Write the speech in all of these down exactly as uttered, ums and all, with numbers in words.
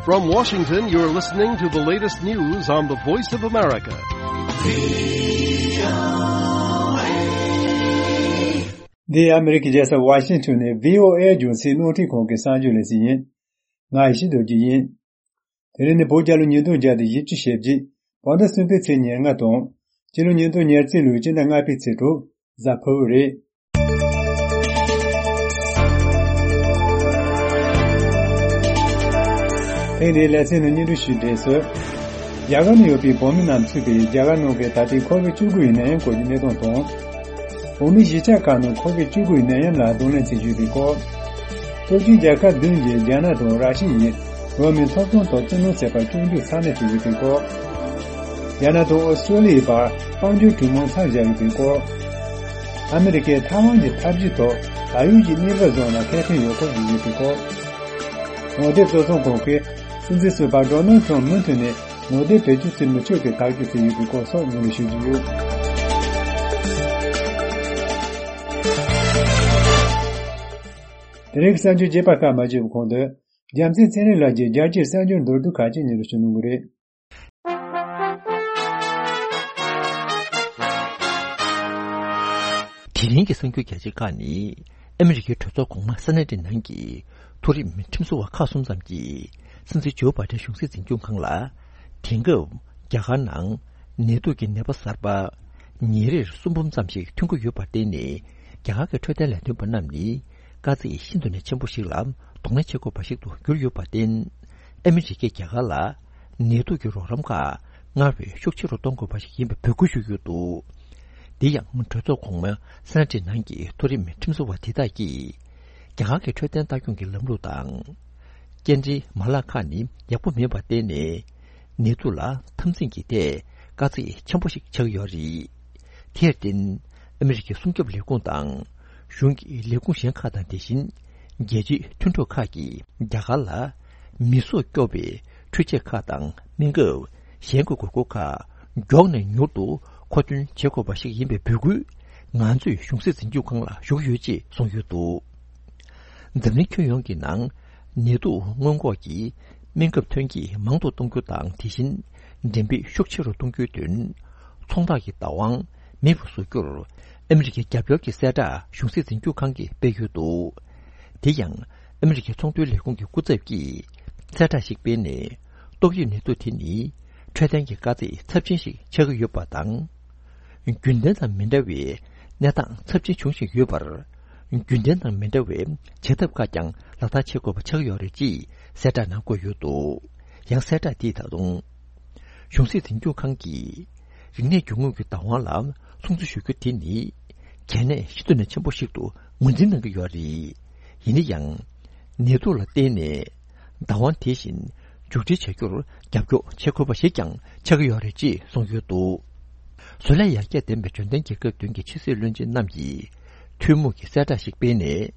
From Washington, you're listening to the latest news on the Voice of America. འདི་ཨ་མི་རི་ཀའི་རྒྱལ་ས་ཝ་ཤིང་ཊོན་ནས་བྷི་ཨོ་ཨེ་རྒྱང་སྲིང་རླུང་འཕྲིན་ཁང་གི་གསར་འགྱུར་ལས་ཚན་ཡིན། ང་ཡེ་ཤེས་རྡོ་རྗེ་ཡིན། དེ་རིང་ནི་བོད་རྒྱལ་ལོ་ཉིས་སྟོང་བརྒྱ་དང་བཞི་བཅུ་ཞེ་གཅིག་བོད་ཟླ་གསུམ་པའི་ཚེས་ཉེར་ལྔ་དང་། སྤྱི་ལོ་ཉིས་སྟོང་ཉེར་གཅིག་ལོའི་སྤྱི་ཟླ་ལྔ་པའི་ཚེས་དྲུག་གཟའ་ཕུར་བུ་རེད། ཐེངས་འདིའི་ལེ་ཚན་ནང་སྙན་སྒྲོན་ཞུས་འབྲེལ་སོ། རྒྱ་གར་ནང་ཡོད་པའི་བོད་མི་རྣམས་ཚུད་པའི་རྒྱ་གར་ནང་གི་ད་ལྟའི་ཁོ་བིཌ་བཅུ་དགུ་ཡི་ནད་ཡམས་སྐོར་གྱི་གནས་སྟངས་དང་། བོད་མིའི་གཞིས་ཆགས་ཁག་ནང་ཁོ་བིཌ་བཅུ་དགུ་ཡི་ནད་ཡམས་ལ་གདོང་ལེན་བྱེད་རྒྱུ་ཡིན་པའི་སྐོར། སྟོབས་ཆེན་རྒྱལ་ཁབ་བདུན་གྱིས་རྒྱ་ནག་དང་ར་ཤི་ཡའི་བོད་མི་ཐོབ་ཐང་ཐོག་བཙན་གནོན་བྱས་པར་སྐྱོན་བརྗོད་ཚ་ནན་བྱེད་ཀྱི་ཡོད་པའི་སྐོར། རྒྱ་ནག་དང་ཨོ་སི་ཀྲོ་ལི་ཡའི་བར་དཔལ་འབྱོར་གྲོས་མོལ་མཚམས་བཞག་ཡོད་པའི་སྐོར། ཨ་མི་རི་ཀས་ཐའེ་ཝན་གྱི་འཐབ་ཇུས་ཐོག་ད་ཡོད་ཀྱི་གནས་བབ་བཟུང་ལ་ཁེ་ཕན་ཡོད་སྐོར་བརྗོད་ཡོད་པའི་སྐོར། ངོ་དེབ་བཟོ་ཚོང་ཁང་གིས་སྲིད་འཛིན་ཟུར་པ་ཌོ་ནལ་ཁྲམ་མུ་མཐུད་ནས་ངོ་དེབ་བེད་སྤྱོད་བྱེད་མི་ཆོག་པའི་ཐག་གཅོད་བྱས་ཡོད་པའི་སྐོར་སོགས་སྙན་སྒྲོན་ཞུ་རྒྱུ་ཡོད། དེ་རིང་གི་གསར་འགྱུར་རྒྱས་པ་ཁག་མ་བརྗོད་པའི་གོང་དུ། རྒྱལ་མཚན་ཚེ་རིང་ལགས་ཀྱིས་རྒྱལ་སྤྱིའི་གསར་འགྱུར་མདོར་བསྡུས་ཁག་ཅིག་སྙན་སྒྲོན་ཞུ་གནང་གི་རེད། དེ་རིང་གི་གསར་འགྱུར་རྒྱ་ཆེ་ཁག་ནི། ཨ་མི་རི་ཀའི་གྲོས་ཚོགས་གོང་མ་སེ་ནེ་ཊི་ནང་གི་མཐོ་རིམ་ཁྲིམས་བཟོ་བ་ཁག་གསུམ་ཙམ་གྱིས་སྲིད་འཛིན་ཇོ་བྷའི་ཌེན་གཞུང་སྲིད་འཛིན་སྐྱོང་ཁང་ལ། དེང་སྐབས་རྒྱ་གར་ནང་ནད་དུག་གི་ནད་པ་གསར་པ་ཉིན་རེར་གསུམ་འབུམ་ཙམ་ཞིག་ཐོན་གྱི་ཡོད་པར་བརྟེན་ནས། རྒྱ་གར་གྱི་འཕྲོད་བསྟེན་ལས་དོན་པ་རྣམས་ནི་དཀའ་ཚེགས་ཤིན་ཏུ་ནས་ཆེན་པོ་ཞིག་ལ་གདོང་ལེན་བྱེད་དགོས་པ་ཞིག་ཏུ་གྱུར་ཡོད་པར་བརྟེན། ཨ་མི་རི་ཀས་རྒྱ་གར་ལ་ནད་དུག་གི་རོགས་རམ་ཁག་སྔར་བས་ཤུགས་ཆེ་རུ་གཏོང་དགོས་པ་ཞིག་ཡིན་པའི་འབོད་སྐུལ་ཞུས་ཡོད་འདུག། དེ་ཡང་གྲོས་ཚོགས་གོང་མ་སེ་ནེ་ཊི་ནང་གི་མཐོ་རིམ་ཁྲིམས་བཟོ་བ་དེ་དག་གིས། རྒྱ་གར་གྱི་འཕྲོད་བསྟེན་ལྟ་སྐྱོང་གི་ལམ་ལུགས་དང་། སྐྱེལ་འདྲེན་མ་ལག་ཁག་ནི་ཡག་པོ་མེད་པར་བརྟེན་ནས། ནད་དུག་ལ་འཐབ་འཛིང་གི་ཐད་དཀའ་ཚེགས་ཆེན་པོ་ཞིག་ཆགས་ཀྱི་ཡོད་རེད། དེར་བརྟེན། ཨ་མི་རི་ཀའི་སྲུང་སྐྱོབ་ལས་ཁུངས་དང་། གཞུང་གི་ལས་ཁུངས་གཞན་ཁག་དང་། དེ་བཞིན་རྒྱལ་སྤྱིའི་མཐུན་གྲོགས་ཁག་གིས་རྒྱ་གར་ལ་མི་སྲོག་སྐྱོབ་པའི་འཕྲུལ་ཆས་ཁག་དང་སྨན་ཁབ། གཞན་གྱི་དགོས་མཁོ་ཁག་མགྱོགས་ནས་མྱུར་དུ་མཁོ་འདོན་བྱེད་དགོས་པ་ཞིག་ཡིན་པའི་འབོད་སྐུལ་ང་ཚོས་གཞུང་སྲིད་འཛིན་སྐྱོང་ཁང་ལ་ཞུ་གི་ཡོད་ཅེས་གསུངས་ཡོད་འདུག། འཛམ་གླིང་ཁྱོན་ཡོངས་ཀྱི་ནང་ནད་དུག་སྔོན་འགོག་གི་སྨན་ཁབ་ཐོན་སྐྱེད་མང་དུ་གཏོང་རྒྱུ་དང་། དེ་བཞིན་འགྲེམས་སྤེལ་ཤུགས་ཆེ་རུ་གཏོང་རྒྱུའི་དོན། ཚོང་རྟགས་ཀྱི་བདག་དབང་མེད་པར་བཟོ་རྒྱུར་ཨ་མི་རི་ཀའི་རྒྱབ་སྐྱོར་གྱི་གསལ་བསྒྲགས་གཞུང་སྲིད་འཛིན་སྐྱོང་ཁང་གིས་སྤེལ་ཡོད་འདུག། དེ་ཡང་ཨ་མི་རི་ཀའི་ཚོང་དོན་ལས་ཁུངས་ཀྱི་སྐུ་ཚབ་ཀྱིས་གསལ་བསྒྲགས་ཤིག་སྤེལ་ནས། ཏོག་དབྱིབས་ནད་དུག་དེ་ནི་འཕྲོད་བསྟེན་གྱི་དཀའ་ཚེགས་ཚབས་ཆེན་ཞིག་ཆགས་ཀྱི་ཡོད་པ་དང་། རྒྱུན་ལྡན་དང་མི་འདྲ་བའི་གནས་སྟངས་ཚབས་ཆེན་འབྱུང་བཞིན་ཡོད་པར། རྒྱུན་ལྡན་དང་མི་འདྲ་བའི་བྱེད་ཐབས་ཁག་ཀྱང་ལག་བསྟར་བྱེད་དགོས་པ་ཆགས་ཡོད་རེད་ཅེས་གསལ་བསྒྲགས་ནང་བཀོད་ཡོད་འདུག། ཡང་གསལ་བསྒྲགས་དེས་ད་དུང་། གཞུང་སྲིད་འཛིན་སྐྱོང་ཁང་གིས་རིག་གནས་རྒྱུ་དངོས་ཀྱི་བདག་དབང་ལ་སྲུང་བརྩི་ཞུ་རྒྱུ་དེ་ནི་གལ་གནད་ཤིན་ཏུ་ནས་ཆེན་པོ་ཞིག་ཏུ་ངོས་འཛིན་གནང་གི་ཡོད་རེད། ཡིན་ན་ཡང་། ནད་དུག་ལ་བརྟེན་ནས་བདག་དབང་དེ་བཞིན་མཇུག་སྒྲིལ་བྱ་རྒྱུར་རྒྱབ་སྐྱོར་བྱེད་དགོས་པ་ཞིག་ཀྱང་ཆགས་ཀྱི་ཡོད་རེད་ཅེས་གསུངས་ཡོད་འདུག། བཟོ་ལས་ཡར་རྒྱས་ལྡན་པའི་འབྱོར་ལྡན་རྒྱལ་ཁབ་བདུན་གྱི་ཕྱི་སྲིད་བློན་ཆེན་རྣམས་ཀྱིས་ཐུན་མོང་གི་གསལ་བསྒྲགས་ཤིག་སྤེལ་ནས།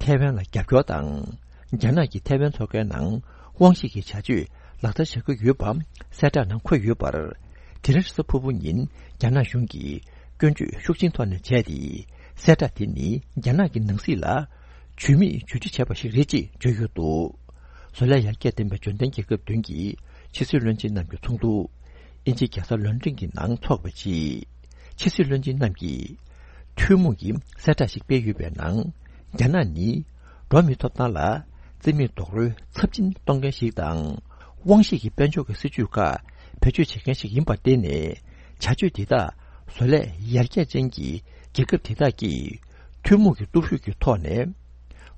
ཐའེ་ཝན་ལ་རྒྱབ་སྐྱོར་དང་། རྒྱ་ནག་གིས་ཐའེ་ཝན་མཚོ་ཁའི་ནང་དབང་ཤེད་ཀྱི་བྱ་སྤྱོད་ལག་བསྟར་བྱ་རྒྱུ་ཡོད་པ་གསལ་བསྒྲགས་ནང་འཁོད་ཡོད་པར། དེ་རིང་རེས་གཟའ་ཕུར་བུ་ཉིན་རྒྱ་ནག་གཞུང་གིས་སྐྱོན་བརྗོད་ཤུགས་ཆེན་ཐོག་ནས་བྱས་ཏེ། གསལ་བསྒྲགས་དེ་ནི་རྒྱ་ནག་གི་ནང་སྲིད་ལ་ཇུས་མེད་བརྗོད་ཁྲི་བྱས་པ་ཞིག་རེད་ཅེས་བརྗོད་ཡོད་འདུག། བཟོ་ལས་ཡར་རྒྱས་ལྡན་པའི་འབྱོར་ལྡན་རྒྱལ་ཁབ་བདུན་གྱི་ཕྱི་སྲིད་བློན་ཆེན་རྣམས་ཀྱི་ཚོགས་འདུ་དབྱིན་ཇིའི་རྒྱལ་ས་ལོན་ཀྲིན་གྱི་ནང་འཚོགས་པའི་ཆེད། ཕྱི་སྲིད་བློན་ཆེན་རྣམས་ཀྱིས་ཐུན་མོང་གི་གསལ་བསྒྲགས་ཤིག་སྤེལ་ཡོད་པའི་ནང་། རྒྱ་ནག་ནི་འགྲོ་བ་མིའི་ཐོབ་ཐང་ལ་བརྩི་མེད་རྡོག་རོལ་ཚབས་ཆེན་གཏོང་མཁན་ཞིག་དང་། དབང་ཤེད་ཀྱི་དཔལ་འབྱོར་གྱི་སྲིད་ཇུས་ཁག་བེད་སྤྱོད་བྱེད་མཁན་ཞིག་ཡིན་པར་བརྟེན་ནས། བྱ་སྤྱོད་འདི་དག་བཟོ་ལས་ཡར་རྒྱས་ཅན་གྱི་རྒྱལ་ཁབ་དེ་དག་གིས་ཐུན་མོང་གི་སྟོབས་ཤུགས་ཀྱི་ཐོག་ནས་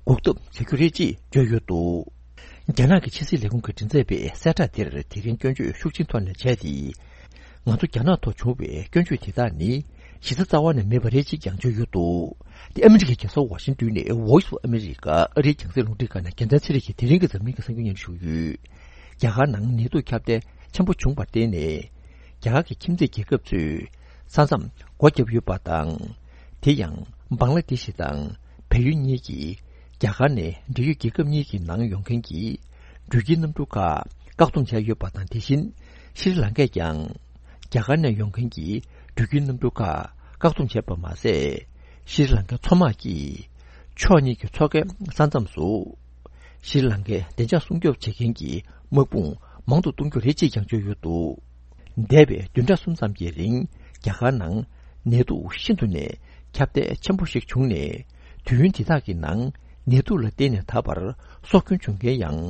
འགོག་ཐབས་བྱ་རྒྱུ་རེད་ཅེས་བརྗོད་ཡོད་འདུག། རྒྱ་ནག་གི་ཕྱི་སྲིད་ལས་ཁུངས་ཀྱིས་འགྲེམས་སྤེལ་བའི་གསལ་བསྒྲགས་དེར་དེ་རིང་སྐྱོན་བརྗོད་ཤུགས་ཆེན་ཐོག་ནས་བྱས་ཏེ། ང་ཚོ་རྒྱ་ནག་ཐོག་བྱུང་བའི་སྐྱོན་བརྗོད་དེ་དག་ནི་གཞི་རྩ་རྩ་བ་ནས་མེད་པ་རེད་ཅེས་ཀྱང་བརྗོད་ཡོད་འདུག། དེ་ཨ་མི་རི་ཀའི་རྒྱལ་ས་ཝ་ཤིང་ཏོན་ནས་Voice of America ཨ་རིའི་རྒྱང་སྲིང་རླུང་འཕྲིན་ཁང་ནས་རྒྱལ་མཚན་ཚེ་རིང་གིས་དེ་རིང་གི་འཛམ་གླིང་གི་གསར་འགྱུར་སྙན་ཞུ་ཡོད། རྒྱ་གར་ནང་ནད་དུག་ཁྱབ་གདལ་ཆེན་པོ་བྱུང་བར་བརྟེན་ནས། རྒྱ་གར་གྱི་ཁྱིམ་མཚེས་རྒྱལ་ཁབ་ཚོས་ས་མཚམས་སྒོ་བརྒྱབ་ཡོད་པ་དང་། དེ་ཡང་བང་ལ་དེ་ཤི་དང་བལ་ཡུལ་གཉིས་ཀྱིས་རྒྱ་གར་ནས་འབྲེལ་ཡོད་རྒྱལ་ཁབ་གཉིས་ཀྱི་ནང་ཡོང་མཁན་གྱི་འགྲུལ་སྐྱེལ་གནམ་གྲུ་ཁག་བཀག་སྡོམ་བྱས་ཡོད་པ་དང་། དེ་བཞིན་ཤྲི་ལང་ཀས་ཀྱང་རྒྱ་གར་ནས་ཡོང་མཁན་གྱི་འགྲུལ་སྐྱེལ་གནམ་གྲུ་ཁག་བཀག་སྡོམ་བྱས་པ་མ་ཟད། ཤྲི་ལང་ཀའི་མཚོ་དམག་གིས་ཕྱོགས་གཉིས་ཀྱི་མཚོ་ཁའི་ས་མཚམས་སུ་ ཤྲི་ལང་ཀའི་བདེ་འཇགས་སྲུང་སྐྱོབ་བྱེད་མཁན་གྱི་དམག་དཔུང་མང་དུ་གཏོང་རྒྱུ་རེད་ཅེས་ཀྱང་བརྗོད་ཡོད་འདུག་འདས་པའི་བདུན་ཕྲག་གསུམ་ཙམ་གྱི་རིང་རྒྱ་གར་ནང་ནད་དུག་ཤིན་ཏུ་ནས་ཁྱབ་གདལ་ཆེན་པོ་ཞིག་བྱུང་ནས། དུས་ཡུན་འདི་དག་གི་ནང་ནད་དུག་ལ་བརྟེན་ནས་ད་བར་སྲོག་སྐྱོན་བྱུང་མཁན་ཡང་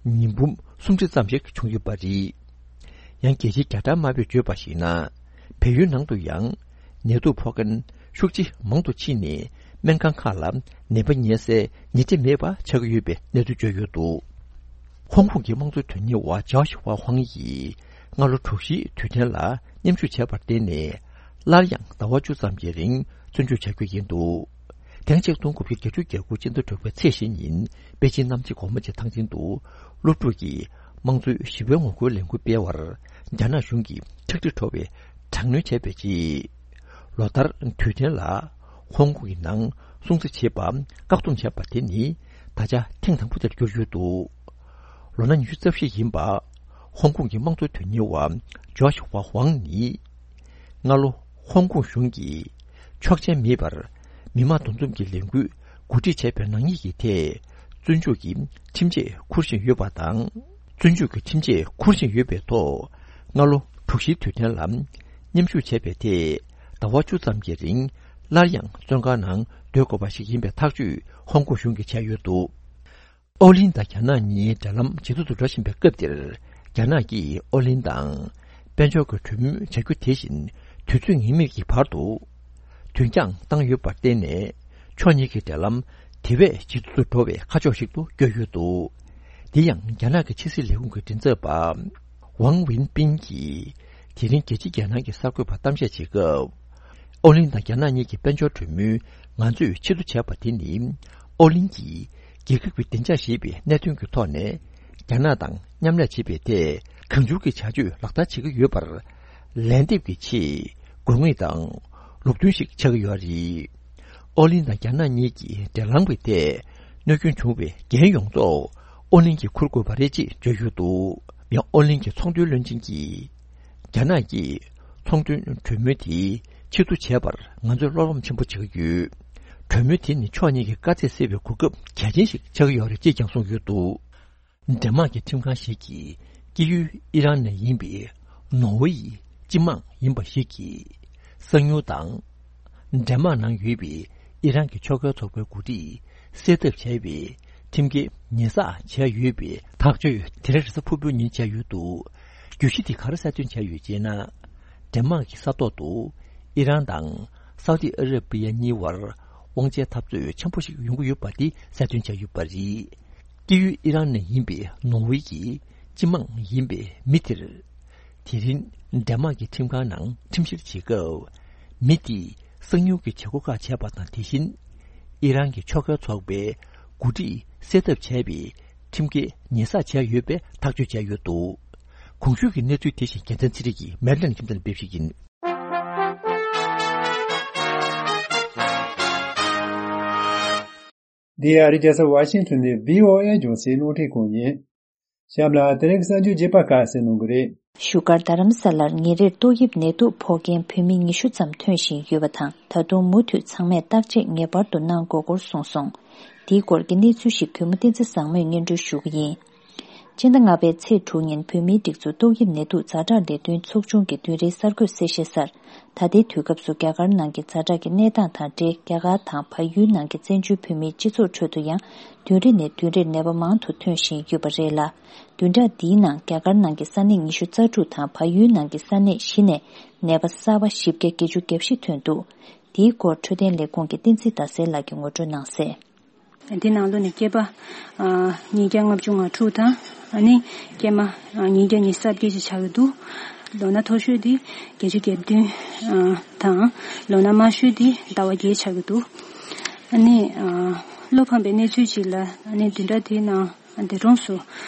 ཉིས་འབུམ་སུམ་ཁྲི་ཙམ་ཞིག་བྱུང་ཡོད་པ་རེད། ཡང་རྒྱལ་སྤྱིའི་རྒྱ་གྲམ་དམར་པོས་བརྗོད་པར་གཞིགས་ན། བལ་ཡུལ་ནང་དུ་ཡང་ནད་དུག་ཕོག་མཁན་ཤུགས་ཆེ་མང་དུ་ཕྱིན་ནས། སྨན་ཁང་ཁག་ལ་ནད་པ་ཉལ་སའི་ཉལ་ཁྲི་མེད་པ་ཆགས་ཀྱི་ཡོད་པའི་གནས་ཚུལ་བརྗོད་ཡོད་འདུག་ཧོང་ཀོང་གི་དམངས་གཙོའི་དོན་གཉེར་བ་ཇའོ་ཞི་ཧྭ་ཧུང་ཡིས་སྔ་ལོ་དྲུག་བཞིའི་དུས་དྲན་ལ་མཉམ་ཞུགས་བྱས་པར་བརྟེན་ནས། སླར་ཡང་ཟླ་བ་བཅུ་ཙམ་གྱི་རིང་བཙོན་འཇུག་བྱ་རྒྱུ་ཡིན་འདུག་དེ་སྔ་ཆིག་སྟོང་དགུ་བརྒྱ་བརྒྱད་ཅུ་གྱ་དགུ་སྤྱི་ཟླ་དྲུག་པའི་ཚེས་བཞི་ཉིན་པེ་ཅིན་གནམ་དཔྱད་སྒོ་མོ་ཆེ་ཐང་ཆེན་དུ་སློབ་ཕྲུག་གིས་དམངས་གཙོའི་ཞི་བའི་ངོ་རྒོལ་ལས་འགུལ་སྤེལ་བར་རྒྱ་ནག་གཞུང་གིས་ཁྲག་དྲི་བྲོ་བའི་དྲག་གནོན་བྱས་པའི་རྗེས། ལོ་ལྟར་དུས་དྲན་ལ་ཧོང་ཀོང་གི་ནང་སྲུང་བརྩི་བྱེད་པ་བཀག་སྡོམ་བྱས་པ་དེ་ནི་ད་ཆ་ཐེངས་དང་པོ་དེར་གྱུར་ཡོད་འདུག་ལོ་ན་ཉི་ཤུ་རྩ་བཞི་ཡིན་པ་ཧོང་ཀོང་གི་དམངས་གཙོ་དོན་གཉེར་བ་ཇོ་ཤི་ཧྭ་ཧུང་ནི། སྔ་ལོ་ཧོང་ཀོང་གཞུང་གིས་ཆོག་མཆན་མེད་པར་མི་མང་འདུ་འཛོམས་ཀྱི་ལས་འགུལ་གོ་སྒྲིག་བྱས་པའི་ནག་ཉེས་ཀྱི་ཐད། བཙོན་འཇུག་གི་ཁྲིམས་ཆད་འཁུར་བཞིན་ཡོད་པ་དང་། བཙོན་འཇུག་གི་ཁྲིམས་ཆད་འཁུར་བཞིན་ཡོད་པའི་ཐོག་སྔ་ལོ་དྲུག་བཞིའི་དུས་དྲན་ལ་མཉམ་ཞུགས་བྱས་པའི་ཐད། ཟླ་བ་བཅུ་ཙམ་གྱི་རིང་སླར་ཡང་བཙོན་ཁང་ནང་སྡོད་དགོས་པ་ཞིག་ཡིན་པའི་ཐག་གཅོད་ཧོང་ཀོང་གཞུང་གིས་བྱས་ཡོད་འདུག་ཨོ་གླིང་དང་རྒྱ་ནག་གཉིས་འབྲེལ་ལམ་ཇེ་སྡུག་ཏུ་འགྲོ་བཞིན་པའི་སྐབས་འདིར། རྒྱ་ནག་གིས་ཨོ་གླིང་དང་དཔལ་འབྱོར་གྱི་གྲོས་མོལ་བྱ་རྒྱུ་དེ་བཞིན་དུས་ཚོད་ངེས་མེད་ཀྱི་བར་དུ་དུས་འགྱངས་བཏང་ཡོད་པར་བརྟེན་ནས། ཕྱོགས་གཉིས་ཀྱི་འབྲེལ་ལམ་དེ་བས་ཇེ་སྡུག་ཏུ་འགྲོ་བའི་ཁ་ཕྱོགས་ཤིག་ཏུ་བསྐྱོད་ཡོད་འདུག་འདི་ཡང་རྒྱ་ནག་གི་ཕྱི་སྲིད་ལས་ཁུངས་ཀྱི་མགྲིན་ཚབ་པ་ཝང་ཝིན་པིན་གྱིས་དེ་རིང་རྒྱལ་སྤྱིའི་རྒྱལ་ནང་གི་གསར་འགོད་པར་གཏམ་བཤད་བྱེད་སྐབས། ཨོ་གླིང་དང་རྒྱ་ནག་གཉིས་ཀྱི་དཔལ་འབྱོར་གྲོས་མོལ་ང་ཚོས་ཕྱིར་བསྡུ་བྱས་པ་དེ་ནི། ཨོ་གླིང་གིས་རྒྱལ་ཁབ་ཀྱི་བདེ་འཇགས་ཞེས་པའི་གནད་དོན་གྱི་ཐོག་ནས། རྒྱ་ནག་དང་མཉམ་ལས་བྱེད་པའི་ཐད་གང་འཚམ་གྱི་བྱ་སྤྱོད་ལག་བསྟར་བྱེད་ཀྱི་ཡོད་པར། ལན་འདེབས་ཀྱི་ཆེད་དགོས་ངེས་དང་ལུགས་མཐུན་ཞིག་ཆགས་ཀྱི་ཡོད་རེད། ཨོ་གླིང་དང་རྒྱ་ནག་གཉིས་ཀྱི་འབྲེལ་ལམ་གྱི་ཐད་གནོད་སྐྱོན་བྱུང་བའི་འགན་ཡོངས་རྫོགས་ཨོ་གླིང་གིས་འཁུར་དགོས་པ་རེད་ཅེས་བརྗོད་ཡོད་འདུག་ཡང་ཨོ་གླིང་གི་ཚོང་དོན་བློན་ཆེན་གྱིས། རྒྱ་ནག་གིས་ཚོང་དོན་གྲོས་མོལ་དེ་ཕྱིར་བསྡུ་བྱས་པར་ང་ཚོས་བློ་ཕམ་ཆེན་པོ་བྱེད་ཀྱི་ཡོད། གྲོས་མོལ་དེ་ནི་ཕྱོགས་གཉིས་ཀྱི་དཀའ་ཚེགས་སེལ་བའི་གོ་སྐབས་གལ་ཆེན་ཞིག་ཆགས་ཀྱི་ཡོད་རེད་ཅེས་ཀྱང་གསུངས་ཡོད་འདུག་འདན་མག་གི་ཁྲིམས་ཁང་ཞིག་གིས་སྐྱེས་ཡུལ་ཨི་རན་ནས་ཡིན་པའི་ནོར་ཝེ་ཡི་སྤྱི་དམངས་ཡིན་པ་ཞིག་གི་གསང་ཉུལ་དང་། འདན་མག་ནང་ཡོད་པའི་ཨི་རན་གྱི་ཆོས་ཁའི་ཚོགས་པའི་འགོ་ཁྲིད་སེལ་ཐབས་བྱས་པའི་ཁྲིམས་འགལ་ཉེས་བསགས་བྱས་ཡོད་པའི་ཐག་གཅོད་དེ་རིང་རེས་གཟའ་ཕུར་བུའི་ཉིན་བྱས་ཡོད་འདུག་བརྗོད་གཞི་དེ་ག་རེ་གསལ་སྟོན་བྱས་ཡོད་ཅེ་ན། འདན་མག་གི་ས་ཐོག་ཏུ་ཨི་རན་དང་སའུ་ཏི་ཨ་ར་པི་ཡ་གཉིས་བར་དབང་ཆའི་འཐབ་རྩོད་ཆེན་པོ་ཞིག་ཡོང་གི་ཡོད་པ་དེ་གསལ་སྟོན་བྱས་ཡོད་པ་རེད། སྐྱེས་ཡུལ་ཨི་རན་ནས་ཡིན་པའི་ནོར་ཝེ་གྱི་སྤྱི་དམངས་ཡིན་པའི་མི་དེར། དེ་རིང་འདན་མག་གི་ཁྲིམས་ཁང་ནང་ཁྲིམས་བཤེར་བྱེད་སྐབས། མི་དེས་གསང་ཉུལ་གྱི་བྱེད་སྒོ་ཁག་བྱས་པ་དང་། དེ་བཞིན་ཨི་རན་གྱི་ཆོས་ཁའི་ཚོགས་པའི་འགོ་ཁྲིད་སེལ་ཐབས་བྱས་པའི་ཁྲིམས་འགལ་ཉེས་བསགས་བྱས་ཡོད་པའི་ཐག་གཅོད་བྱས་ཡོད་འདུག་གོང་ཞུས་ཀྱི་གནས་ཚུལ་དེ་བཞིན་རྒྱལ་མཚན་ཚེ་རིང་གིས་མེ་ལན་ཁྱིམ་ཚང་ལ་ཕེབས་ཤིག་ཡིན། འདི་ཨ་རི་རྒྱལ་ས་ཝ་ཤིང་ཊོན་ནས་བྷི་ཨོ་ཨེ་རྒྱང་སྲིང་རླུང་འཕྲིན་ཁང་ཡིན། གཤམ་ལ་དེ་རིང་གི་གསར་འགྱུར་རྒྱས་པ་ཁག་གསན་གནང་གི་རེད། བཞུགས་སྒར་རྡ་རམ་ས་ལར་ཉིན་རེར་ཏོག་དབྱིབས་ནད་དུག་ཕོག་མཁན་བོད་མི་ཉི་ཤུ་ཙམ་ཐོན་བཞིན་ཡོད་པ་དང་། ད་དུང་མུ་མཐུད་ཚང་མས་བརྟག་དཔྱད་ངེས་པར་དུ་གནང་དགོས་སྐོར་གསུངས་སོང་། འདིའི་སྐོར་གྱི་གནས་ཚུལ་ཞིག་གུས་མོ་བསྟན་འཛིན་བཟང་མོས་སྙན་སྒྲོན་ཞུ་གི་ཡིན། སྤྱི་ཟླ་ལྔ་པའི་ཚེས་དྲུག་ཉིན་བོད་མིའི་སྒྲིག་འཛུགས་ཏོག་དབྱིབས་ནད་དུག་ཛ་དྲག་ལས་དོན་ཚོགས་ཆུང་གི་བདུན་རེའི་གསར་འགོད་གསལ་བཤད་གསར། ད་ལྟའི་དུས་སྐབས་སུ་རྒྱ་གར་ནང་གི་ཛ་དྲག་གི་གནས་སྟངས་དང་འབྲེལ། རྒྱ་གར་དང་བལ་ཡུལ་ནང་གི་བཙན་བྱོལ་བོད་མིའི་སྤྱི་ཚོགས་ཁྲོད་དུ་ཡང་བདུན་རེ་ནས་བདུན་རེར་ནད་པ་མང་དུ་ཐོན་བཞིན་ཡོད་པ་རེད་ལ། བདུན་ཕྲག་འདིའི་ནང་རྒྱ་གར་ནང་གི་ས་གནས་ཉི་ཤུ་རྩ་དྲུག་དང་བལ་ཡུལ་ནང་གི་ས་གནས་བཞི་ནས་ནད་པ་གསར་པ་བཞི་བརྒྱ་བརྒྱད་ཅུ་གྱ་བཞི་ཐོན་འདུག་འདིའི་སྐོར་འཕྲོད་བསྟེན་ལས་ཁུངས་ཀྱི་བསྟན་འཛིན་ཟླ་གསལ་ལགས་ཀྱིས་ངོ་སྤྲོད་གནང་གསལ། འདི་ནང་ལོགས་ནས་སྐྱེས་པ་ཨ་ཉིས་བརྒྱ་ལྔ་བཅུ་ང་དྲུག་དང་། ཨ་ནི་སྐྱེས་མ་ཨ་ཉིས་བརྒྱ་ཉི་ཤུ་རྩ་བརྒྱད་ཅིག་ཆགས་ཀྱི་འདུག་ལོ་ན་མཐོ་ཤོས་དེ་བརྒྱད་ཅུ་གྱ་བདུན་ཨ་དང་། ལོ་ན་དམའ་ཤོས་དེ་ཟླ་བ་བརྒྱད་ཆགས་ཀྱི་འདུག་ཨ་ནི་ཨ་བློ་ཕམ་པའི་གནས་ཚུལ་ཅིག་ལ། ཨ་ནི་བདུན་ཕྲག་དེའི་ནང་འདས་གྲོངས་སུ་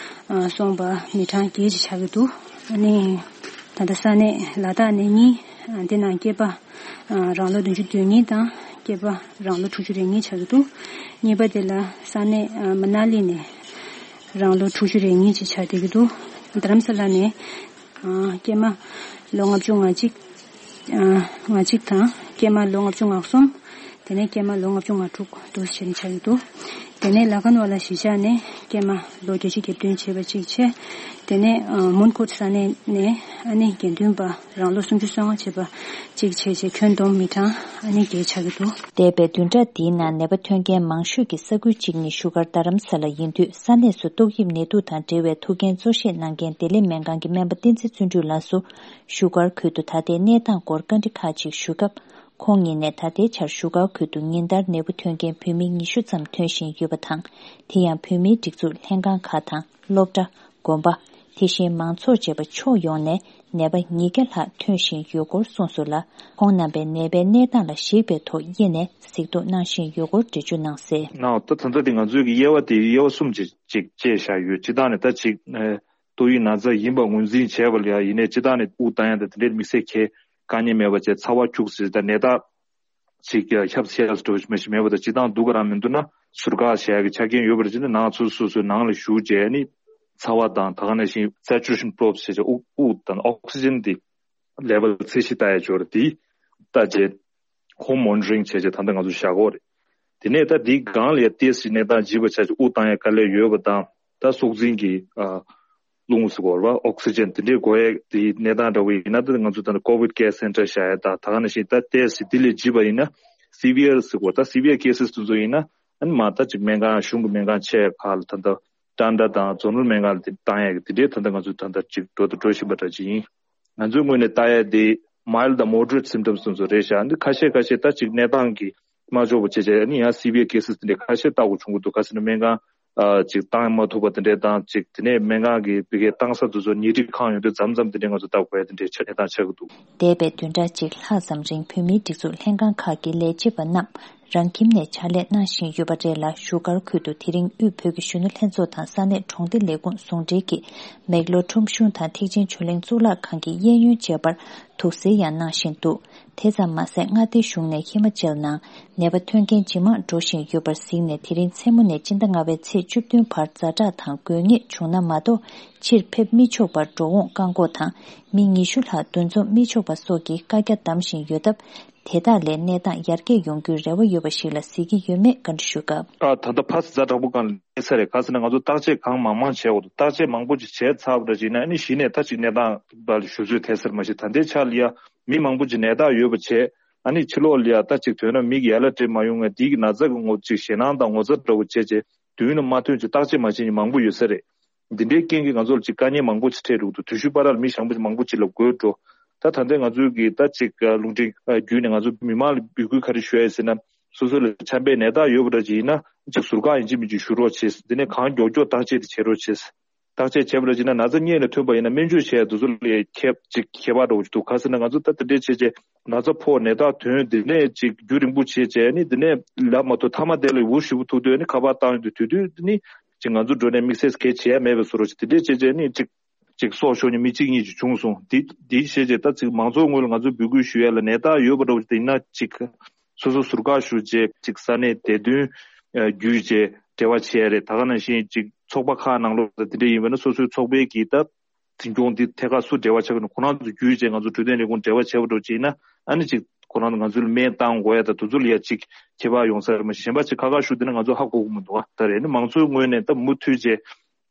ཨ་སོང་པ་མི་གྲངས་བརྒྱད་ཅིག་ཆགས་ཀྱི་འདུག་ཨ་ནི་ད་ལྟ་ས་གནས་ལ་དྭགས་ནས་གཉིས། ཨ་དེ་ནང་སྐྱེས་པ་ཨ་རང་ལོ་བདུན་ཅུ་དོན་གཉིས་དང་། སྐྱེས་པ་རང་ལོ་དྲུག་ཅུ་རེ་གཉིས་ཆགས་ཀྱི་འདུག་གཉིས་པ་དེ་ལ་ས་གནས་ཨ་མ་ན་ལི་ནས་རང་ལོ་དྲུག་ཅུ་རེ་གཉིས་ཅིག་ཆགས་བསྡད་ཀྱི་འདུག་རྡ་རམ་ས་ལ་ནས་ཨ་སྐྱེས་མ་ལོ་ལྔ་བཅུ་ང་གཅིག་ཨ་ང་གཅིག་དང་། སྐྱེས་མ་ལོ་ལྔ་བཅུ་ང་གསུམ། དེ་ནས་སྐྱེས་མ་ལོ་ལྔ་བཅུ་ང་དྲུག་འདུག་བྱས་ནས་ཆགས་ཀྱི་འདུག་དེ་ནས་ལ་ཁན་ཝ་ལ་གཞིས་ཆགས་ནས་སྐྱེས་མ་ལོ་བརྒྱད་ཅུ་གྱ་བདུན་བྱས་པ་གཅིག་བྱས། དེ་ནས་ཨ་མོན་གྷོ་ས་གནས་ནས་ཨ་ནི་དགེ་འདུན་པ་རང་ལོ་སུམ་ཅུ་སོ་ལྔ་བྱས་པ་གཅིག་བྱས་བྱས་ཁྱོན་བསྡོམས་མི་གྲངས་ཨ་ནི་བརྒྱད་ཆགས་ཀྱི་འདུག་འདས་པའི་བདུན་ཕྲག་འདིའི་ནང་ནད་པ་ཐོན་མཁན་མང་ཤོས་ཀྱི་ས་ཁུལ་གཅིག་ནི་བཞུགས་སྒར་རྡ་རམ་ས་ལ་ཡིན་དུས། ས་གནས་སུ་ཏོག་དབྱིབས་ནད་དུག་དང་འབྲེལ་བའི་ཐུགས་འགན་གཙོ་བཞེས་གནང་མཁན་བདེ་ལེགས་སྨན་ཁང་གི་སྨན་པ་བསྟན་འཛིན་བརྩོན་འགྲུས་ལགས་སུ། བཞུགས་སྒར་ཁུལ་དུ་ད་ལྟའི་གནས་སྟངས་སྐོར་བཀའ་འདྲི་ཁག་ཅིག་ཞུས་སྐབས། ཁོང་ཉིད་ནས་ད་ལྟའི་ཆར་བཞུགས་སྒར་ཁུལ་དུ་ཉིན་ལྟར་ནད་འབུ་ཐོན་མཁན་བོད་མི་ཉི་ཤུ་ཙམ་ཐོན་བཞིན་ཡོད་པ་དང་། དེ་ཡང་བོད་མིའི་སྒྲིག་འཛུགས་ལྷན་ཁང་ཁག་དང་སློབ་གྲྭ། དགོན་པ། དེ་བཞིན་མང་ཚོགས་བཅས་པ་ཕྱོགས་ཡོངས་ནས་ནད་པ་ཉིས་བརྒྱ་ལྷག་ཐོན་བཞིན་ཡོད་སྐོར་གསུངས་སོང་ལ། ཁོང་རྣམ་པས་ནད་པའི་གནས་སྟངས་ལ་གཞིགས་པའི་ཐོག་དབྱེ་ནས་གཟིགས་རྟོག་གནང་བཞིན་ཡོད་སྐོར་འགྲེལ་བརྗོད་གནང་གསལ། ནའོ། ད་ད་ལྟ་དེ་ང་ཚོའི་གི་དབྱེ་བ་དེ་དབྱེ་བ་གསུམ་ཅིག་ཅིག་བཅད་བཞག་ཡོད། སྤྱིར་བཏང་ནས་ད་ཅིག་ཨ་ཏོག་དབྱིབས་ན་ཚ་ཡིན་པ་ངོས་འཛིན་བྱས་པ་ལ་ཡ་ཡིན་ནའི་སྤྱིར་བཏང་ནས་དབུགས་བཏང་ཡ་དང་དེ་འདྲའི་དམིགས་བསལ་གྱི་དཀའ་ངལ་མེད་པ་བྱས། ཚ་བ་ཁྱུག་ཟེར་ད་ནད་རྟགས་ཅིག་ཁྱབ་གསལ་འགྲོ་མ་ཞིག་མེད་པ་དང་། སྤྱིར་བཏང་སྡུག་ག་རང་མི་འདུག་ན་ཟུར་བཀག་བྱེད་ཡ་གི་ཆ་རྐྱེན་ཡོད་པ་རེད་ཅེ་ན། ནང་སོ་སོ་སོའི་ནང་ལ་བཞུགས་བྱས་ནི་ཚ་བ་དང་། ད་ག་ནང་བཞིན་saturation probe་ཟེར་བྱས་དབུགས་དབུགས་དང་ཨོག་སི་ཇན་དེ་level་ཚད་གཞི་ལྟ་ཡ་ཅིག་ཡོད་རེད། དེ་ལྟ་བྱས་home monitoring་བྱས་བྱས་ད་ལྟ་ང་ཚོ་བཞག་གི་ཡོད་རེད། དེ་ནས་ད་དེའི་སྒང་ལ་ཡ་ཏོག་ཙམ་གནས་སྟངས་ལྗིད་པ་ཆགས་ཀྱི་དབུགས་བཏང་ཡ་དཀའ་ལས་ཡོད་པ་དང་། ད་སྲོག་འཛིན་གྱི་ཨ་རླུང་ཟེར་དགོས་རེད་པ། ཨོག་སི་ཇན་དེ་འདྲའི་དགོས་ཡ་དེའི་གནས་སྟངས་འདྲ་བོ་ཡིན་ན། ད་ང་ཚོ་ད་ལྟ་COVID care center་བཞག་ཡ་དང་། ད་ག་ནང་བཞིན་ད་ཏོག་ཙམ་དེ་ལས་ལྗིད་པ་ཡིན་ན་severe་ཟེར་དགོས། ད་severe cases་དེ་ཚོ་ཡིན་ན་ཨ་ནི་མ་ད་ཅིག་སྨན་ཁང་གཞུང་གི་སྨན་ཁང་ཆེ་ཁག་ལ་ད་ལྟ་ཊཱན་ཊ་དང་ཛོ་ནལ་སྨན་ཁང་ལ་དེ་བཏང་ཡ་གི་དེ་འདྲའི་ད་ལྟ་ང་ཚོ་ད་ལྟ་ཅིག་འགྲོ་དང་འགྲོ་བཞིན་པ་འདྲ་ཅིག་ཡིན། ང་ཚོའི་ངོས་ནས་ལྟ་ཡ་དེ་mild་དང་moderate symptoms་དེ་ཚོ་རེད་ཤག་འདི་ཁ་ཤས་ཁ་ཤས་ད་ཅིག་གནས་སྟངས་ཀྱིས་མ་ལྕོགས་པ་བྱས་བྱས་ཨ་ནི་ཡང་severe cases་དེ་འདྲ་ཁ་ཤས་ལྟ་དགོས་བྱུང་གི་འདུག་ག་ཟེར་ན་སྨན་ཁང་ཨ་ཅིག་བཏང་མ་ཐུབ་པ་དེ་འདྲ་དང་། ཅིག་དེ་ནས་སྨན་ཁང་གི་བི་ཀའི་བཏང་ས་དེ་ཚོ་ཉལ་ཁྲི་ཁང་ཡོད་དུས་མཚམས་མཚམས་དེ་འདྲ་ང་ཚོ་ལྟ་དགོས་ཡ་དེ་འདྲའི་ཆ་གནས་སྟངས་ཆགས་ཀྱི་འདུག་འདས་པའི་བདུན་ཕྲག་གཅིག་ལྷག་ཙམ་རིང་བོད་མིའི་སྒྲིག་འཛུགས་ལྷན་ཁང་ཁག་གི་ལས་བྱེད་པ་རྣམས་རང་ཁྱིམ་ནས་ཕྱག་ལས་གནང་བཞིན་ཡོད་པ་རེད་ལ། བཞུགས་སྒར་ཁུལ་དུ་དེ་རིང་དབུས་བོད་ཀྱི་གཞོན་ནུ་ལྷན་ཚོགས་དང་ས་གནས་གྲོང་སྡེ་ལས་ཁུངས་ཟུང་འབྲེལ་གྱིས་མེག་ལོར་ཁྲོམ་གཞུང་དང་ཐེག་ཆེན་ཆོས་གླིང་གཙུག་ལག་ཁང་གི་གཡས་གཡོན་བཅས་པར་དུག་སེལ་ཡང་གནང་བཞིན་འདུག་དེ་ཙམ་མ་ཟད། མངའ་སྡེ་གཞུང་ནས་ཧི་མ་ཅལ་ནང་ནད་པ་ཐོན་མཁན་ཇེ་མང་འགྲོ་བཞིན་ཡོད་པར་གཟིགས་ནས། དེ་རིང་མཚན་མོ་ནས་སྤྱི་ཟླ་ལྔ་པའི་ཚེས་བཅུ་བདུན་བར་ཛ་དྲག་དང་དགོས་ངེས་བྱུང་ན་མ་གཏོགས་ཕྱིར་ཕེབས་མི་ཆོག་པར་འགྲོ་འོང་བཀག་འགོག་དང་། མི་ཉི་ཤུ་ལྷག་འདུ་འཛོམས་མི་ཆོག་པ་སོགས་ཀྱི་བཀའ་རྒྱ་བསྡམས་བཞིན་ཡོད་སྟབས། དེ་དག་ལས་གནས་སྟངས་ཡར་རྒྱས་ཡོང་རྒྱུའི་རེ་བ་ཡོད་པ་ཞིག་ལ་གཟིགས་ཀྱི་ཡོད་མེད་བཀའ་འདྲི་ཞུ་སྐབས། ཨ་ད་ལྟ་ཕར་ཛ་དྲག་པོ་སྒང་ལ་སླེབས་ཚར་རེད། ག་ཟེར་ན་ང་ཚོ་བརྟག་དཔྱད་གང་མང་མང་བྱས་འོ། བརྟག་དཔྱད་མང་པོ་ཅིག་བྱས་ཚར་བ་འདྲ་ཅིག་ཡིན་ན་ཨ་ནི་གཞི་ནས་ད་ཅིག་གནས་སྟངས་ལ་ཞུ་ཚོད་ཐེབས་ས་རེད། མ་གཞི་ད་ལྟའི་ཆ་ལ་ཡ་མི་མང་པོ་ཅིག་ནད་རྟགས་ཡོད་པ་བྱས། ཨ་ནི་ཕྱི་ལོགས་ལ་ཡ་ད་ཅིག་ཐོན་ན་མིག་ཡར་ལ་སྤྲད་མ་ཡོང་ངས་འདི་གི་ན་ཚ་གི་ངོ་ཅིག་ཞེད་སྣང་དང་ངོ་ཚ་འདྲ་བོ་བྱས་བྱས་མདུན་ལ་མ་ཐོན་ཅིག་བརྟག་དཔྱད་མ་བྱས་མཁན་མང་པོ་ཡོད་ས་རེད། འདི་འདྲའི་རྐྱེན་གྱིས་ང་ཚོར་ཅིག་དཀའ་ངལ་མང་པོ་ཅིག་འཕྲད་འགྲོ་གི་འདུག་དུས་ཚོད་བར་ལ་མི་ཞང་པོ་ཅིག་མང་པོ་ཅིག་ལ་འགོས་འགྲོ། ད་ད་ལྟའི་ང་ཚོའི་གི་ད་ཅིག་རླུང་འཕྲིན་བརྒྱུད་ནས་ང་ཚོ་མི་མང་ལ་འབོད་སྐུལ་ག་རེ་ཞུ་ཡ་ཡིན་ཟེར་ན། སོ་སོ་ལ་ཆམ་པའི་ནད་རྟགས་ཡོད་པ་འདྲ་ཅིག་ཡིན་ན་ཅིག་ཟུར་བཀག་ཡིན་གཅིག་མིན་གཅིག་ཞུ་རོགས་བྱེད། འདི་ནས་གང་མགྱོགས་མགྱོགས་བརྟག་དཔྱད་དེ་བྱེད་རོགས་བྱེད། བརྟག་དཔྱད་བྱས་པ་འདྲ་ཅིག་ན་ན་ཚ་རྙེད་ནས་ཐོན་པ་ཡིན་ན་སྨན་བཅོས་བྱས་དེ་ཚོ་ལ་ཁྱད་ཅིག་ཁྱད་པར་འདྲ་བོ་ཅིག་འདུག་ག་ཟེར་ན་ང་ཚོ་ད་དེ་འདྲས་བྱས་བྱས་ན་ཚ་ཕོག་ནད་རྟགས་ཐོན། འདི་ནས་ཅིག་རྒྱུན་རིང་པོ་བྱས་བྱས་ནི་འདི་ནས་ལབ་མ་ཐུབ། མཐའ་མ་དེ་ལ་འུར་ཞེ་པོ་ཐུག་དུས་ནི་ཁ་པར་བཏང་ཡོང་དུས་དུས་དུས་ནི་ཅིག་ང་ཚོ་འགྲོ་ནས་དམིགས་བསལ་གལ་ཆེ་ཡ་མེད་པའི་བཟོ་འདྲ་ཅིག་དེ་འདྲས་བྱས་བྱས་ནི་ཅིག་ཅིག་སྲོག་ཤོར་མཁན་མི་གཅིག་གཉིས་ཅིག་བྱུང་སོང་། དེ་དེ་བྱས་བྱས་ད་ཅིག་མང་ཚོགས་ངོས་ལ་ང་ཚོས་འབོད་སྐུལ་ཞུ་ཡ་ལ་ནད་རྟགས་ཡོད་པ་འདྲ་བོ་ཅིག་ཡིན་ན་ཅིག་སོ་སོ་ཟུར་བཀག་ཞུ་བྱས་ཅིག་ས་གནས་བདེ་དོན་བརྒྱུད་བྱས་འབྲེལ་བ་བྱས་ཡ་རེད། ད་ག་ནང་བཞིན་ཅིག་ཚོགས་པ་ཁག་ནང་ལོགས་ད་དེ་འདྲས་ཡིན་པ་ན་སོ་སོའི་ཚོགས་པའི་གི་ད་འཛིན་སྐྱོང་འདི་ཐད་ཀར་སུ་འབྲེལ་བ་ཆགས་ཀྱི་འདུག་ཁོ་རང་ཚོ་བརྒྱུད་བྱས་ང་ཚོ་འཕྲོད་བསྟེན་ལས་ཁུངས་འབྲེལ་བ་བྱས་པ་འདྲ་བོ་ཅིག་ཡིན་ན་ཨ་ནི་ཅིག་ཁོ་རང་ཚོ་ང་ཚོ་ལ་སྨན་བཏང་དགོས་ཡ་ད་དེ་ཚོ་ལ་ཡ་ཅིག་ཁྱད་པར་ཡོང་ས་རེད། མ་གཞན་པ་ཅིག་ཁ་ཁ་ཞུ་དེ་ན་ང་ཚོ་ཧ་གོ་གི་མི་འདུག་ད་རེད་ནི་མང་ཚོགས་ངོས་ནས་ད་མུ་མཐུད་བྱས་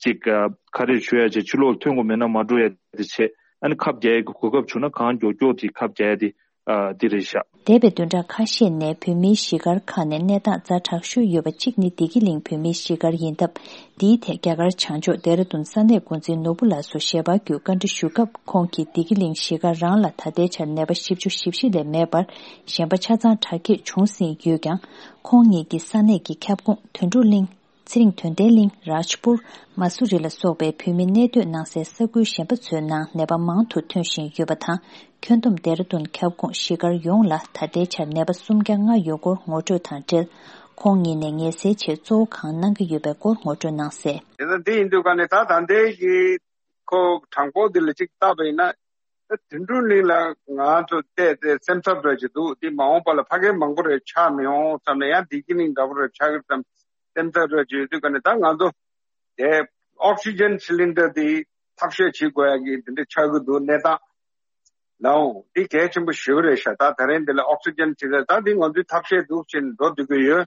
ཅིག་ཨ་ཁ་རས་ཞུ་ཡ་བྱས་ཕྱི་ལོགས་ལ་ཐོན་དགོས་མེད་ན་མ་འགྲོ་ཡ་དེ་བྱས། ཨ་ནི་ཁབ་རྒྱག་ཡ་གི་གོ་སྐབས་བྱུང་ན་གང་མགྱོགས་མགྱོགས་དེ་ཁབ་རྒྱག་ཡ་དེ་ཨ་དེ་རེད་ཤག་འདས་པའི་བདུན་ཕྲག་ཁ་ཤས་ནས་བོད་མིའི་གཞིས་སྒར་ཁག་ནས་གནས་སྟངས་ཛ་དྲག་ཤོས་ཡོད་པ་གཅིག་ནི་བདེ་སྐྱིད་གླིང་བོད་མིའི་གཞིས་སྒར་ཡིན་སྟབས། འདིའི་ཐད་རྒྱ་གར་བྱང་ཕྱོགས་ལྡེ་ར་ལྡུན་ས་གནས་འགོ་འཛིན་ནོར་བུ་ལགས་སུ་ཞལ་པར་བརྒྱུད་བཀའ་འདྲི་ཞུ་སྐབས། ཁོང་གིས་བདེ་སྐྱིད་གླིང་གཞིས་སྒར་རང་ལ་ད་ལྟའི་ཆར་ནད་པ་བཞི་བཅུ་ཞེ་བཞི་ལས་མེད་པར་གཞན་པ་ཆ་ཚང་དྲག་སྐྱེད་བྱུང་ཟིན་ཡོད་ཀྱང་། ཁོང་ཉིད་ཀྱིས་ས་གནས་ཀྱི་ཁྱབ་ཁོངས་དོན་གྲུབ་གླིང་། ཚེ་རིང་དོན་ལྡན་གླིང་། རཱཇ་པུར། མ་སུ་རི་ལ་སོགས་པའི་བོད་མི་གནས་སྡོད་གནང་སའི་ས་ཁུལ་གཞན་པ་ཚོའི་ནང་ནད་པ་མང་དུ་ཐོན་བཞིན་ཡོད་པ་དང་། ཁྱོན་བསྡོམས་ལྡེ་ར་ལྡུན་ཁྱབ་ཁོངས་གཞིས་སྒར་ཡོངས་ལ་ད་ལྟའི་ཆར་ནད་པ་སུམ་བརྒྱ་ལྔ་ཡོད་སྐོར་ངོ་སྤྲོད་དང་འབྲེལ། ཁོང་ཉིད་ནས་ངལ་སེལ་ཆེད་གཙོ་བོ་གང་གནང་གི་ཡོད་པའི་སྐོར་ངོ་སྤྲོད་གནང་གསལ། དེ་ལྟར་འདི་ཡིན་དུས་ག་ནས་ད་ད་ལྟའི་གི་ཁོ་གྲངས་འབོར་འདི་ལ་གཅིག་བལྟས་པ་ཡིན་ན། ད་དོན་གྲུབ་གླིང་ལ་ང་ཚོ་བལྟས་ཏེ་སེམས་འཚབ་འདྲ་ཅིག་འདུག་འདི་མ་འོངས་པ་ལ་ཕ་གི་མང་པོ་རེ་ཆགས་མི་འོང་བསམ་ནས། ཡང་བདེ་སྐྱིད་གླིང་འདྲ་པོ་རེ་ཆགས་ཀྱི་བསམ་སེམས་འཚབ་འདྲ་ཅིག་ཡོད་དུས་ག་ནས་ད་ང་ཚོ་དེ་ཨོག་སི་ཇན་སི་ལིན་ཌར་འདི་ཐག་གཅོད་བྱེད་དགོས་ཡ་གི་འདི་འདྲ་ཆགས་ཀྱི་འདུག་གནས་སྟངས། ལའོ། འདི་གལ་ཆེན་པོ་ཞེ་པོ་རེད་ཤག་ད་ད་རིང་འདི་ལ་ཨོག་སི་ཇན་བྱེད་ས་ད་འདི་ང་ཚོའི་ཐབས་ཤེས་འདུག་ཅེས་འགྲོ་སྡོད་ཀྱི་ཡོད།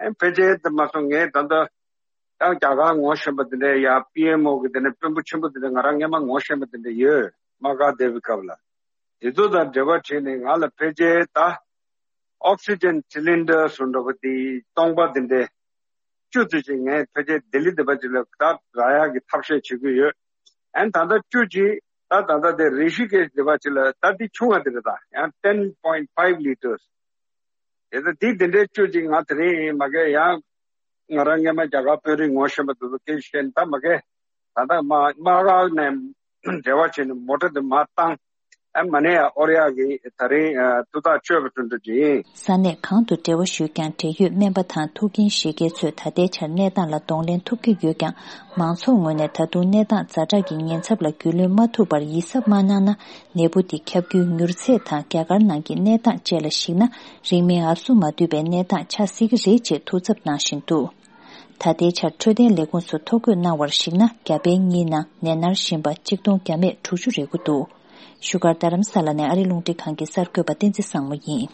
ཨེ་ཕལ་ཆེར་དེ་མ་སོང་ངས་ད་ལྟ་ཡང་རྒྱ་གར་ངོ་ཤེས་པ་དེ་འདྲ་ཡ་པི་ཨེམ་ཨོ་གི་དེ་ནས་དཔོན་པོ་ཆེན་པོ་དེ་འདྲ་ང་རང་སྔས་མ་ངོ་ཤེས་པ་དེ་འདྲ་ཡོད། དམག་སྒར་བསྡད་པའི་སྐབས་ལ། དེ་ཚོ་དང་འབྲེལ་བ་བྱས་ནས་ང་ལ་ཕལ་ཆེར་ད་ཨོག་སི་ཇན་སི་ལིན་ཌར་སུ་འདྲ་པོ་དེ་སྟོང་པ་དེ་འདྲ་བཅུ་ཙམ་ཞིག་ངས་ཕལ་ཆེར་ལྡི་ལི་འདི་པ་ཅིག་ལ་ད་རག་ཡག་གི་ཐབས་ཤེས་བྱེད་ཀྱི་ཡོད། ཨན་ད་ལྟ་བཅུ་ཅིག་ད་ད་ལྟ་དེ་རི་ཤི་ཀེཤ་འདི་པ་ཅིག་ལ་ད་འདི་ཆུང་བ་དེ་རེད། ད་ཡང་ten point five liters། དེ་ད་འདི་དེ་འདྲའི་བཅུ་ཅིག་ང་དེ་རིང་མ་གས་ཡང་ང་རང་སྔས་མ་རྒྱ་གར་དཔོན་རིགས་ངོ་ཤེས་པ་དེ་ཚོ་སྐད་ཆ་བཤད་ནས་ད་མ་གས་ད་ལྟ་མ་དམག་སྒར་ནས་འབྲེལ་བ་བྱས་ནས་མོ་ཊ་དེ་མར་བཏང་། ཨ་མ་ནས་ཨོ་རི་ཡ་གི་ད་རིང་ཨ་ཐུགས་ཐག་ཆོད་པ་ཐུན་འགྲོ་ཅིག་ཡིན། ས་གནས་གང་དུ་འབྲེལ་བ་ཞུས་ཀྱང་འབྲེལ་ཡོད་སྨན་པ་དང་ཐུགས་འགན་བཞེས་མཁན་ཚོས་ད་ལྟའི་ཆར་གནས་སྟངས་ལ་གདོང་ལེན་ཐུབ་ཀྱི་ཡོད་ཀྱང་། མང་ཚོགས་ངོས་ནས་ད་དུང་གནས་སྟངས་ཛ་དྲག་གི་ཉེན་ཚབས་ལ་རྒྱུས་ལོན་མ་ཐུབ་པར་ཡིད་གཟབ་མ་གནང་ན། ནད་འབུ་འདི་ཁྱབ་རྒྱུའི་མྱུར་ཚད་དང་རྒྱ་གར་ནང་གི་གནས་སྟངས་བཅས་ལ་གཞིགས་ན། རིང་མིན་ཨབ་སུ་མ་བསྡུས་པའི་གནས་སྟངས་ཆགས་སྲིད་ཀྱི་རེད་ཅེས་ཐུགས་འཚབ་གནང་བཞིན་འདུག་ད་ལྟའི་ཆར་འཕྲོད་བསྟེན་ལས་ཁུངས་སུ་ཐོ་འགོད་གནང་བར་གཞིགས་ན། རྒྱ་བལ་གཉིས་ནང་ནད་མནར་བཞིན་པ་གཅིག་སྟོང་བརྒྱ་མེད་དྲུག་ཅུ་རེ་དགུ་འདུག་བཞུགས་སྒར་རྡ་རམ་ས་ལ་ནས་ཨ་རི་རླུང་འཕྲིན་ཁང་གི་གསར་འགོད་པ་བསྟན་འཛིན་བཟང་མོ་ཡིན།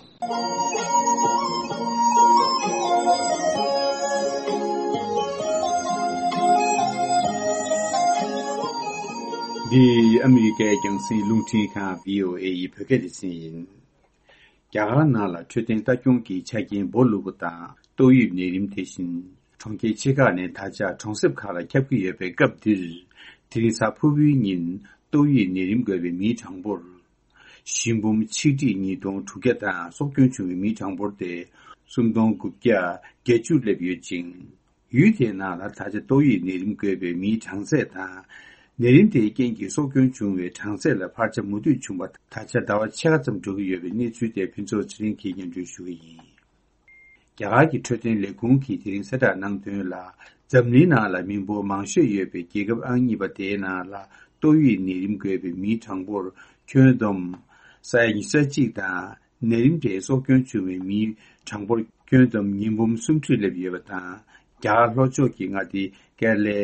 འདི་ཨ་མི་རི་ཀའི་རྒྱང་སྲིང་རླུང་འཕྲིན་ཁང་བྷི་ཨོ་ཨེ་ཡི་བོད་སྐད་སྡེ་ཚན་ཡིན། རྒྱ་གར་ནང་ལ་འཕྲོད་བསྟེན་ལྟ་སྐྱོང་གི་ཆ་རྐྱེན་སྦོ་ལུག་པ་དང་ཏོག་དབྱིབས་ནད་རིམས་དེ་བཞིན་གྲོང་ཁྱེར་ཆེ་ཁག་ནས་ད་ཆ་གྲོང་གསེབ་ཁག་ལ་ཁྱབ་ཀྱི་ཡོད་པའི་སྐབས་འདིར། དེ་རིང་གཟའ་ཕུར་བུའི་ཉིན་ཏོག་དབྱིབས་ནད་རིམས་འགོས་པའི་མིའི་གྲངས་འབོར་ཞི་འབུམ་ཆིག་ཁྲི་ཉིས་སྟོང་དྲུག་བརྒྱ་དང་སྲོག་སྐྱོན་བྱུང་བའི་མིའི་གྲངས་འབོར་དེ་སུམ་སྟོང་དགུ་བརྒྱ་བརྒྱད་ཅུར་སླེབས་ཡོད་ཅིང་། ཡུལ་དེའི་ནང་ལ་ད་ཆ་ཏོག་དབྱིབས་ནད་རིམས་འགོས་པའི་མིའི་གྲངས་ཚད་དང་། ནད་རིམས་དེའི་རྐྱེན་གྱིས་སྲོག་སྐྱོན་བྱུང་བའི་གྲངས་ཚད་ལ་འཕར་ཆ་མུ་མཐུད་བྱུང་བ་ད་ཆ་ཟླ་བ་ཕྱེད་ཀ་ཙམ་འགྲོ་གི་ཡོད་པའི་གནས་ཚུལ་དེ་ཕུན་ཚོགས་ཚེ་རིང་གིས་སྙན་སྒྲོན་ཞུ་གི་ཡིན། རྒྱ་གར་གྱི་འཕྲོད་བསྟེན་ལས་ཁུངས་ཀྱིས་དེ་རིང་གསལ་བསྒྲགས་གནང་དོན་ལ། འཛམ་གླིང་ནང་ལ་མི་འབོར་མང་ཤོས་ཡོད་པའི་རྒྱལ་ཁབ་ཨང་གཉིས་པ་དེའི་ནང་ལ་ཏོག་དབྱིབས་ནད་རིམས་འགོས་པའི་མིའི་གྲངས་འབོར་ཁྱོན་བསྡོམས་ས་ཡ་ཉི་ཤུ་རྩ་གཅིག་དང་། ནད་རིམས་དེས་སྲོག་སྐྱོན་བྱུང་བའི་མིའི་གྲངས་འབོར་ཁྱོན་བསྡོམས་ཉིས་འབུམ་སུམ་ཁྲི་སླེབས་ཡོད་པ་དང་། རྒྱ་གར་ལྷོ་ཕྱོགས་ཀྱི་མངའ་སྡེ་ཀེ་ར་ལའི་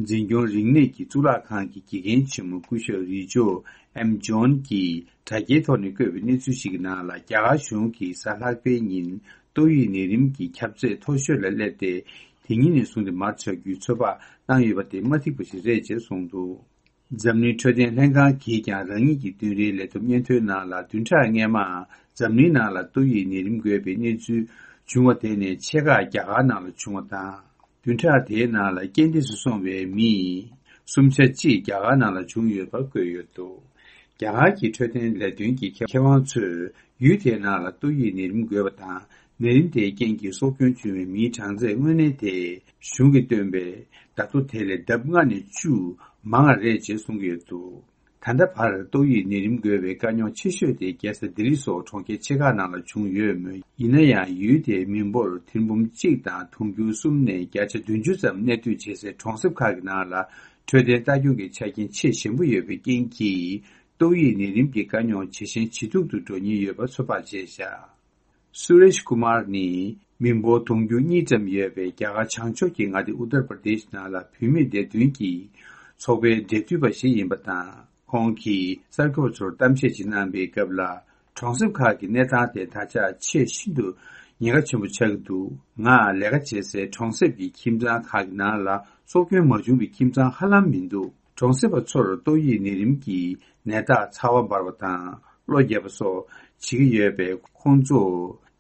འཛིན་སྐྱོང་རིག་གནས་ཀྱི་གཙུག་ལག་ཁང་གི་དགེ་རྒན་ཆེན་མོ་སྐུ་ཞབས་རི་ཇོ་ཨེམ་ཇོན་གྱིས་དྲ་རྒྱའི་ཐོག་ནས་བཀོད་པའི་གནས་ཚུལ་ཞིག་གི་ནང་ལ། རྒྱ་གར་གཞུང་གིས་གཟའ་ལྷག་པའི་ཉིན་ཏོག་དབྱིབས་ནད་རིམས་ཀྱི་ཁྱབ་ཚད་མཐོ་ཤོས་ལ་སླེབས་ཏེ། དེ་ཉིན་ནས་བཟུང་སྟེ་མར་ཆག་རྒྱུའི་ཚོད་དཔག་གནང་ཡོད་པ་དེ་མ་ཐིག་པ་ཞིག་རེད་ཅེས་གསུངས་འདུག་འཛམ་གླིང་འཕྲོད་བསྟེན་ལྷན་ཁང་གིས་ཀྱང་རང་ཉིད་ཀྱི་བདུན་རེའི་ལས་བསྡོམས་སྙན་ཐོའི་ནང་ལ། བདུན་ཕྲག་སྔས་མ་འཛམ་གླིང་ནང་ལ་ཏོག་དབྱིབས་ནད་རིམས་འགོས་པའི་གནས་ཚུལ་བྱུང་བ་དེ་ནས་ཕྱེད་ཀ་རྒྱ་གར་ནང་ལ་བྱུང་བ་དང་། བདུན་ཕྲག་དེའི་ནང་ལ་རྐྱེན་འདས་སུ་སོང་བའི་མི་སུམ་ཆ་གཅིག་རྒྱ་གར་ནང་ལ་བྱུང་ཡོད་པར་བཀོད་ཡོད་འདུག་རྒྱ་གར་གྱི་འཕྲོད་བསྟེན་ལས་དོན་གྱི་མཁས་དབང་ཚོས། ཡུལ་དེའི་ནང་ལ་ཏོག་དབྱིབས་ནད་རིམས་འགོས་པ་དང་། ནད་རིམས་དེའི་རྐྱེན་གྱིས་སྲོག་སྐྱོན་བྱུང་བའི་མིའི་གྲངས་ཚད་དངོས་གནས་དེ་གཞུང་གིས་བཏོན་པའི་བརྡ་ཐོ་དེ་ལས་ལྡབ་ལྔ་ནས་བཅུ་མང་བ་རེད་ཅེས་གསུང་གི་ཡོད་འདུག་ད་ལྟ་བར་ཏོག་དབྱིབས་ནད་རིམས་འགོས་པའི་དཀའ་རྙོག་ཆེ་ཤོས་དེ་རྒྱལ་ས་ལྡི་ལི་སོགས་གྲོང་ཁྱེར་ཆེ་ཁག་ནང་ལ་བྱུང་ཡོད་མོད། ཡིན་ན་ཡང་ཡུལ་དེའི་མི་འབོར་ཐེར་འབུམ་གཅིག་དང་དུང་ཕྱུར་གསུམ་ནས་བརྒྱ་ཆ་བདུན་ཅུ་ཙམ་གནས་སྡོད་བྱེད་སའི་གྲོང་གསེབ་ཁག་གི་ནང་ལ་འཕྲོད་བསྟེན་ལྟ་སྐྱོང་གི་ཆ་རྐྱེན་ཆེས་ཞན་པོ་ཡོད་པའི་རྐྱེན་གྱིས། ཏོག་དབྱིབས་ནད་རིམས་ཀྱི་དཀའ་རྙོག་ཇེ་ཞན་ཇེ་སྡུག་ཏུ་འགྲོ་ཉེན་ཡོད་པ་ཚོད་དཔག་བྱས་བཞག་སུ་རེཤ་ཀུ་མར་ནི་མི་འབོར་དུང་ཕྱུར་གཉིས་ཙམ་ཡོད་པའི་རྒྱ་གར་བྱང་ཕྱོགས་ཀྱི་མངའ་སྡེ་ཨུ་ཏར་པར་དེཤ་ནང་ལ་བུད་མེད་བདེ་དོན་གྱི་ཚོགས་པའི་འབྲེལ་མཐུད་པ་ཞིག་ཡིན་པ་དང་། ཁོང་གིས་གསར་འགོད་པ་ཚོར་གཏམ་བཤད་ཅིག་གནང་པའི་སྐབས་ལ། གྲོང་གསེབ་ཁག་གི་གནས་སྟངས་དེ་ད་ཆ་ཆེས་ཤིན་ཏུ་ཉེན་ཁ་ཆེན་པོ་ཆགས་ཀྱི་འདུག་ང་ལས་ཀ་བྱེད་སའི་གྲོང་གསེབ་ཀྱི་ཁྱིམ་ཚང་ཁག་གི་ནང་ལ་སྲོག་སྐྱོན་མ་བྱུང་བའི་ཁྱིམ་ཚང་ཧ་ལམ་མི་འདུག་གྲོང་གསེབ་པ་ཚོར་ཏོག་དབྱིབས་ནད་རིམས་ཀྱི་ནད་རྟགས་ཚ་བ་འབར་བ་དང་གློ་རྒྱག་པ་སོགས་བྱེད་ཀྱི་ཡོད་པས། ཁོང་ཚོ་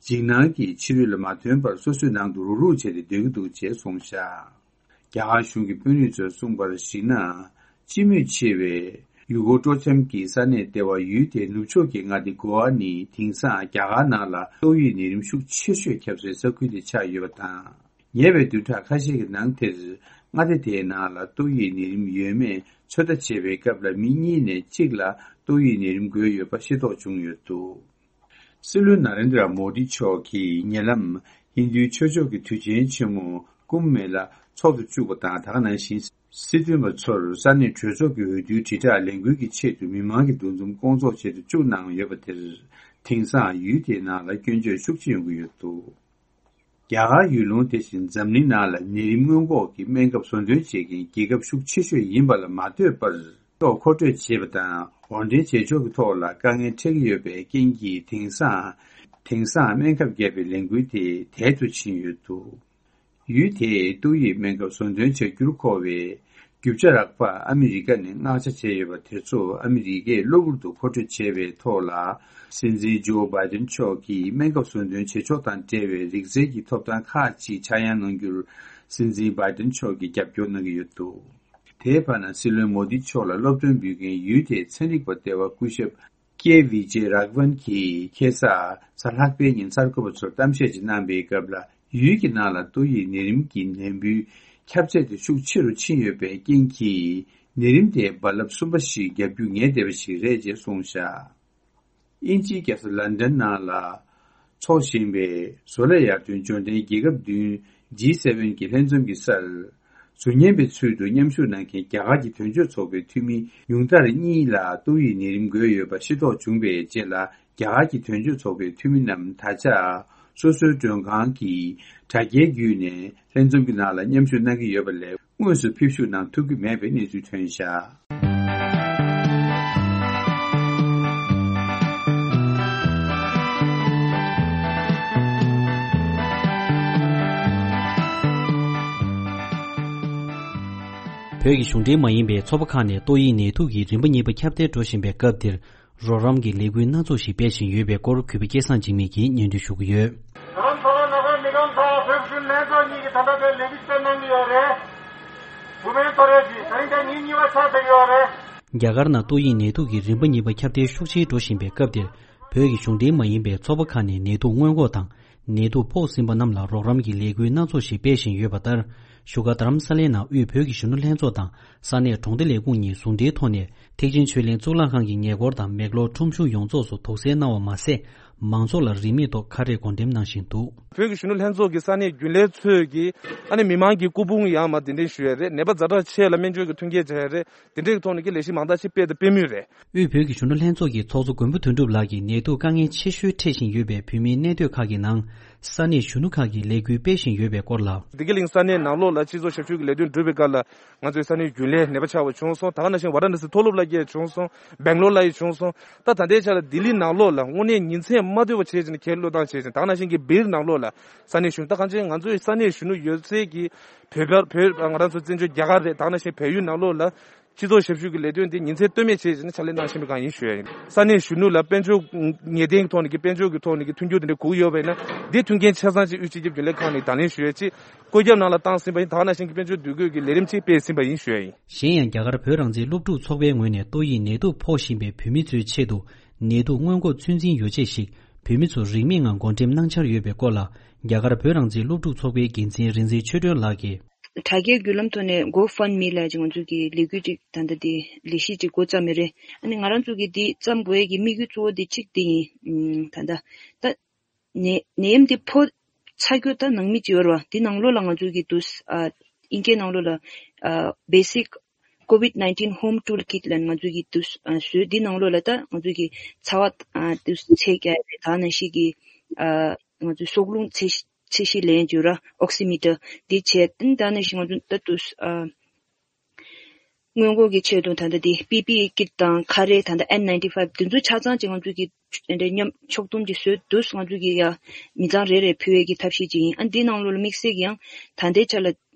འཇིགས་སྣང་གིས་ཕྱི་རོལ་ལ་མ་ཐོན་པར་སོ་སོའི་ནང་དུ་རུག་རུག་བྱས་ཏེ་སྡོད་ཀྱི་འདུག་ཅེས་གསུངས་བཞག་རྒྱ་གར་གཞུང་གི་དཔོན་རིགས་ཚོས་གསུངས་པར་གཞིགས་ན། སྤྱི་མོས་ཆེ་བའི་ཡུལ་སྐོར་སྤྲོ་འཆམ་གྱི་ས་གནས་ལྟེ་བ་ཡུལ་དེའི་ནུབ་ཕྱོགས་ཀྱི་མངའ་སྡེ་གོ་ཝ་ནི་དེང་སང་རྒྱ་གར་ནང་ལ་ཏོག་དབྱིབས་ནད་རིམས་ཤུགས་ཆེ་ཤོས་ཁྱབ་སའི་ས་ཁུལ་དེ་ཆགས་ཡོད་པ་དང་། ཉེ་བའི་བདུན་ཕྲག་ཁ་ཤས་ཀྱི་ནང་དེར་མངའ་སྡེ་དེའི་ནང་ལ་ཏོག་དབྱིབས་ནད་རིམས་ཡོད་མེད་ཚོད་ལྟ་བྱེད་པའི་སྐབས་ལ་མི་གཉིས་ནས་གཅིག་ལ་ཏོག་དབྱིབས་ནད་རིམས་འགོས་ཡོད་པ་ཤེས་རྟོགས་བྱུང་ཡོད་འདུག་སྲིད་བློན་ན་རེན་དྲ་མོ་དི་མཆོག་གིས་ཉེ་ལམ་ཧིན་རྡུའི་ཆོས་ཕྱོགས་ཀྱི་དུས་ཆེན་ཆེན་མོ་ཀུམ་མེ་ལ་འཚོགས་སུ་བཅུག་པ་དང་། ད་ག་ནང་བཞིན་སྲིད་དོན་པ་ཚོར་ས་གནས་གྲོས་ཚོགས་ཀྱི་འོས་བསྡུའི་དྲིལ་བསྒྲགས་ལས་འགུལ་གྱི་ཆེད་དུ་མི་མང་གི་འདུ་འཛོམས་སྐོང་ཚོགས་ཆེད་དུ་བཅུག་གནང་ཡོད་པ་དེར། དེང་སང་ཡུལ་དེའི་ནང་ལ་སྐྱོན་བརྗོད་ཤུགས་ཆེ་ཡོང་གི་ཡོད་འདུག་རྒྱ་གར་ཡུལ་ལུང་དེ་བཞིན་འཛམ་གླིང་ནང་ལ་ནད་རིམས་སྔོན་འགོག་གི་སྨན་ཁབ་བཟོ་འདོན་བྱེད་མཁན་རྒྱལ་ཁབ་ཤུགས་ཆེ་ཤོས་ཡིན་པ་ལ་མ་ལྟོས་པར། ཐོག་མཁོ་སྤྲོད་བྱེད་པ་དང་དབོར་འདྲེན་བྱེད་ཕྱོགས་ཀྱི་ཐོག་ལ་དཀའ་ངལ་འཕྲད་ཀྱི་ཡོད་པའི་རྐྱེན་གྱིས། དེང་སང་དེང་སང་སྨན་ཁབ་བརྒྱབ་པའི་ལས་འགུལ་དེ་དལ་དུ་ཕྱིན་ཡོད་འདུག་ཡུལ་དེས་ཏོག་དབྱིབས་སྨན་ཁབ་ཟོ་འདོན་བྱ་རྒྱུར་མཁོ་བའི་རྒྱུ་ཆ་རག་པར་ཨ་མི་རི་ཀ་ནས་མངགས་ཆ་བྱས་ཡོད་པ་དེ་ཚོ་ཨ་མི་རི་ཀས་གློ་བུར་དུ་མཁོ་སྤྲོད་བྱས་པའི་ཐོག་ལ། སྲིད་འཛིན་ཇོ་བྷའི་ཏན་མཆོག་གིས་སྨན་ཁབ་ཟོ་འདོན་བྱེད་ཕྱོགས་དང་འབྲེལ་བའི་རིག་རྩལ་གྱི་ཐོབ་ཐང་ཁག་ཅིག་ཆག་ཡང་གནང་རྒྱུར། སྲིད་འཛིན་བྷའི་ཏན་མཆོག་གིས་རྒྱབ་སྐྱོར་གནང་གི་ཡོད་འདུག་དེའི་བར་ན་སྲིད་བློན་མོ་དི་མཆོག་ལ་སློབ་སྟོན་འབུལ་མཁན་ཡུལ་དེའི་ཚན་རིག་པ་ཟླ་བ་སྐུ་ཞབས་ཀེ་ཝི་ཇེ་རག་ཝན་གྱིས་ཁ་སང་གཟའ་ལྷག་པའི་ཉིན་གསར་འགོད་པ་ཚོར་གཏམ་བཤད་ཅིག་གནང་པའི་སྐབས་ལ། ཡུལ་གྱི་ནང་ལ་ཏོག་དབྱིབས་ནད་རིམས་ཀྱི་ནད་འབུའི་ཁྱབ་ཚད་དེ་ཤུགས་ཆེ་རུ་ཕྱིན་ཡོད་པའི་རྐྱེན་གྱིས། ནད་རིམས་དེ་རྦ་རླབས་གསུམ་པ་ཞིག་བརྒྱབ་རྒྱུ་ངེས་བསྡད་པ་ཞིག་རེད་ཅེས་གསུངས་བཞག་དབྱིན་ཇིའི་རྒྱལ་ས་ལན་ཌན་ནང་ལ་འཚོགས་བཞིན་པའི་བཟོ་ལས་ཡར་ཐོན་འབྱོར་ལྡན་རྒྱལ་ཁབ་བདུན་ཇི་སེ་ཝེན་གྱི་ལྷན་འཛོམས་ཀྱི་སར། ཟུར་ཉན་པའི་ཚུལ་དུ་མཉམ་ཞུགས་གནང་མཁན་རྒྱ་གར་གྱི་དོན་གཅོད་ཚོགས་པའི་འཐུས་མི་ཉུང་མཐར་གཉིས་ལ་ཏོག་དབྱིབས་ནད་རིམས་འགོས་ཡོད་པ་ཤེས་རྟོགས་བྱུང་བའི་རྗེས་ལ། རྒྱ་གར་གྱི་དོན་གཅོད་ཚོགས་པའི་འཐུས་མི་རྣམས་ད་ཆ་སོ་སོའི་མགྲོན་ཁང་གི་དྲ་རྒྱའི་བརྒྱུད་ནས་ལྷན་འཛོམས་ཀྱི་ནང་ལ་མཉམ་ཞུགས་གནང་གི་ཡོད་པ་ལས། དངོས་སུ་ཕེབས་ཞུགས་གནང་ཐུབ་ཀྱི་མེད་པའི་གནས་ཚུལ་ཐོན་བཞག་བོད་ཀྱི་གཞུང་འབྲེལ་མ་ཡིན་པའི་ཚོགས་པ་ཁག་ནས་ཏོག་དབྱིབས་ནད་དུག་གི་རིམ་པ་གཉིས་པ་ཁྱབ་གདལ་འགྲོ་བཞིན་པའི་སྐབས་འདིར། རོགས་རམ་གྱི་ལས་འགུལ་སྣ་ཚོགས་ཤིག་སྤེལ་བཞིན་ཡོད་པའི་སྐོར་གུས་པ་སྐལ་བཟང་འཇིགས་མེད་ཀྱིས་སྙན་སྒྲོན་ཞུ་གི་ཡོད། རང་ཚོ་ལ་ནག་པ་མི་རང་ཚོ་བོད་གཞུང་ལྷན་ཚོགས་གཉིས་ཀྱིས་ད་ལྟ་དེ་ལས་འགུལ་སྤེལ་གནང་གི་ཡོད་རེད། བུ་སྨན་ཐོ་རེ་གྱིས་ད་རིང་དེ་ཉིན་གཉིས་པ་ཆགས་བསྡད་ཡོད་རེད། རྒྱ་གར་ནང་ཏོག་དབྱིབས་ནད་དུག་གི་རིམ་པ་གཉིས་པ་ཁྱབ་གདལ་ཤུགས་ཆེར་འགྲོ་བཞིན་པའི་སྐབས་འདིར། བོད་ཀྱི་གཞུང་འབྲེལ་མ་ཡིན་པའི་ཚོགས་པ་ཁག་ནས་ནད་དུག་སྔོན་འགོག་དང་། ནད་དུག་ཕོག་ཟིན་པ་རྣམས་ལ་རོགས་རམ་གྱི་ལས་འགུལ་སྣ་ཚོགས་ཤིག་སྤེལ་བཞིན་ཡོད་པ་ལྟར། བཞུགས་སྒར་རྡ་རམ་ས་ལའི་ནང་དབུས་བོད་ཀྱི་གཞོན་ནུ་ལྷན་ཚོགས་དང་ས་གནས་གྲོང་སྡེ་ལས་ཁུངས་གཉིས་ཟུང་འབྲེལ་ཐོག་ནས་ཐེག་ཆེན་ཆོས་གླིང་གཙུག་ལག་ཁང་གི་ཉེ་འཁོར་དང་མེག་ལོར་ཁྲོམ་གཞུང་ཡོངས་རྫོགས་སུ་དུག་སེལ་གནང་བ་མ་ཟད། མང་ཚོགས་ལ་རིན་མེད་ཐོག་ཁ་རས་བགོ་འགྲེམས་གནང་བཞིན་འདུག་བོད་ཀྱི་གཞོན་ནུ་ལྷན་ཚོགས་ཀྱི་ས་གནས་རྒྱུན་ལས་ཚོས་ཀྱིས་ཨ་ནི་མི་མང་གི་སྐུ་ཕུང་ཡར་མར་གདན་འདྲེན་ཞུ་ཡས་རེད། ནད་པ་ཛ་དྲག་ཆེ་ལ་སྨན་བཅོས་ཀྱི་མཐུན་རྐྱེན་སྦྱར་ཡས་རེད། དེ་འདྲའི་ཐོག་ནས་ཀྱི་ལས་གཞི་མང་དག་ཅིག་སྤེལ་དང་སྤེལ་མུས་རེད། དབུས་བོད་ཀྱི་གཞོན་ནུ་ལྷན་ཚོགས་ཀྱི་ཚོགས་གཙོ་མགོན་པོ་དོན་གྲུབ་ལགས་ཀྱིས་ནད་དུག་དཀའ་ངལ་ཆེ་ཤོས་འཕྲད་བཞིན་ཡོད་པའི་བོད་མིའི་གནས་སྡོད་ཁག་གི་ནང་ས་གནས་གཞོན་ནུ་ཁག་གིས་ལས་འགུལ་སྤེལ་བཞིན་ཡོད་པའི་སྐོར་ལ། བདེ་སྐྱིད་གླིང་ས་གནས་ནང་ལོགས་ལ་སྤྱི་ཚོགས་ཞབས་ཞུ་གི་ལས་དོན་སྒྲུབ་པའི་སྐབས་ལ་ང་ཚོའི་ས་གནས་རྒྱུན་ལས་ནད་པ་ཆགས་པ་བྱུང་སོང་། ད་ག་ནང་བཞིན་ཝཱ་ར་ཎ་སི་མཐོ་སློབ་ལ་ཡང་བྱུང་སོང་། སྦེང་ལོར་ལ་ཡང་བྱུང་སོང་། ད་ད་ལྟའི་ཆ་ལ་ལྡི་ལི་ནང་ལོགས་ལ་དངོས་གནས་ཉིན་མཚན་མ་སྡོད་པ་བྱས་བྱས་ནས་ཁས་བློས་བཏང་བྱས་བྱས་ད་ག་ནང་བཞིན་གྱི་སྦིར་ནང་ལོགས་ལ་ས་གནས་གཞོན་ད་གང་ཅི་ང་ཚོའི་ས་གནས་གཞོན་ནུ་ཡོད་ཚད་ཀྱི་བོད་པ་བོད་ང་རང་ཚོ་བཙན་བྱོལ་རྒྱ་གར་རེད། ད་ག་ནང་བཞིན་བལ་ཡུལ་ནང་ལོགས་ལ། སྤྱི་ཚོགས་ཞབས་ཞུ་གི་ལས་དོན་དེ་ཉིན་མཚན་ལྟོས་མེད་བྱས་བྱས་ནས་ཕྱག་ལས་གནང་བཞིན་པའི་སྒང་ཡིན་ཞུ་ཡ་ཡིན། ས་གནས་གཞོན་ནུ་ལ་དཔལ་འབྱོར་ངེས་གཏན་གྱི་ཐོག་ནས་ཀྱི་དཔལ་འབྱོར་གྱི་ཐོག་ནས་ཀྱི་མཐུན་འགྱུར་དེ་འདྲ་དགོས་ཀྱི་ཡོད་པ་ཡིན་ན་འདི་མཐུན་རྐྱེན་ཆ་ཚང་ཅིག་དབུས་སྤྱི་ཁྱབ་རྒྱུན་ལས་ཁང་ནས་དང་ལེན་ཞུ་ཡ་ཅིག་བཀོད་ཁྱབ་ནང་ལ་བཏང་ཟིན་པ་ཡིན། ད་ག་ནང་བཞིན་གྱི་དཔལ་འབྱོར་འདུ་འགོད་ཀྱི་ལས་རིམ་ཅིག་སྤེལ་ཟིན་པ་ཡིན་ཞུ་ཡ་ཡིན། གཞན་ཡང་རྒྱ་གར་བོད་རང་བཙན་སློབ་ཕྲུག་ཚོགས་པའི་ངོས་ནས་ཏོག་དབྱིབས་ནད་དུག་ཕོག་བཞིན་པའི་བོད་མི་ཚོའི་ཆེད་དུ་ནད་དུག་སྔོན་འགོག་ཚོད་འཛིན་ཡོ་བྱད་ཞིག་བོད་མི་ཚོར་རིན་མེད་ངང་བགོ་འགྲེམས་གནང་འཆར་ཡོད་པའི་སྐོར་ལ་རྒྱ་གར་བོད་རང་བཙན་སློབ་ཕྲུག་ཚོགས་པའི་འགན་འཛིན་རིག་འཛིན་ཆོས་སྒྲོན་ལགས་ཀྱིས། དྲ་རྒྱའི་བརྒྱུད་ལམ་ཐོག་ནས་GoFundMe་ལ་ཅིག་ང་ཚོ་གི་ལས་འགུལ་ཅིག་ད་ལྟ་འདི་ལས་གཞི་ཅིག་འགོ་བརྩམས་ཡོད་རེད། ཨ་ནི་ང་རང་ཚོ་གི་འདི་བརྩམས་དགོས་ཡས་ཀྱི་དམིགས་ཡུལ་གཙོ་བོ་འདི་གཅིག་འདི་ཡིན། ད་ལྟ་ད་ནད་ནད་ཡམས་འདི་ཕོག་ཚར་རྒྱུ་ད་ནང་མི་ཅིག་ཡོད་རེད་བ། འདི་ནང་ལོགས་ལ་ང་ཚོ་གི་འདུག་ཨ་དབྱིན་སྐད་ནང་ལོགས་ལ་ཨ་Basic COVID nineteen Home Toolkit ལབ་ནས་ང་ཚོ་གི་འདུག་ཨ་བཟོས། འདི་ནང་ལོགས་ལ་ད་ང་ཚོ་གི་ཚ་བ་ཨ་འདུག་ཚད་རྒྱག་ཡས་རེད། ད་ནང་བཞིན་གི་ཨ་ང་ཚོའི་སྲོག་རླུང་ཚད་ཚད་གཞི་ལེན་རྒྱུ་ར་Oximeter འདི་བྱས། ད་ནང་བཞིན་ང་ཚོ་ད་དུ་ཨ་སྔོན་འགོག་གི་ཆེད་དུ་ད་ལྟ་འདི་པི་པི་ཨི་ཀིཊ་དང་ཁ་རས་ད་ལྟ་N ninety five འདི་ཚོ་ཆ་ཚང་ཅིག་ང་ཚོ་གི་འདི་མཉམ་ཕྱོགས་བསྡོམས་ཀྱིས་བཟོས་འདུག་ང་ཚོ་གི་ཡ་མི་ཚང་རེ་རེ་ཕུལ་བའི་གི་ཐབས་ཤེས་ཅིག་ཡིན། ཨ་འདི་ནང་ལོགས་ལ་དམིགས་བསལ་གྱི་ཡང་ད་ལྟའི་ཆ་ལ་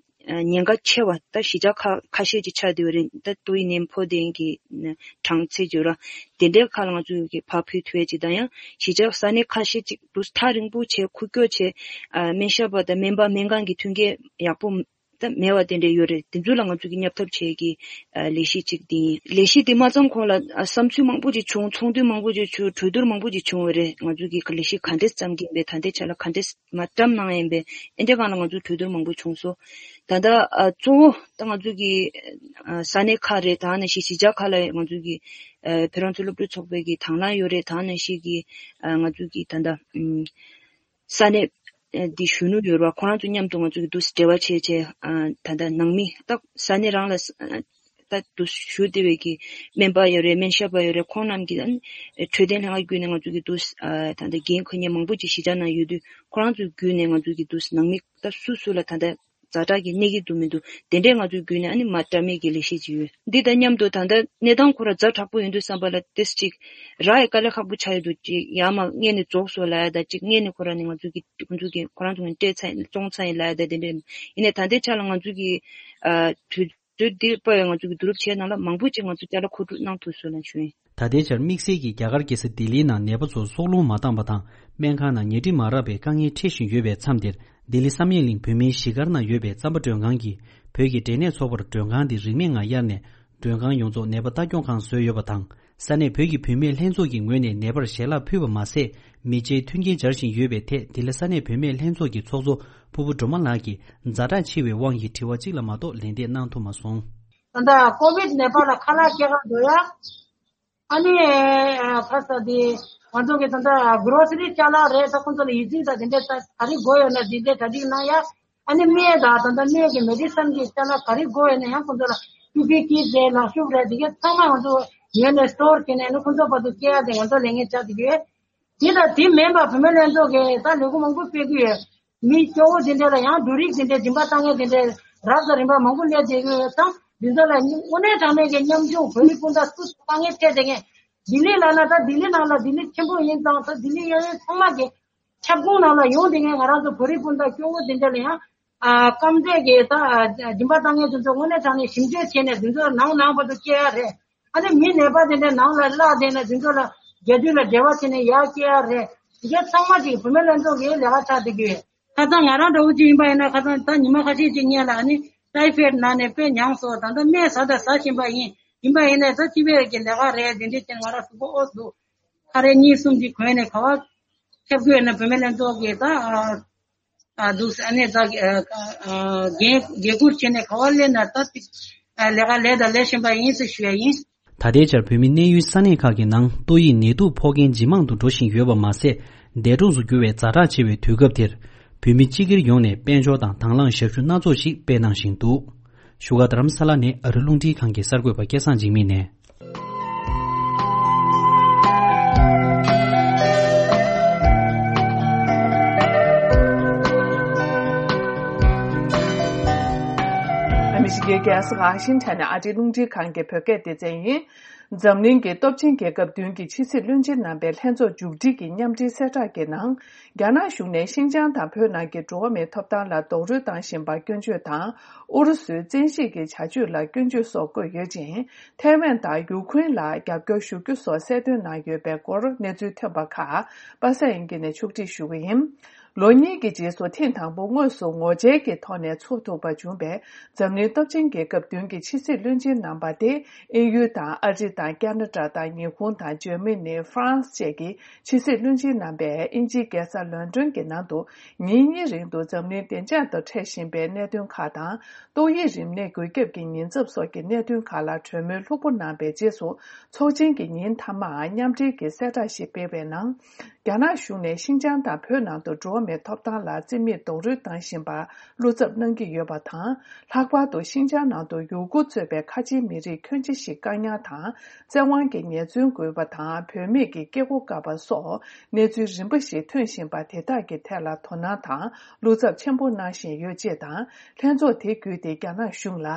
ཉེན་ཁ་ཆེ་བ་ད་གཞིས་ཆགས་ཁ་ཁ་ཤས་ཅིག་ཆགས་བསྡད་པ་རེད། ད་ཏོག་དབྱིབས་ནད་ཕོག་བསྡད་མཁན་གྱི་གྲངས་ཚད་ཅིག་ཡོད་ར། དེ་འདྲའི་ཁ་ལ་ང་ཚོ་གི་ཕར་ཕུལ་ཐུབ་ཡས་ཅིག་དང་། ཡང་གཞིས་ཆགས་ས་གནས་ཁ་ཤས་ཅིག་ཏུ་ཐག་རིང་པོ་བྱས་ཁུག་ཀྱོག་བྱས་ཨ་སྨན་ཞབས་པ་དང་སྨན་པ་སྨན་ཁང་གི་མཐུན་རྐྱེན་ཡག་པོ་ད་མེད་པ་དེ་འདྲ་ཡོད་རེད། དེ་ཚོ་ལ་ང་ཚོ་གི་བསྙབ་ཐབས་བྱེད་ཀྱི་ཨ་ལས་གཞི་གཅིག་དེ་ཡིན། ལས་གཞི་དེ་མ་བརྩམས་གོང་ལ་ཨ་བསམ་ཚུལ་མང་པོ་ཅིག་བྱུང་། ཚོགས་འདུ་མང་པོ་ཅིག་བྱུང་། གྲོས་བསྡུར་མང་པོ་ཅིག་བྱུང་བ་རེད། ང་ཚོ་གི་ལས་གཞི་ག་འདྲས་བརྩམས་ཀྱི་ཡིན་པས། ད་ལྟའི་ཆ་ལ་ག་འདྲས་མ་བརྩམས་གནང་ཡིན་པས། ཨེ་འདྲ་སྒང་ལ་ང་ཚོ་གྲོས་བསྡུར་མང་པོ་བྱུང་སོང་། ད་ལྟ་ཨ་གཙོ་བོ་ད་ང་ཚོ་གི་ཨ་ས་གནས་ཁག་རེད། ད་ནང་བཞིན་གཞིས་ཆགས་ཁག་ལ་ང་ཚོ་གི་ཨ་བོད་རང་བཙན་སློབ་ཕྲུག་ཚོགས་པའི་གི་དང་བླངས་ཡོད་རེད། ད་ནང་བཞིན་གི་ཨ་ང་ཚོ་གི་ད་ལྟ་ཨམ། ས་གནས་ཨ་འདི་གཞོན་ནུ་ཡོད་རེད་བ། ཁོ་རང་ཚོ་མཉམ་དུ་ང་ཚོ་གི་འདུག་འབྲེལ་བ་བྱས་བྱས་ཨ་ད་ལྟ་ནང་མི་ད་ས་གནས་རང་ལ་ཨ་ད་འདུག་བཞུགས་བསྡད་པའི་གི་སྨན་པ་ཡོད་རེད། སྨན་ཞབས་པ་ཡོད་རེད། ཁོང་རྣམས་ཀྱི་ཨ་འཕྲོད་བསྟེན་ལྷན་ཁང་བརྒྱུད་ནས་ང་ཚོ་གི་འདུག་ཨ་ད་ལྟ་འགན་འཁུར་མཁན་མང་པོ་ཅིག་གཞིས་ཆགས་ནང་ཡོད་དུས་ཁོ་རང་ཚོ་བརྒྱུད་ནས་ང་ཚོ་གི་འདུག་ནང་མི་ད་སུ་སུ་ལ་ད་ལྟ་ ཛ་དྲག་གི་གནས་ཀྱི་འདུག་མི་འདུག་དེ་འདྲས་ང་ཚོའི་བརྒྱུད་ནས་ཨ་ནི་མ་བཀྲ་མེད་ཀྱི་ལས་གཞི་ཅིག་ཡོད། འདི་དང་མཉམ་དུ་ད་ལྟ་གནས་སྟངས་ཁོ་ར་ཛ་དྲག་པོ་ཡོད་དུས་བསམ་པ་ལ་ཏེས་ཅིག་རག་ཡ་དཀའ་ལས་ཁག་པོ་ཆགས་ཡོད་འདུག་ཅིག་ཡར་མར་སྔས་ནས་རྫོགས་སོང་ལབ་ཡ་ད་ཅིག་སྔས་ནས་ཁོ་ར་ནས་ང་ཚོ་གི་ཁོ་ཚོ་གི་ཁོ་རང་ཚོ་ངས་སྤྲད་ཚར་ཡིན་བཙོང་ཚར་ཡིན་ལབ་ཡ་ད་དེ་འདྲས་ཡིན་ནའི་ད་ལྟའི་ཆ་ལ་ང་ཚོ་གི་ཨ་དུས་ཚོད་འདི་པ་ཡང་ང་ཚོ་གི་བསྡུ་རུབ་བྱས་ནང་ལ་མང་པོ་ཅིག་ང་ཚོ་ཅ་ལག་མཁོ་སྒྲུབ་གནང་ཐུབ་སོང་ལ་ཞུ་ཡིན། ད་ལྟའི་ཆར་དམིགས་བསལ་གྱིས་རྒྱ་གར་རྒྱལ་ས་ལྡི་ལིའི་ནང་ནད་པ་ཚོར་སྲོག་རླུང་མ་བཏང་པ་དང་སྨན་ཁང་ནང་ཉལ་ཁྲི་མ་རག་པའི་དཀའ་ངལ་འཕྲད་བཞིན་ཡོད་པའི་མཚམས་འདིར། ལྡི་ལི་ས་གནས་གླིང་བོད་མིའི་གཞིས་སྒར་ནང་ཡོད་པའི་རྩམ་པ་མགྲོན་ཁང་གིས་བོད་ཀྱི་འབྲས་ནད་ཚོགས་པར་མགྲོན་ཁང་འདི་རིན་མེད་ངང་གཡར་ནས། མགྲོན་ཁང་ཡོངས་རྫོགས་ནད་པ་ལྟ་སྐྱོང་ཁང་བཟོས་ཡོད་པ་དང་། ས་གནས་བོད་ཀྱི་བུད་མེད་ལྷན་ཚོགས་ཀྱི་ངོས་ནས་ནད་པར་ཞལ་ལག་ཕུལ་བ་མ་ཟད། མི་ཆེའི་མཐུན་རྐྱེན་སྦྱར་བཞིན་ཡོད་པའི་ཐད་འདི་ལ་ས་གནས་བུད་མེད་ལྷན་ཚོགས་ཀྱི་ཚོགས་གཙོ་ཕུར་བུ་སྒྲོལ་མ་ལགས་ཀྱིས་ཛ་དྲག་ཆེ་བའི་དབང་གིས་དྲི་བ་གཅིག་ལ་མ་གཏོགས་ལན་འདེབས་གནང་ཐུབ་མ་སོང་། ད་ལྟ་ཀོ་བིད་ནད་པ་ལ་ཁ་ལག་སྐྱེལ་ག་འགྲོ་ཡ། ཨ་ནི་ཁ་ས་དེ་ང་ཚོ་གི་ད་ལྟ་གྷོ་རོ་སི་རི་ཅ་ལག་རེད། ད་ཁོང་ཚོ་ལ་ཡིད་ཚིམ་ད་དེ་འདྲས་ད་ག་རེ་དགོས་ཡོད་ན་དེ་འདྲས་གྲ་སྒྲིག་གནང་ཡ། ཨ་ནི་སྨན་དང་ད་ལྟ་སྨན་གྱི་མེ་ཌི་སན་གྱི་ཅ་ལག་ག་རེ་དགོས་ཡོད་ན་ཡང་ཁོང་ཚོ་ལ་ཊུ་པི་ཀི་རེད། ལག་ཤུབས་རེད། དེ་གའི་ཚང་མ་ང་ཚོ་ཉོས་ནས་སི་ཊོར་བྱས་ནས་ཨ་ནི་ཁོང་ཚོ་བར་དུ་སྐྱེལ་ཡ་དེ་ང་ཚོ་ལས་འགན་ཆགས་བསྡད་ཡོད། དེ་དང་དེ་མིན་པ་བུད་མེད་ལྷན་ཚོགས་ཀྱིས་ད་ལས་འགུལ་མང་པོ་སྤེལ་གྱི་ཡོད། མི་སྐྱོ་བོ་དེ་འདྲ་ལ་ཡང་འབྲུ་རིགས་དེ་འདྲའི་སྦྱིན་པ་བཏང་མཁན་དེ་འདྲའི་རབ་དང་རིམ་པ་མང་པོ་སླེབས་བསྡད་ཀྱི་ཡོད་ཙང་། འདི་ཚོ་ལ་དངོས་གནས་དྲང་གནས་ཀྱི་ཉམ་ཆུང་བོད་རིགས་སྤུན་ཟླ་སུ་དཀའ་ངལ་འཕྲད་བསྡད་མཁན། ལྡི་ལི་ལབ་ན་ད་ལྡི་ལི་ནང་ལ་ལྡི་ལི་ཆེན་པོ་ཡིན་ཙང་ད་ལྡི་ལི་གཡས་གཡོན་ཚང་མ་གི་ཁྱབ་ཁོངས་ནང་ལ་ཡོང་བསྡད་མཁན་ང་རང་ཚོ་བོད་རིགས་སྤུན་ཟླ་སྐྱོ་བོ་དེ་འདྲ་ལ་ཡང་ཨ་སྐམ་འདེད་ཀྱི་ད་སྦྱིན་པ་བཏང་མཁན་དེ་ཚོ་དངོས་གནས་དྲང་གནས་ཞིབ་འཇུག་བྱས་ནས་དེ་ཚོ་ནང་ནང་བར་དུ་སྐྱེལ་ཡ་རེད། ཨ་ནི་མི་ནད་པ་དེ་འདྲ་ནང་ལ་བརླག་བསྡད་ན་དེ་ཚོ་ལ་རྒྱ་དུས་ལ་འབྲེལ་བ་བྱས་ནས་ཡར་སྐྱེལ་ཡ་རེད། དེ་གའི་ཚང་མ་ཅིག་བུད་མེད་ལྷན་ཚོགས་ཀྱི་ལས་ཀ་ཆགས་བསྡད་ཀྱི་ཡོད། ཁ་སང་ང་རང་འདྲ་བོ་ཅིག་ཡིན་པ་ཡིན་ན་ཁ་སང་ད་ཉི་མ་ཁ་ཤས་ཅིག་སྔོན་ལ་ཨ་ནི་ཊའི་ཕོའི་ནང་ནས་དཔེ་མྱངས་སོང་། ད་ལྟ་སྨན་ཟ་དང་ཟ་བཞིན་པ་ཡིན། ཡིན་པ་ཡིན་ནའི་ད་སྤྱི་པའི་གི་ལས་ཀ་རེད། དེ་འདྲས་ཅན་ང་རང་གཟུགས་པོ་ཨོ་འདུག་ཁ་རས་གཉིས་གསུམ་ཅིག་གོན་ནས་ག་བ་ཁྱབ་དགོས་ན་བུད་མེད་ལྷན་ཚོགས་ཀྱི་ད་ཨ་འདུག་ཨ་ནི་ད་འགན་འགན་འཁུར་བྱས་ནས་ག་བ་སླེབས་ན་ད་ལས་ཀ་ལས་དང་ལས་བཞིན་པ་ཡིན་ཟེར་ཞུ་ཡ་ཡིན། ད་ལྟའི་ཆར་བོད་མི་གནས་ཡུལ་ས་གནས་ཁག་གི་ནང་ཏོག་དབྱིབས་ནད་དུག་ཕོག་མཁན་ཇེ་མང་དུ་འགྲོ་བཞིན་ཡོད་པ་མ་ཟད། འདས་གྲོངས་སུ་གྱུར་བའི་ཛ་དྲག་ཆེ་བའི་དུས་སྐབས་དེར། བོད་མི་སྤྱི་སྒེར་ཡོངས་ནས་དཔལ་འབྱོར་དང་དང་བླངས་ཞབས་ཞུ་སྣ་ཚོགས་ཤིག་སྤེལ་གནང་བཞིན་འདུག་བཞུགས་སྒར་རྡ་རམ་ས་ལ་ནས་ཨ་རི་རླུང་འཕྲིན་ཁང་གི་གསར་འགོད་པ་སྐལ་བཟང་འཇིགས་མེད་ནས། ཨ་མི་རི་ཀའི་རྒྱལ་ས་ཝ་ཤིང་ཊོན་ནས་ཨ་རིའི་རླུང་འཕྲིན་ཁང་གི་བོད་སྐད་སྡེ་ཚན་ཡིན། འཛམ་གླིང་གི་སྟོབས་ཆེན་རྒྱལ་ཁབ་བདུན་གྱི་ཕྱི་སྲིད་བློན་ཆེན་རྣམ་པའི་ལྷན་ཚོགས་མཇུག་སྒྲིལ་གྱི་མཉམ་འབྲེལ་གསལ་བསྒྲགས་ཀྱི་ནང་། རྒྱ་ནག་གཞུང་ནས་ཤིན་ཅང་དང་བོད་ནང་གི་འགྲོ་བ་མིའི་ཐོབ་ཐང་ལ་རྡོག་རོལ་བཏང་བཞིན་པར་སྐྱོན་བརྗོད་དང་། ཨུ་རུ་སུའི་བཙན་ཤེད་ཀྱི་བྱ་སྤྱོད་ལ་སྐྱོན་བརྗོད་སོགས་བཀོད་ཡོད་ཅིང་། ཐའེ་ཝན་དང་ཡུ་ཁུ་རེན་ལ་རྒྱབ་སྐྱོར་ཞུ་རྒྱུ་སོགས་གསལ་སྟོན་གནང་ཡོད་པའི་སྐོར་གནས་ཚུལ་ཐོན་པ་ཁག་པ་སངས་དབྱངས་སྐྱིད་ནས་ཕྱོགས་སྒྲིག་ཞུ་གི་ཡིན། ལོ་གཉིས་ཀྱི་རྗེས་སུ་ཐེངས་དང་པོ་དངོས་སུ་ངོ་མཇལ་གྱི་ཐོག་ནས་ཚོགས་ཐུབ་པ་བྱུང་བའི་འཛམ་གླིང་སྟོབས་ཆེན་རྒྱལ་ཁབ་བདུན་གྱི་ཕྱི་སྲིད་བློན་ཆེན་རྣམ་པ་དེ། དབྱིན་ཡུལ་དང་ཨ་རི་དང་ཁ་ན་ཌ་དང་ཉི་ཧོང་དང་འཇར་མ་ནི། ཧྥ་རན་སི་བཅས་ཀྱི་ཕྱི་སྲིད་བློན་ཆེན་རྣམ་པས་དབྱིན་ཇིའི་རྒྱལ་ས་ལོན་ཌོན་གྱི་ནང་དུ་ཉིན་གཉིས་རིང་དུ་འཛམ་གླིང་བདེ་འཇགས་དང་འཕྲད་བཞིན་པའི་གནད་དོན་ཁག་དང་། ཏོག་དབྱིབས་རིམས་ནད་འགོས་ཁྱབ་ཀྱི་ཉེན་ཚབས་སོགས་ཀྱི་གནད་དོན་ཁག་ལ་གྲོས་མོལ་ལྷུག་པོ་གནང་བའི་རྗེས་སུ། ཚོགས་ཆེན་གྱི་ཉིན་མཐའ་མར་མཉམ་འབྲེལ་གྱི་གསལ་བསྒྲགས་ཤིག་སྤེལ་བའི་ནང་། རྒྱ་ནག་གཞུང་ནས་ཤིན་ཅང་དང་བོད་ནང་དུ་འགྲོ་བ་མིའི་ཐོབ་ཐང་ལ་བརྩི་མེད་རྡོག་རོལ་བཏང་བཞིན་པར་བློ་འཚབ་གནང་གི་ཡོད་པ་དང་། ལྷག་པར་དུ་ཤིན་ཅང་ནང་དུ་ཡུ་གུར་གཙོས་པའི་ཁ་ཆེའི་མི་རིགས་ཁྱོན་ཆེ་ཞིག་བཀག་ཉར་དང་། བཙན་དབང་གིས་ཉེས་བཙུན་བཀོད་པ་དང་། བུད་མེད་ཀྱི་སྐྱེ་སྒོ་བཀག་པ་སོགས་གནས་ཚུལ་རིམ་པ་ཞིག་ཐོན་བཞིན་པ་དེ་དག་གི་ཐད་ལ་དོ་སྣང་དང་བློ་འཚབ་ཆེན་པོ་གནང་བཞིན་ཡོད་ཅེས་དང་། ལྷན་ཚོགས་དེ་བརྒྱུད་དེ་རྒྱ་ནག་གཞུང་ལ།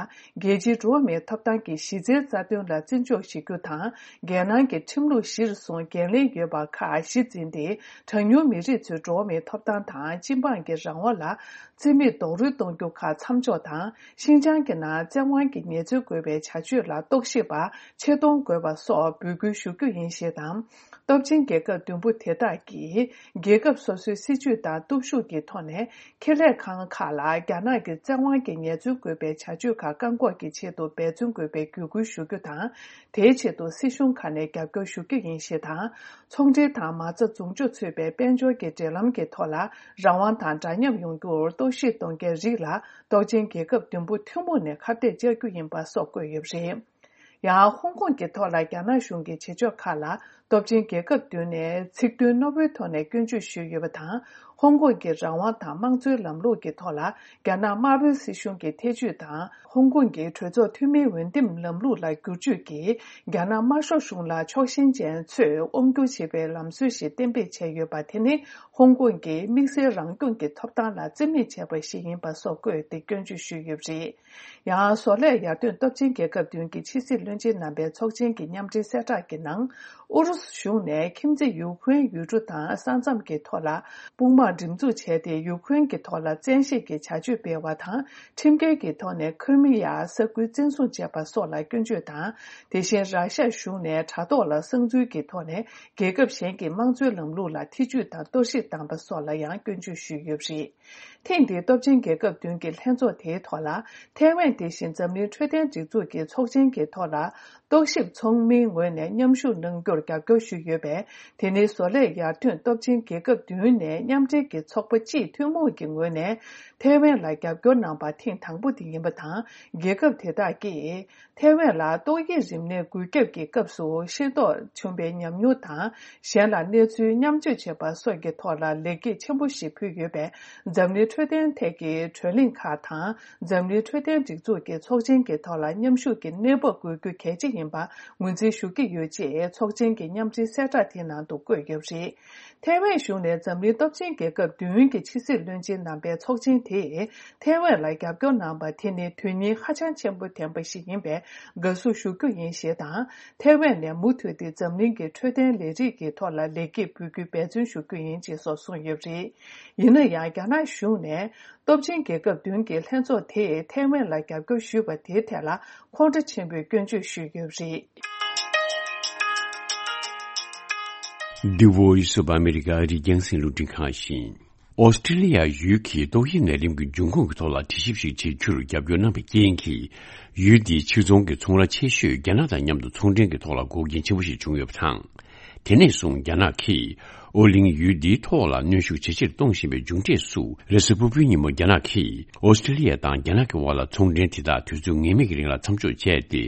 རྒྱལ་སྤྱིའི་འགྲོ་བ་མིའི་ཐོབ་ཐང་གི་གཞི་རྩའི་རྩ་དོན་ལ་བརྩི་འཇོག་བྱེད་རྒྱུ་དང་། རྒྱལ་ནང་གི་ཁྲིམས་ལུགས་གཞིར་བཟུང་འགན་ལེན་ཡོད་པ་ཁག་གཞི་འཛིན་ཏེ། གྲངས་ཉུང་མི་རིགས་ཚོའི་འགྲོ་བ་མིའི་ཐོབ་ཐང་དང་སྤྱི་འབངས་ཀྱི་རང་དབང་ལ་བརྩི་མེད་རྡོག་རོལ་གཏོང་རྒྱུ་ཁག་མཚམས་འཇོག་དང་། ཤིན་ཅང་གི་ནང་བཙན་དབང་གིས་ཉེས་འཛུགས་དགོས་པའི་བྱ་སྤྱོད་ལ་རྟོག་ཞིབ་པ་ཆེད་གཏོང་དགོས་པ་སོགས་འབོད་སྐུལ་ཞུ་རྒྱུ་ཡིན་ཞེས་དང་། སྟོབས་ཆེན་རྒྱལ་ཁབ་བདུན་པོ་དེ་དག་གིས་རྒྱལ་ཁབ་སོ་སོའི་སྲིད་ཇུས་དང་སྟོབས་ཤུགས་ཀྱི་ཐོག་ནས། ཁེ་ལས་ཁང་ཁག་ལ་རྒྱ་ནག་གི་བཙན་དབང་གིས་ཉེས་འཛུགས་དགོས་པའི་བྱ་སྤྱོད་ཁག་བཀག་འགོག་གི་ཆེད་དུ་འབད་བརྩོན་དགོས་པའི་བརྒྱུད་སྐུལ་ཞུ་རྒྱུ་དང་། དེའི་ཆེད་དུ་སྲིད་གཞུང་ཁག་ནས་རྒྱབ་སྐྱོར་ཞུ་རྒྱུ་ཡིན་ཞེས་དང་། ཚོང་འབྲེལ་དང་མ་རྩ་འཛུགས་འཇུག་ཚུད་པའི་དཔལ་འབྱོར་གྱི་འབྲེལ་ལམ་གྱི་ཐོག་ལ་རང་དབང་དང་འདྲ་མཉམ་ཡོང་རྒྱུར་གཏོར་བཤིག་གཏོང་མཁན་རིགས་ལ་སྟོབས་ཆེན་རྒྱལ་ཁབ་བདུན་པོ་ཐུན་མོང་ནས་ཁ་གཏད་གཅོག་རྒྱུ་ཡིན་པ་སོགས་བཀོད་ཡོད་པ་རེད། ཡང་ཧོང་ཀོང་གི་ཐོག་ལ་རྒྱ་ནག་གཞུང་གི་བྱེད་ཕྱོགས་ཁག་ལ་ སྟོབས་ཆེན་རྒྱལ་ཁབ་བདུན་ནས་ཚིག་དོན་རྣོ་པོའི་ཐོག་ནས་སྐྱོན་བརྗོད་ཞུས་ཡོད་པ་དང་། ཧོང་ཀོང་གི་རང་དབང་དང་དམངས་གཙོའི་ལམ་ལུགས་ཀྱི་ཐོག་ལ་རྒྱ་ནག་དམར་པོའི་སྲིད་གཞུང་གི་ཐེ་ཇུས་དང་། ཧོང་ཀོང་གི་གྲོས་ཚོགས་འཐུས་མིའི་འོས་འདེམས་ལམ་ལུགས་ལ་བསྒྱུར་བཅོས་ཀྱིས་རྒྱ་ནག་དམར་ཤོག་གཞུང་ལ་ཕྱོགས་ཞེན་ཅན་ཚོས་དབང་བསྒྱུར་བྱེད་པའི་ལམ་སྲོལ་ཞིག་གཏན་འབེབས་བྱས་ཡོད་པ་དེ་ནི། ཧོང་ཀོང་གི་དམིགས་བསལ་རང་སྐྱོང་གི་ཐོབ་ཐང་ལ་བརྩི་མེད་བྱས་པ་ཞིག་ཡིན་པ་སོགས་བཀོད་དེ་སྐྱོན་བརྗོད་ཞུས་ཡོད་པ་རེད། ཡང་། བཟོ་ལས་ཡར་ཐོན་སྟོབས་ཆེན་རྒྱལ་ཁབ་བདུན་གྱི་ཕྱི་སྲིད་བློན་ཆེན་རྣམ་པའི་ཚོགས་ཆེན་གྱི་མཉམ་འབྲེལ་གསལ་བསྒྲགས་ཀྱི་ནང་། ཨུ་རུ་སུ་གཞུང་ནས་ཁྱིམ་མཚེས་ཡུ་ཁུ་རེན་ཡུལ་གྲུ་དང་ས་མཚམས་ཀྱི་ཐོག་ལ་དཔུང་དམག་འགྲེམས་འཛུགས་བྱས་ཏེ། ཡུ་ཁུ་རེན་གྱི་ཐོག་ལ་བཙན་ཤེད་ཀྱི་བྱ་སྤྱོད་སྤེལ་བ་དང་། ཁྲིམས་འགལ་གྱི་ཐོག་ནས་ཁི་རི་མི་ཡ་ས་ཁུལ་བཙན་བཟུང་བྱས་པ་སོགས་ལ་སྐྱོན་བརྗོད་དང་། དེ་བཞིན། ར་ཤ་གཞུང་ནས་དྲ་ཐོག་ལ་གསང་འཛུལ་གྱི་ཐོག་ནས་རྒྱལ་ཁབ་གཞན་གྱི་དམངས་གཙོའི་ལམ་ལུགས་ལ་ཐེ་ཇུས་དང་གཏོར་བཤིག་བཏང་པ་སོགས་ལ་ཡང་སྐྱོན་བརྗོད་ཞུས་ཡོད་པ་རེད། ཐེངས་འདིའི་སྟོབས་ཆེན་རྒྱལ་ཁབ་བདུན་གྱི་ལྷན་ཚོགས་དེའི་ཐོག་ལ། ཐའེ་ཝན་དེ་བཞིན་འཛམ་གླིང་འཕྲོད་བསྟེན་སྒྲིག་འཛུགས་ཀྱི་ཚོགས་ཆེན་གྱི་ཐོག་ལ། རྟོག་ཞིབ་ཚོགས་མིའི་ངོས་ནས་མཉམ་ཞུགས་གནང་རྒྱུར་རྒྱབ་སྐྱོར་ཞུས་ཡོད་པས། དེ་ནི་བཟོ་ལས་ཡར་ཐོན་སྟོབས་ཆེན་རྒྱལ་ཁབ་བདུན་ནས་མཉམ་འབྲེལ་གྱི་ཚོགས་པ་སྤྱིའི་ཐུན་མོང་གི་ངོས་ནས་ཐའེ་ཝན་ལ་རྒྱབ་སྐྱོར་གནང་པ་ཐེངས་དང་པོ་དེ་ཡིན་པ་དང་། རྒྱལ་ཁབ་དེ་དག་གིས། ཐའེ་ཝན་ལ་ཏོག་དབྱིབས་རིམས་ནད་འགོས་ཁྱབ་ཀྱི་སྐབས་སུ་ཤེས་རྟོགས་བྱུང་བའི་ཉམས་མྱོང་དང་། གཞན་ལ་གནས་ཚུལ་མཉམ་སྤྱོད་བྱེད་པ་སོགས་ཀྱི་ཐོག་ལ་ལེགས་སྐྱེས་ཆེན་པོ་ཞིག་ཕུལ་ཡོད་པས། འཛམ་གླིང་འཕྲོད་བསྟེན་ཐད་ཀྱི་གྲོས་གླེང་ཁག་དང་། འཛམ་གླིང་འཕྲོད་བསྟེན་སྒྲིག་འཛུགས་ཀྱི་ཚོགས་ཆེན་གྱི་ཐོག་ལ་མཉམ་ཞུགས་ཀྱི་གནས་བབ་དགོས་རྒྱུ་གལ་ཆེ་ཡིན་པ་ངོས་འཛིན་ཞུ་གི་ཡོད་ཅེས་ཚོགས་ཆེན་གྱི་མཉམ་འབྲེལ་གསལ་བསྒྲགས་དེའི་ནང་དུ་བཀོད་ཡོད་པ་རེད། ཐའེ་ཝན་གཞུང་ནས་འཛམ་གླིང་སྟོབས་ཆེན་རྒྱལ་ཁབ་བདུན་གྱི་ཕྱི་སྲིད་བློན་ཆེན་རྣམ་པའི་ཚོགས་ཆེན་དེས་ཐའེ་ཝན་ལ་རྒྱབ་སྐྱོར་གནང་པ་དེ་ནི་དོན་སྙིང་ཧ་ཅང་ཆེན་པོ་ལྡན་པ་ཞིག་ཡིན་པས་དགའ་བསུ་ཞུ་རྒྱུ་ཡིན་ཞེས་དང་། ཐའེ་ཝན་ནས་མུ་མཐུད་དེ་འཛམ་གླིང་གི་འཕྲོད་བསྟེན་ལས་རིགས་ཀྱི་ཐོག་ལ་ལེགས་སྐྱེས་འབུལ་རྒྱུའི་འབད་བརྩོན་ཞུ་རྒྱུ་ཡིན་ཅེས་སོགས་གསུངས་ཡོད་པ་རེད། ཡིན་ན་ཡང་། རྒྱ་ནག་གཞུང་ནས་སྟོབས་ཆེན་རྒྱལ་ཁབ་བདུན་གྱི་ལྷན་ཚོགས་དེས་ཐའེ་ཝན་ལ་རྒྱབ་སྐྱོར་ཞུས་པ་དེའི་ཐད་ལ་ཁོང་ཁྲོ་ཆེན་པོས་སྐྱོན་བརྗོད་ཞུས་ཡོད་པ་རེད། The Voice of America ཨ་རིའི་རྒྱང་སྲིང་རླུང་འཕྲིན་ཁང་ཡིན། ཨོ་སི་ཀྲི་ལི་ཡ་ཡུལ་གྱིས་ཏོག་དབྱིབས་ནད་རིམས་ཀྱི་འབྱུང་ཁུངས་ཀྱི་ཐོག་ལ་དྲི་ཞིབ་ཞིག་བྱེད་རྒྱུར་རྒྱབ་སྐྱོར་གནང་བའི་རྐྱེན་གྱིས། ཡུལ་འདིའི་ཕྱིར་ཚོང་གི་ཚོང་ར་ཆེ་ཤོས་རྒྱ་ནག་དང་མཉམ་དུ་ཚོང་འབྲེལ་གྱི་ཐོག་ལ་འགོག་རྐྱེན་ཆེན་པོ་ཞིག་བྱུང་ཡོད་པ་དང་། དེ་ནས་བཟུང་རྒྱ་ནག་གིས་ཨོ་གླིང་ཡུལ་འདིའི་ཐོག་ལ་གནོན་ཤུགས་ཇེ་ཆེར་གཏོང་བཞིན་པའི་མཇུག་འབྲས་སུ། རེས་གཟའ་ཕུར་བུའི་ཉིན་མོ་རྒྱ་ནག་གིས་ཨོ་སི་ཀྲི་ལི་ཡ་དང་རྒྱ་ནག་གི་དབར་ལ་ཚོང་འབྲེལ་དེ་དག་དུས་ཚོད་ངེས་མེད་ཀྱི་རིང་ལ་མཚམས་འཇོག་བྱས་ཏེ།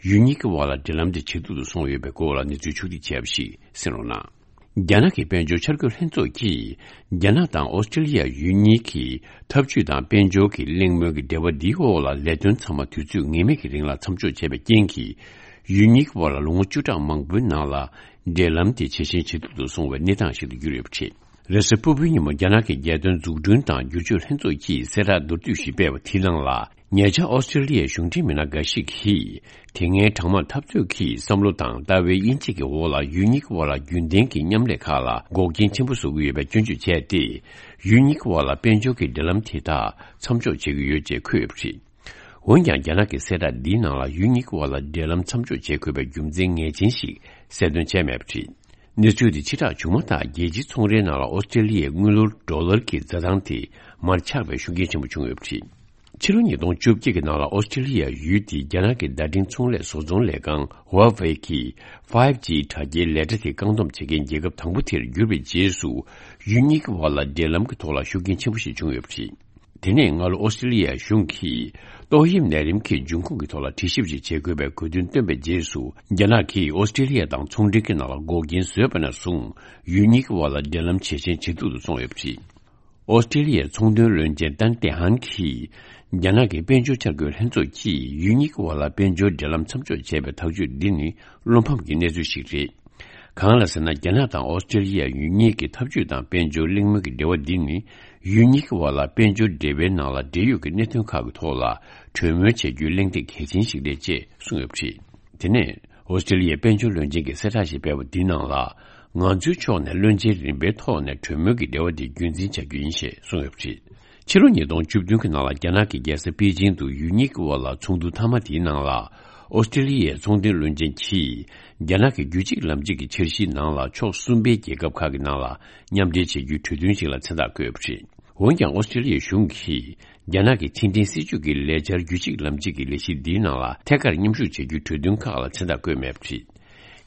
ཡུལ་གཉིས་ཀྱི་དབར་ལ་འབྲེལ་ལམ་དེ་ཇེ་སྡུག་ཏུ་སོང་ཡོད་པའི་སྐོར་ལ་གནས་ཚུལ་ཕྱོགས་བསྒྲིགས་བྱས་པ་ཞིག་གསན་རོགས་གནང་། རྒྱ་ནག་གི་དཔལ་འབྱོར་འཆར་འགོད་ལྷན་ཚོགས་ཀྱིས། རྒྱ་ནག་དང་ཨོ་སི་ཀྲི་ལི་ཡ་ཡུལ་གཉིས་ཀྱི་འཐབ་ཇུས་དང་དཔལ་འབྱོར་གྱི་གླེང་མོལ་གྱི་འབྲེལ་བ་འདིའི་འོག་ལ་ལས་དོན་ཚང་མ་དུས་ཚོད་ངེས་མེད་ཀྱི་རིང་ལ་མཚམས་འཇོག་བྱས་པའི་རྐྱེན་གྱིས། ཡུལ་གཉིས་ཀྱི་དབར་ལ་ལོ་ངོ་བཅུ་ཕྲག་མང་པོའི་ནང་ལ་འབྲེལ་ལམ་དེ་ཇེ་ཞན་ཇེ་སྡུག་ཏུ་སོང་བའི་གནས་སྟངས་ཤིག་ཏུ་གྱུར་ཡོད་པ་རེད། རེས་གཟའ་ཕུར་བུའི་ཉིན་མོ་རྒྱ་ནག་གི་རྒྱལ་དོན་འཛུགས་སྐྲུན་དང་བསྒྱུར་བཅོས་ལྷན་ཚོགས་ཀྱིས་གསལ་བསྒྲགས་མདོར་བསྡུས་ཤིག་སྤེལ་བ་དེའི་ནང་ལ། ཉེ་ཆར་ཨོ་སི་ཀྲི་ལི་ཡའི་གཞུང་འབྲེལ་མི་སྣ་འགའ་ཞིག་གིས། དེ་སྔའི་གྲང་དམག་འཐབ་རྩོད་ཀྱི་བསམ་བློ་དང་ལྟ་བའི་དབྱེ་འབྱེད་ཀྱི་འོག་ལ་ཡུལ་གཉིས་ཀྱི་དབར་ལ་རྒྱུན་ལྡན་གྱི་མཉམ་ལས་ཁག་ལ་འགོག་རྐྱེན་ཆེན་པོ་བཟོ་གི་ཡོད་པའི་སྐྱོན་བརྗོད་བྱས་ཏེ། ཡུལ་གཉིས་ཀྱི་དབར་ལ་དཔལ་འབྱོར་གྱི་འབྲེལ་ལམ་དེ་དག་མཚམས་འཇོག་བྱེད་ཀྱི་ཡོད་ཅེས་འཁོད་ཡོད་པ་རེད། འོན་ཀྱང་། རྒྱ་ནག་གི་གསལ་བསྒྲགས་འདིའི་ནང་ལ་ཡུལ་གཉིས་ཀྱི་དབར་ལ་འབྲེལ་ལམ་མཚམས་འཇོག་བྱེད་དགོས་པའི་རྒྱུ་མཚན་ངེས་ཅན་ཞིག་གསལ་སྟོན་བྱས་མེད་པ་རེད། གནས་ཚུལ་དེ་ཕྱིར་བསྒྲགས་བྱུང་མ་ཐག་རྒྱལ་སྤྱིའི་ཚོང་རའི་ནང་ལ་ཨོ་སི་ཀྲི་ལི་ཡའི་དངུལ་ལོར་ཌོ་ལར་གྱི་འཛའ་ཐང་དེ་མར་ཆག་པའི་ཤུགས་རྐྱེན་ཆེན་པོ་བྱུང་ཡོད་པ་རེད། ཕྱི་ལོ་ཉིས་སྟོང་བཅོ་བརྒྱད་ཀྱི་ནང་ལ་ཨོ་སི་ཀྲི་ལི་ཡ་ཡུལ་དེའི་རྒྱ་ནག་གི་བརྡ་འཕྲིན་ཚོང་ལས་བཟོ་ཚོང་ལས་ཁང་Huawei གིས་ཕའིབ་ཇི་དྲ་རྒྱའི་ལས་གྲྭ་དེ་བཀག་སྡོམ་བྱེད་མཁན་རྒྱལ་ཁབ་དང་པོ་དེར་གྱུར་པའི་རྗེས་སུ། ཡུལ་གཉིས་ཀྱི་དབར་ལ་འབྲེལ་ལམ་གྱི་ཐོག་ལ་ཤུགས་རྐྱེན་ཆེན་པོ་ཞིག་བྱུང་ཡོད་པ་རེད། དེ་ནས་སྔ་ལོ་ཨོ་སི་ཀྲི་ལི་ཡའི་གཞུང་གིས་ཏོག་དབྱིབས་ནད་རིམས་ཀྱི་འབྱུང་ཁུངས་ཀྱི་ཐོག་ལ་དྲི་ཞིབ་ཅིག་བྱེད་དགོས་པའི་དགོས་འདུན་བཏོན་པའི་རྗེས་སུ། རྒྱ་ནག་གིས་ཨོ་སི་ཀྲི་ལི་ཡ་དང་ཚོང་འབྲེལ་གྱི་ནང་ལ་འགོག་རྐྱེན་བཟོས་པ་ནས་བཟུང་། ཡུལ་གཉིས་ཀྱི་དབར་ལ་འབྲེལ་ལམ་ཇེ་ཞན་ཇེ་སྡུག་ཏུ་སོང་ཡོད་པ་རེད། ཨོ་སི་ཀྲི་ལི་ཡའི་ཚོང་དོན་བློན་ཆེན་ཏན་ཏེ་ཧན་གྱིས། རྒྱ་ནག་གི་དཔལ་འབྱོར་འཆར་འགོད་ལྷན་ཚོགས་ཀྱིས་ཡུལ་གཉིས་ཀྱི་དབར་ལ་དཔལ་འབྱོར་འབྲེལ་ལམ་མཚམས་འཇོག་བྱས་པའི་ཐག་གཅོད་འདི་ནི་བློ་ཕམ་གྱི་གནས་ཚུལ་ཞིག་རེད། གང་ལ་ཟེར་ན། རྒྱ་ནག་དང་ཨོ་སི་ཀྲི་ལི་ཡ་ཡུལ་གཉིས་ཀྱི་འཐབ་ཇུས་དང་དཔལ་འབྱོར་གླེང་མོལ་གྱི་འབྲེལ་བ་འདི་ནི། ཡུལ་གཉིས་ཀྱི་དབར་ལ་དཔལ་འབྱོར་འབྲེལ་བའི་ནང་ལ་འབྲེལ་ཡོད་ཀྱི་གནད་དོན་ཁག་གི་ཐོག་ལ་གྲོས་མོལ་བྱ་རྒྱུའི་གླེང་སྟེགས་གལ་ཆེན་ཞིག་རེད་ཅེས་གསུངས་ཡོད་པ་རེད། དེ་ནས། ཨོ་སི་ཀྲི་ལི་ཡའི་དཔལ་འབྱོར་བློན་ཆེན་གྱིས་གསལ་བསྒྲགས་ཤིག་སྤེལ་བ་འདིའི་ནང་ལ། ང་ཚོའི་ཕྱོགས་ནས་བློན་ཆེན་རིམ་པའི་ཐོག་ནས་གྲོས་མོལ་གྱི་འབྲེལ་བ་འདི་རྒྱུན་འཛིན་བྱ་རྒྱུ་ཡིན་ཞེས་གསུངས་ཡོད་པ་རེད། ཕྱི་ལོ་ཉིས་སྟོང་བཅུ་བདུན་གྱི་ནང་ལ་རྒྱ་ནག་གི་རྒྱལ་ས་པེ་ཅིང་དུ་ཡུལ་གཉིས་ཀྱི་དབར་ལ་ཚོགས་འདུ་མཐའ་མ་དེའི་ནང་ལ། ཨོ་སི་ཀྲི་ལི་ཡའི་ཚོང་དོན་བློན་ཆེན་གྱིས། རྒྱ་ནག་གི་རྒྱུད་གཅིག་ལམ་གཅིག་གི་འཆར་གཞིའི་ནང་ལ་ཕྱོགས་གསུམ་པའི་རྒྱལ་ཁབ་ཁག་གི་ནང་ལ་མཉམ་འབྲེལ་བྱེད་རྒྱུའི་གྲོས་མཐུན་ཞིག་ལ་མཚན་རྟགས་བཀོད་ཡོད་པ་རེད། འོན་ཀྱང་། ཨོ་སི་ཀྲི་ལི་ཡའི་གཞུང་གིས། རྒྱ་ནག་གི་ཕྱི་འབྲེལ་སྲིད་ཇུས་ཀྱི་ལས་འཆར་རྒྱུད་གཅིག་ལམ་གཅིག་གི་ལས་གཞི་འདིའི་ནང་ལ་ཐད་ཀར་མཉམ་ཞུགས་བྱ་རྒྱུའི་གྲོས་མཐུན་ཁག་ལ་མཚན་རྟགས་བཀོད་མེད་པ་རེད།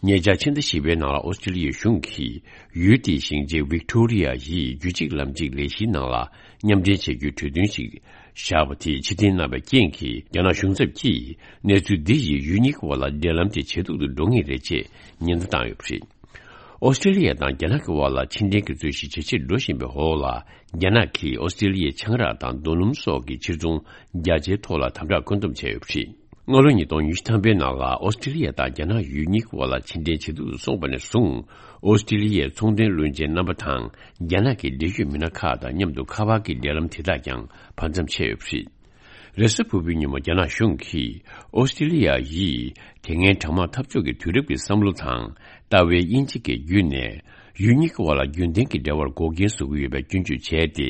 ཉེ་ཆར་ཕྱི་ཟླ་བཞི་པའི་ནང་ལ་ཨོ་སི་ཀྲི་ལི་ཡའི་གཞུང་གིས་ཡུལ་དེའི་ཞིང་ཆེན་ཝིག་ཏོ་རི་ཡ་ཡི་རྒྱུད་གཅིག་ལམ་གཅིག་ལས་གཞིའི་ནང་ལ་མཉམ་འབྲེལ་བྱ་རྒྱུའི་གྲོས་མཐུན་ཞིག་བཞག་པ་དེ་ཕྱིར་འཐེན་གནང་བའི་རྐྱེན་གྱིས། རྒྱ་ནག་གཞུང་ཚབ་ཀྱིས་གནས་ཚུལ་འདི་ཡིས་ཡུལ་གཉིས་ཀྱི་དབར་ལ་འབྲེལ་ལམ་དེ་ཇེ་སྡུག་ཏུ་འགྲོ་ངེས་རེད་ཅེས་ཉེན་བརྡ་བཏང་ཡོད་པ་རེད། ཨོ་སི་ཀྲི་ལི་ཡ་དང་རྒྱ་ནག་གི་དབར་ལ་ཕྱིར་འཐེན་གྱི་རྩོད་གཞི་ཇེ་ཆེར་འགྲོ་བཞིན་པའི་འོག་ལ། རྒྱ་ནག་གིས་ཨོ་སི་ཀྲི་ལི་ཡའི་ཆང་རག་དང་རྡོ་སྣུམ་སོགས་ཀྱི་ཕྱིར་ཚོང་རྒྱ་ཆེའི་ཐོག་ལ་དམ་དྲག་བཀོད་འདོམས་བྱས་ཡོད་པ་རེད། སྔ་ལོ་ཉིས་སྟོང་ཉི་ཤུ་ཐམ་པའི་ནང་ལ་ཨོ་སི་ཀྲི་ལི་ཡ་དང་རྒྱ་ནག་ཡུལ་གཉིས་ཀྱི་དབར་ལ་ཕྱིར་འཐེན་ཇེ་སྡུག་ཏུ་སོང་བ་ནས་བཟུང་། ཨོ་སི་ཀྲི་ལི་ཡའི་ཚོང་དོན་བློན་ཆེན་རྣམ་པ་དང་རྒྱ་ནག་གི་འབྲེལ་ཡོད་མི་སྣ་ཁག་དང་མཉམ་དུ་ཁ་པར་གྱི་འབྲེལ་ལམ་དེ་དག་ཀྱང་བར་མཚམས་ཆད་ཡོད་པ་རེད། རེས་གཟའ་ཕུར་བུའི་ཉིན་མོ་རྒྱ་ནག་གཞུང་གིས་ཨོ་སི་ཀྲི་ལི་ཡ་ཡིས་དེ་སྔའི་གྲང་དམག་འཐབ་ཕྱོགས་ཀྱི་དུས་རབས་ཀྱི་བསམ་བློ་དང་། ལྟ་བའི་དབྱེ་འབྱེད་ཀྱི་བརྒྱུད་ནས། ཡུལ་གཉིས་ཀྱི་དབར་ལ་རྒྱུན་ལྡན་གྱི་འབྲེལ་བར་འགོག་རྐྱེན་བཟོ་གི་ཡོད་པའི་སྐྱོན་བརྗོད་བྱས་ཏེ།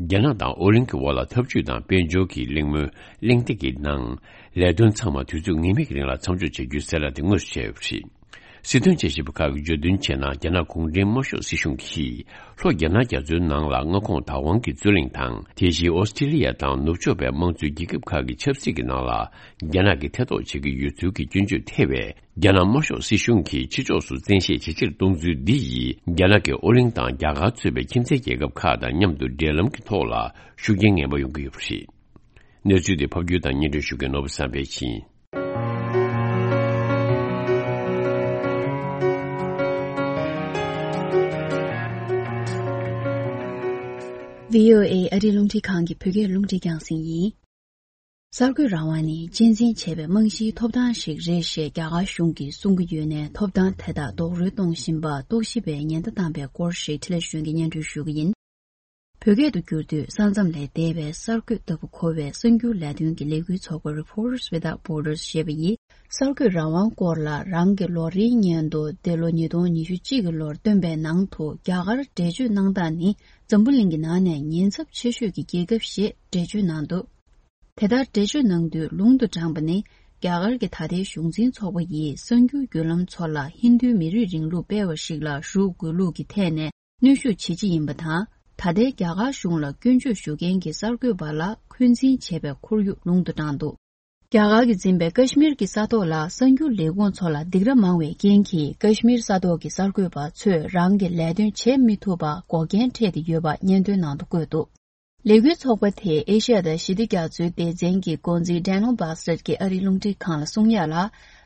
རྒྱ་ནག་དང་ཨོ་གླིང་གི་དབར་ལ་འཐབ་ཇུས་དང་དཔལ་འབྱོར་གྱི་གླེང་མོལ་གླེང་སྟེགས་ཀྱི་ནང་། ལས་དོན་ཚང་མ་དུས་ཚོད་ངེས་མེད་ཀྱི་རིང་ལ་མཚམས་འཇོག་བྱ་རྒྱུའི་གསལ་བསྒྲགས་དེ་དངོས་སུ་བྱས་ཡོད་པ་རེད། སྲིད་དོན་དཔྱད་ཞིབ་པ་ཁག་གིས་བརྗོད་དོན་བྱས་ན། རྒྱ་ནག་གུང་ཁྲན་དམར་ཤོག་སྲིད་གཞུང་གིས་ལྷོ་རྒྱ་ནག་རྒྱ་མཚོའི་ནང་ལ་མངའ་ཁོངས་བདག་དབང་གི་རྩོད་གླེང་དང་། དེ་བཞིན་ཨོ་སི་ཀྲི་ལི་ཡ་དང་ནུབ་ཕྱོགས་པའི་དམངས་གཙོའི་རྒྱལ་ཁབ་ཁག་གི་ཆབ་སྲིད་ཀྱི་ནང་ལ་རྒྱ་ནག་གིས་ཐེ་གཏོགས་བྱེད་ཀྱི་ཡོད་ཚུལ་གྱི་སྐྱོན་བརྗོད་ཐེ་བའི་རྒྱ་ནག་དམར་ཤོག་སྲིད་གཞུང་གིས་ཕྱི་ཕྱོགས་སུ་བཙན་ཤེད་ཇེ་ཆེར་གཏོང་ཚུལ་འདི་ཡིས། རྒྱ་ནག་གིས་ཨོ་གླིང་དང་རྒྱ་གར་གཙོས་པའི་ཁྱིམ་མཚེས་རྒྱལ་ཁབ་ཁག་དང་མཉམ་དུ་འབྲེལ་ལམ་གྱི་ཐོག་ལ་ཤུགས་རྐྱེན་ངན་པ་ཡོང་གི་ཡོད་པ་རེད། གནས་ཚུལ་དེ་ཕབ་སྒྱུར་དང་སྙན་སྒྲོན་ཞུ་མཁན་ནོར་བུ་བསམ་འཕེལ་ཡིན། བྷི་ཨོ་ཨེ་ཨ་རིའི་རླུང་འཕྲིན་ཁང་གི་བོད་སྐད་རླུང་འཕྲིན་རྒྱང་སྲིང་ཡིན། གསར་འགོད་རང་དབང་ནི་གཅེས་འཛིན་བྱས་པའི་རྨང་གཞིའི་ཐོབ་ཐང་ཞིག་རེད་ཞེས་རྒྱ་གར་གཞུང་གིས་གསུང་གི་ཡོད་ནའི། ཐོབ་ཐང་དེ་དག་རྡོག་རོལ་གཏོང་བཞིན་པར་རྟོག་ཞིབ་པས་ཉེན་བརྡ་བཏང་པའི་སྐོར་ཞིག་འཕྲིན་ལས་གཞུང་གིས་སྙན་སྒྲོན་ཞུ་གི་ཡིན། བོད་སྐད་དུ་བསྒྱུར་དུས། ས་མཚམས་ལས་འདས་པའི་གསར་འགོད་ལྟ་བུ་གོ་བའི་གསར་འགྱུར་ལས་དོན་གྱི་ལས་འགུལ་ཚོགས་པ་Reporters Without Borders ཞེས་པ་ཡིས། གསར་འགོད་རང་དབང་སྐོར་ལ་རང་གི་ལོ་རེའི་སྙན་ཐོ་འདི་ལོ་ཉིས་སྟོང་ཉི་ཤུ་གཅིག་གི་ལོར་བཏོན་པའི་ནང་དུ། རྒྱ་གར་འགྲེལ་བརྗོད་གནང་སྟངས་ནི་འཛམ་བུ་གླིང་གི་ནང་ནས་ཉེན་ཚབས་ཆེ་ཤོས་ཀྱི་རྒྱལ་ཁབ་ཞེས་འགྲེལ་བརྗོད་གནང་འདུག་དེ་ལྟར་འགྲེལ་བརྗོད་གནང་དུས། ལུང་དུ་དྲངས་པ་ནི། རྒྱ་གར་གྱི་ད་ལྟའི་གཞུང་འཛིན་ཚོགས་པ་ཡིས་གསར་འགྱུར་བརྒྱུད་ལམ་ཚོ་ལ་ཧིན་རྡུའི་མི་རིགས་རིང་ལུགས་སྤེལ་བ་ཞིག་ལ་རུ་དགོས་ལུགས་ཀྱི་ཐད་ནས་གནོན་ཤུགས་བྱེད་ཀྱི་ཡིན་པ་དང་། ད་ལྟའི་རྒྱ་གར་གཞུང་ལ་སྐྱོན་བརྗོད་ཞུ་མཁན་གྱི་གསར་འགོད་པ་ལ་འཁོན་འཛིན་བྱས་པའི་ཁོར་ཡུག་ལུང་དུ་དྲངས་འདུག་རྒྱ་གར་གྱིས་འཛིན་པའི་ཀ་ཤི་མིར་གྱི་ས་ཐོག་ལ་གསར་འགྱུར་ལས་ཁུངས་ཚོ་ལ་སྡིགས་ར་མང་བའི་རྐྱེན་གྱིས། ཀ་ཤི་མིར་ས་ཐོག་གི་གསར་འགོད་པ་ཚོས་རང་གི་ལས་དོན་བྱེད་མི་ཐུབ་པར་འགོག་རྐྱེན་འཕྲད་དེ་ཡོད་པ་སྙན་ཐོའི་ནང་དུ་བཀོད་འདུག་ལས་འགུལ་ཚོགས་པ་དེས་ཨེ་ཤ་ཡ་དང་ཞི་བདེ་རྒྱ་མཚོའི་སྡེ་ཚན་གྱི་འགོ་འཛིན་Daniel Bassett ཀྱིས་ཨ་རིའི་རླུང་འཕྲིན་ཁང་ལ་གསུངས་ཡག་ལ།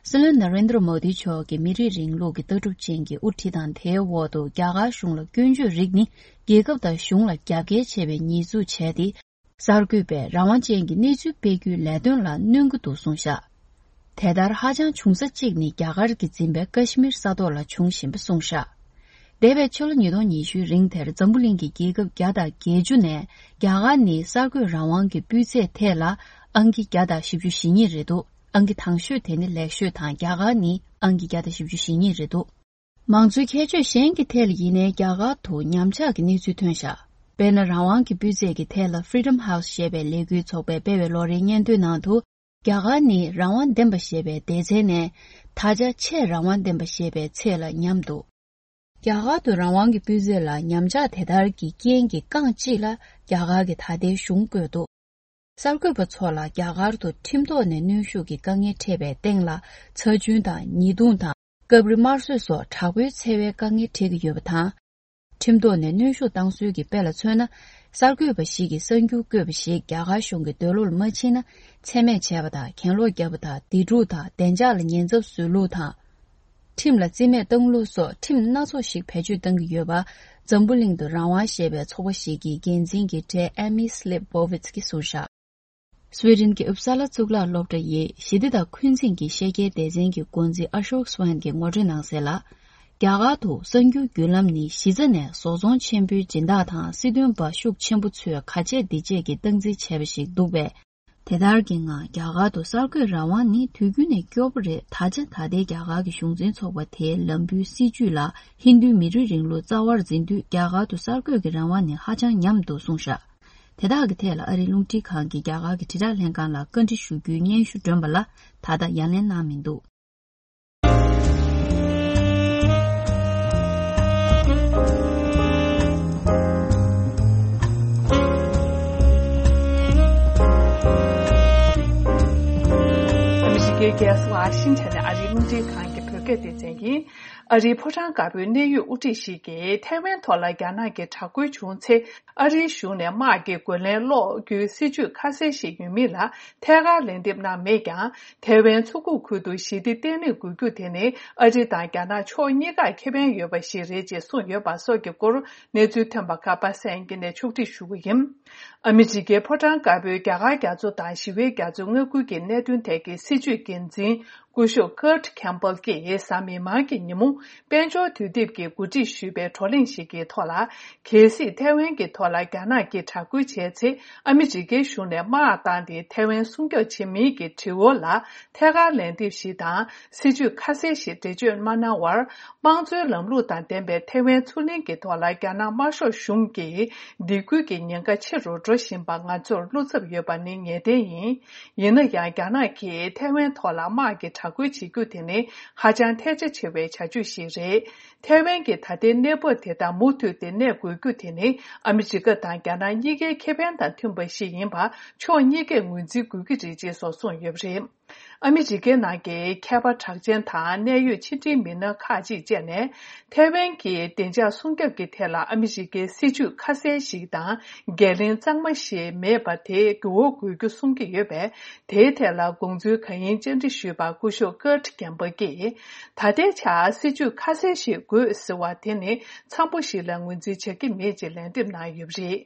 སྲིད་བློན་Narendra Modi མཆོག་གི་མི་རིགས་རིང་ལུགས་ཀྱི་ལྟ་གྲུབ་ཅན་གྱི་དབུ་ཁྲིད་དང་། དེའི་འོག་ཏུ་རྒྱ་གར་གཞུང་ལ་སྐྱོན་བརྗོད་རིགས་ནི་རྒྱལ་ཁབ་དང་གཞུང་ལ་རྒྱབ་འགལ་ཆེ་བའི་ཉེས་འཛུགས་བྱས་ཏེ། གསར་འགོད་པས་རང་དབང་ཅན་གྱི་གནས་ཚུལ་སྤེལ་རྒྱུའི་ལས་དོན་ལ་གནོད་ཀྱི་འདུག་གསུངས་བཞག་དེ་ལྟར་ཧ་ཅང་བྱུང་ས་གཅིག་ནི་རྒྱ་གར་གྱིས་འཛིན་པའི་ཀ་ཤི་མིར་ས་ཐོག་ལ་བྱུང་བཞིན་པ་གསུངས་བཞག་འདས་པའི་ཕྱི་ལོ་ཉིས་སྟོང་ཉི་ཤུའི་རིང་དེར་འཛམ་བུ་གླིང་གི་རྒྱལ་ཁབ་བརྒྱ་དང་བརྒྱད་ཅུ་ནས་རྒྱ་གར་ནི་གསར་འགོད་རང་དབང་གི་སྤུས་ཚད་ཐད་ལ་ཨང་ཀི་བརྒྱ་དང་བཞི་བཅུ་ཞེ་གཉིས་རེད་འདུག་ཨང་ཀི་དང་ཤོས་དེ་ནི་ལེགས་ཤོས་དང་། རྒྱ་གར་ནི་ཨང་ཀི་བརྒྱ་དང་བཞི་བཅུ་ཞེ་གཉིས་རེད་འདུག་མང་གཙོའི་ཁྱད་ཆོས་གཞན་གྱི་ཐད་ལ་ཡིན་ནའི་རྒྱ་གར་དུ་ཉམས་ཆག་གི་གནས་ཚུལ་ཐོན་བཞག་དཔེར་ན། རང་དབང་གི་སྤུས་ཚད་ཀྱི་ཐད་ལ་Freedom House ཞེས་པའི་ལས་འགུལ་ཚོགས་པས་སྤེལ་བའི་ལོ་རེའི་སྙན་ཐོའི་ནང་དུ། རྒྱ་གར་ནི་རང་དབང་ལྡན་པ་ཞེས་པའི་སྡེ་ཚན་ནས། ད་ཆ་ཆེས་རང་དབང་ལྡན་པ་ཞེས་པའི་ཚད་ལ་ཉམས་འདུག་རྒྱ་གར་དུ་རང་དབང་གི་སྤུས་ཚད་ལ་ཉམས་ཆག་དེ་ལྟར་གྱི་རྐྱེན་གྱིས་རྐང་གཅིག་ལ་རྒྱ་གར་གྱི་ད་ལྟའི་གཞུང་བཀོད་འདུག་གསར་འགོད་པ་ཚོ་ལ་རྒྱ་གར་དུ་ཁྲིམས་ཐོག་ནས་གནོན་ཤུགས་ཀྱི་དཀའ་ངལ་འཕྲད་པའི་སྟེང་ལ། ཚ་རྒྱུན་དང་ཉེས་རྡུང་དང་། སྐབས་རེ་དམར་གསོད་སོགས་དྲག་པོའི་འཚེ་བའི་དཀའ་ངལ་འཕྲད་ཀྱི་ཡོད་པ་དང་། ཁྲིམས་ཐོག་ནས་གནོན་ཤུགས་བཏང་སྲོལ་གྱི་དཔེ་ལ་མཚོན་ན། གསར་འགོད་པ་ཞིག་གིས་གསར་འགྱུར་བཀོད་པ་ཞིག་རྒྱ་གར་གཞུང་གི་འདོད་བློར་མ་ཕྱིན་ན། མཚན་སྨད་བྱས་པ་དང་། གྱེན་ལོག་བརྒྱབ་པ་དང་། སྡིགས་རུས་དང་བདེ་འཇགས་ལ་ཉེན་ཚབས་བཟོ་ལུགས་དང་། ཁྲིམས་ལ་རྩིས་མེད་བཏང་ལུགས་སོགས་ཁྲིམས་སྣ་ཚོགས་ཤིག་བེད་སྤྱོད་གཏང་གི་ཡོད་པ། འཛམ་བུ་གླིང་དུ་རང་དབང་ཞེས་པའི་ཚོགས་པ་ཞིག་གི་འགན་འཛིན་གྱི་གྲས་Amy Leibovitz གྱིས་གསུངས་བཞག་སུའེ་ཏེན་གྱི་ཨུབ་ས་ལ་གཙུག་ལག་སློབ་གྲྭ་ཡི་ཞི་བདེ་དང་འཁོན་འཛིན་གྱི་ཤེས་བྱའི་སྡེ་ཚན་གྱི་འགོ་འཛིན་Ashok Swant གྱིས་ངོ་སྤྲོད་གནང་གསལ་ལ། རྒྱ་གར་དུ་གསར་འགྱུར་བརྒྱུད་ལམ་ནི་གཞི་རྩ་ནས་བཟོ་ཚོང་ཆེན་པོའི་སྦྱིན་བདག་དང་སྲིད་དོན་པ་ཤུགས་ཆེན་པོ་ཚོས་ག་བྱེད་འདི་བྱེད་ཀྱི་སྟངས་འཛིན་བྱས་པ་ཞིག་འདུག་པས། དེ་ལྟར་གྱི་ངང་རྒྱ་གར་དུ་གསར་འགོད་རང་དབང་ནི་དུས་རྒྱུན་ནས་སྐྱོ་པོ་རེད། ད་ཆ་ད་ལྟའི་རྒྱ་གར་གྱི་གཞུང་འཛིན་ཚོགས་པ་དེའི་ལམ་བུའི་སྲིད་བྱུས་ལ་ཧིན་རྡུའི་མི་རིགས་རིང་ལུགས་རྩ་བར་འཛིན་དུས། རྒྱ་གར་དུ་གསར་འགོད་ཀྱི་རང་དབང་ནི་ཧ་ཅང་ཉམས་འདུག་གསུངས་བཞག་དེ་དག་གི་ཐད་ལ་ཨ་རིའི་རླུང་འཕྲིན་ཁང་གིས་རྒྱ་གར་གྱི་དྲིལ་བསྒྲགས་ལྷན་ཁང་ལ་བཀའ་འདྲི་ཞུ་རྒྱུའི་སྙན་ཞུ་བསྒྲོན་པ་ལ་ད་ལྟ་ཡ་ལན་གནང་མི་འདུག་ཨ་མི་རི་ཀའི་རྒྱལ་ས་ཝ་ཤིང་ཊོན་ནས་ཨ་རིའི་རླུང་འཕྲིན་ཁང་གི་བོད་སྐད་སྡེ་ཚན་ཡིན། ཨ་རིའི་ཕོ་བྲང་དཀར་པོའི་གནད་ཡོད་དབུ་ཁྲིད་ཞིག་གིས་ཐའེ་ཝན་ཐོག་ལ་རྒྱ་ནག་གི་དྲག་རྒོལ་བྱུང་ཚེ། ཨ་རིའི་གཞུང་ནས་དམག་གི་རྒོལ་ལན་སློག་རྒྱུའི་སྲིད་ཇུས་ཁ་གསལ་ཞིག་ཡོད་མེད་ལ་ཐད་ཀར་ལན་འདེབས་གནང་མེད་ཀྱང་། ཐའེ་ཝན་མཚོ་ཁུག་ཁུལ་དུ་ཞི་བདེ་བརྟན་ལྷིང་དགོས་རྒྱུ་དེ་ནི་ཨ་རི་དང་རྒྱ་ནག་ཕྱོགས་གཉིས་ཀར་ཁེ་ཕན་ཡོད་པ་ཞིག་རེད་ཅེས་གསུངས་ཡོད་པ་སོགས་ཀྱི་སྐོར་གནས་ཚུལ་ཐོན་པ་ཁག་པ་གསན་གྱི་ནས་ཕྱོགས་སྒྲིག་ཞུ་གི་ཡིན། ཨ་མི་རི་ཀའི་ཕོ་བྲང་དཀར་པོའི་རྒྱ་གར་རྒྱ་མཚོ་དང་ཞི་བའི་རྒྱ་མཚོའི་མངའ་ཁུལ་གྱི་གནད་དོན་ཐད་ཀྱི་སྲིད་བྱུས་འགན་འཛིན། སྐུ་ཞབས་Kurt Campbell་གྱིས་གཟའ་མིག་དམར་གྱི་ཉིན་མོ། དཔལ་འབྱོར་དུས་དེབ་ཀྱིས་གོ་སྒྲིག་ཞུས་པའི་བགྲོ་གླེང་ཞིག་གི་ཐོག་ལ། གལ་སྲིད་ཐའེ་ཝན་གྱི་ཐོག་ལ་རྒྱ་ནག་གིས་དྲག་རྒོལ་བྱས་ཚེ། ཨ་མི་རི་ཀའི་གཞུང་ནས་དམག་བཏང་སྟེ་ཐའེ་ཝན་སྲུང་སྐྱོབ་བྱེད་མིན་གྱི་དྲི་བ་ལ་ཐད་ཀར་ལན་འདེབས་ཤིག་དང་། སྲིད་ཇུས་ཁ་གསལ་ཞིག་འགྲེལ་བརྗོད་མ་གནང་བར། དམངས་གཙོའི་ལམ་ལུགས་དང་ལྡན་པའི་ཐའེ་ཝན་མཚོ་གླིང་གི་ཐོག་ལ་རྒྱ་ནག་དམར་ཤོག་གཞུང་གིས་སྡིགས་སྐུལ་གྱི་ཉེན་ཁ་ཆེ་རུ་འགྲོ་བཞིན་པ་ང་ཚོར་བློ་འཚབ་ཡོད་པ་ནི་ངེས་གཏན་ཡིན། ཡིན་ན་ཡང་། རྒྱ་ནག་གིས་ཐའེ་ཝན་ཐོག་ལ་དམག་གི་དྲག་རྒོལ་བྱེད་རྒྱུ་དེ་ནི་ཧ་ཅང་ཐལ་ཆ་ཆེ་བའི་བྱ་སྤྱོད་ཞིག་རེད། ཐའེ་ཝན་གྱི་ད་ལྟའི་གནས་བབ་དེ་དང་མུ་མཐུད་དེ་གནས་དགོས་རྒྱུ་དེ་ནི་ཨ་མི་རི་ཀ་དང་རྒྱ་ནག་གཉིས་ཀའི་ཁེ་ཕན་དང་མཐུན་པ་ཞིག་ཡིན་པ་ཕྱོགས་གཉིས་ཀས་ངོས་འཛིན་དགོས་ཀྱི་རེད་ཅེས་སོགས་གསུངས་ཡོད་པ་རེད། ཨ་མི་རི་ཀའི་ནང་གི་མཁས་པ་གྲགས་ཅན་དང་གནད་ཡོད་ཕྱི་འབྲེལ་མི་སྣ་ཁག་ཅིག་བཅས་ནས། ཐའེ་ཝན་གྱི་བདེ་འཇགས་སྲུང་སྐྱོབ་ཀྱི་ཐད་ལ་ཨ་མི་རི་ཀའི་སྲིད་ཇུས་ཁ་གསལ་ཞིག་དང་འགན་ལེན་གཙང་མ་ཞིག་མེད་པ་དེ་འགྱུར་བ་དགོས་རྒྱུ་གསུང་གི་ཡོད་པས། དེའི་ཐད་ལ་དགོངས་ཚུལ་གང་ཡིན་བཅར་འདྲི་ཞུས་པར་སྐུ་ཞབས་Kurt Campbell་གྱིས། ད་ལྟའི་ཆར་སྲིད་ཇུས་ཁ་གསལ་ཞིག་དགོས་ཟེར་བ་དེ་ནི་འཚམ་པོ་ཞིག་ལ་ངོས་འཛིན་བྱ་གི་མེད་ཅེས་ལན་འདེབས་གནང་ཡོད་པ་རེད།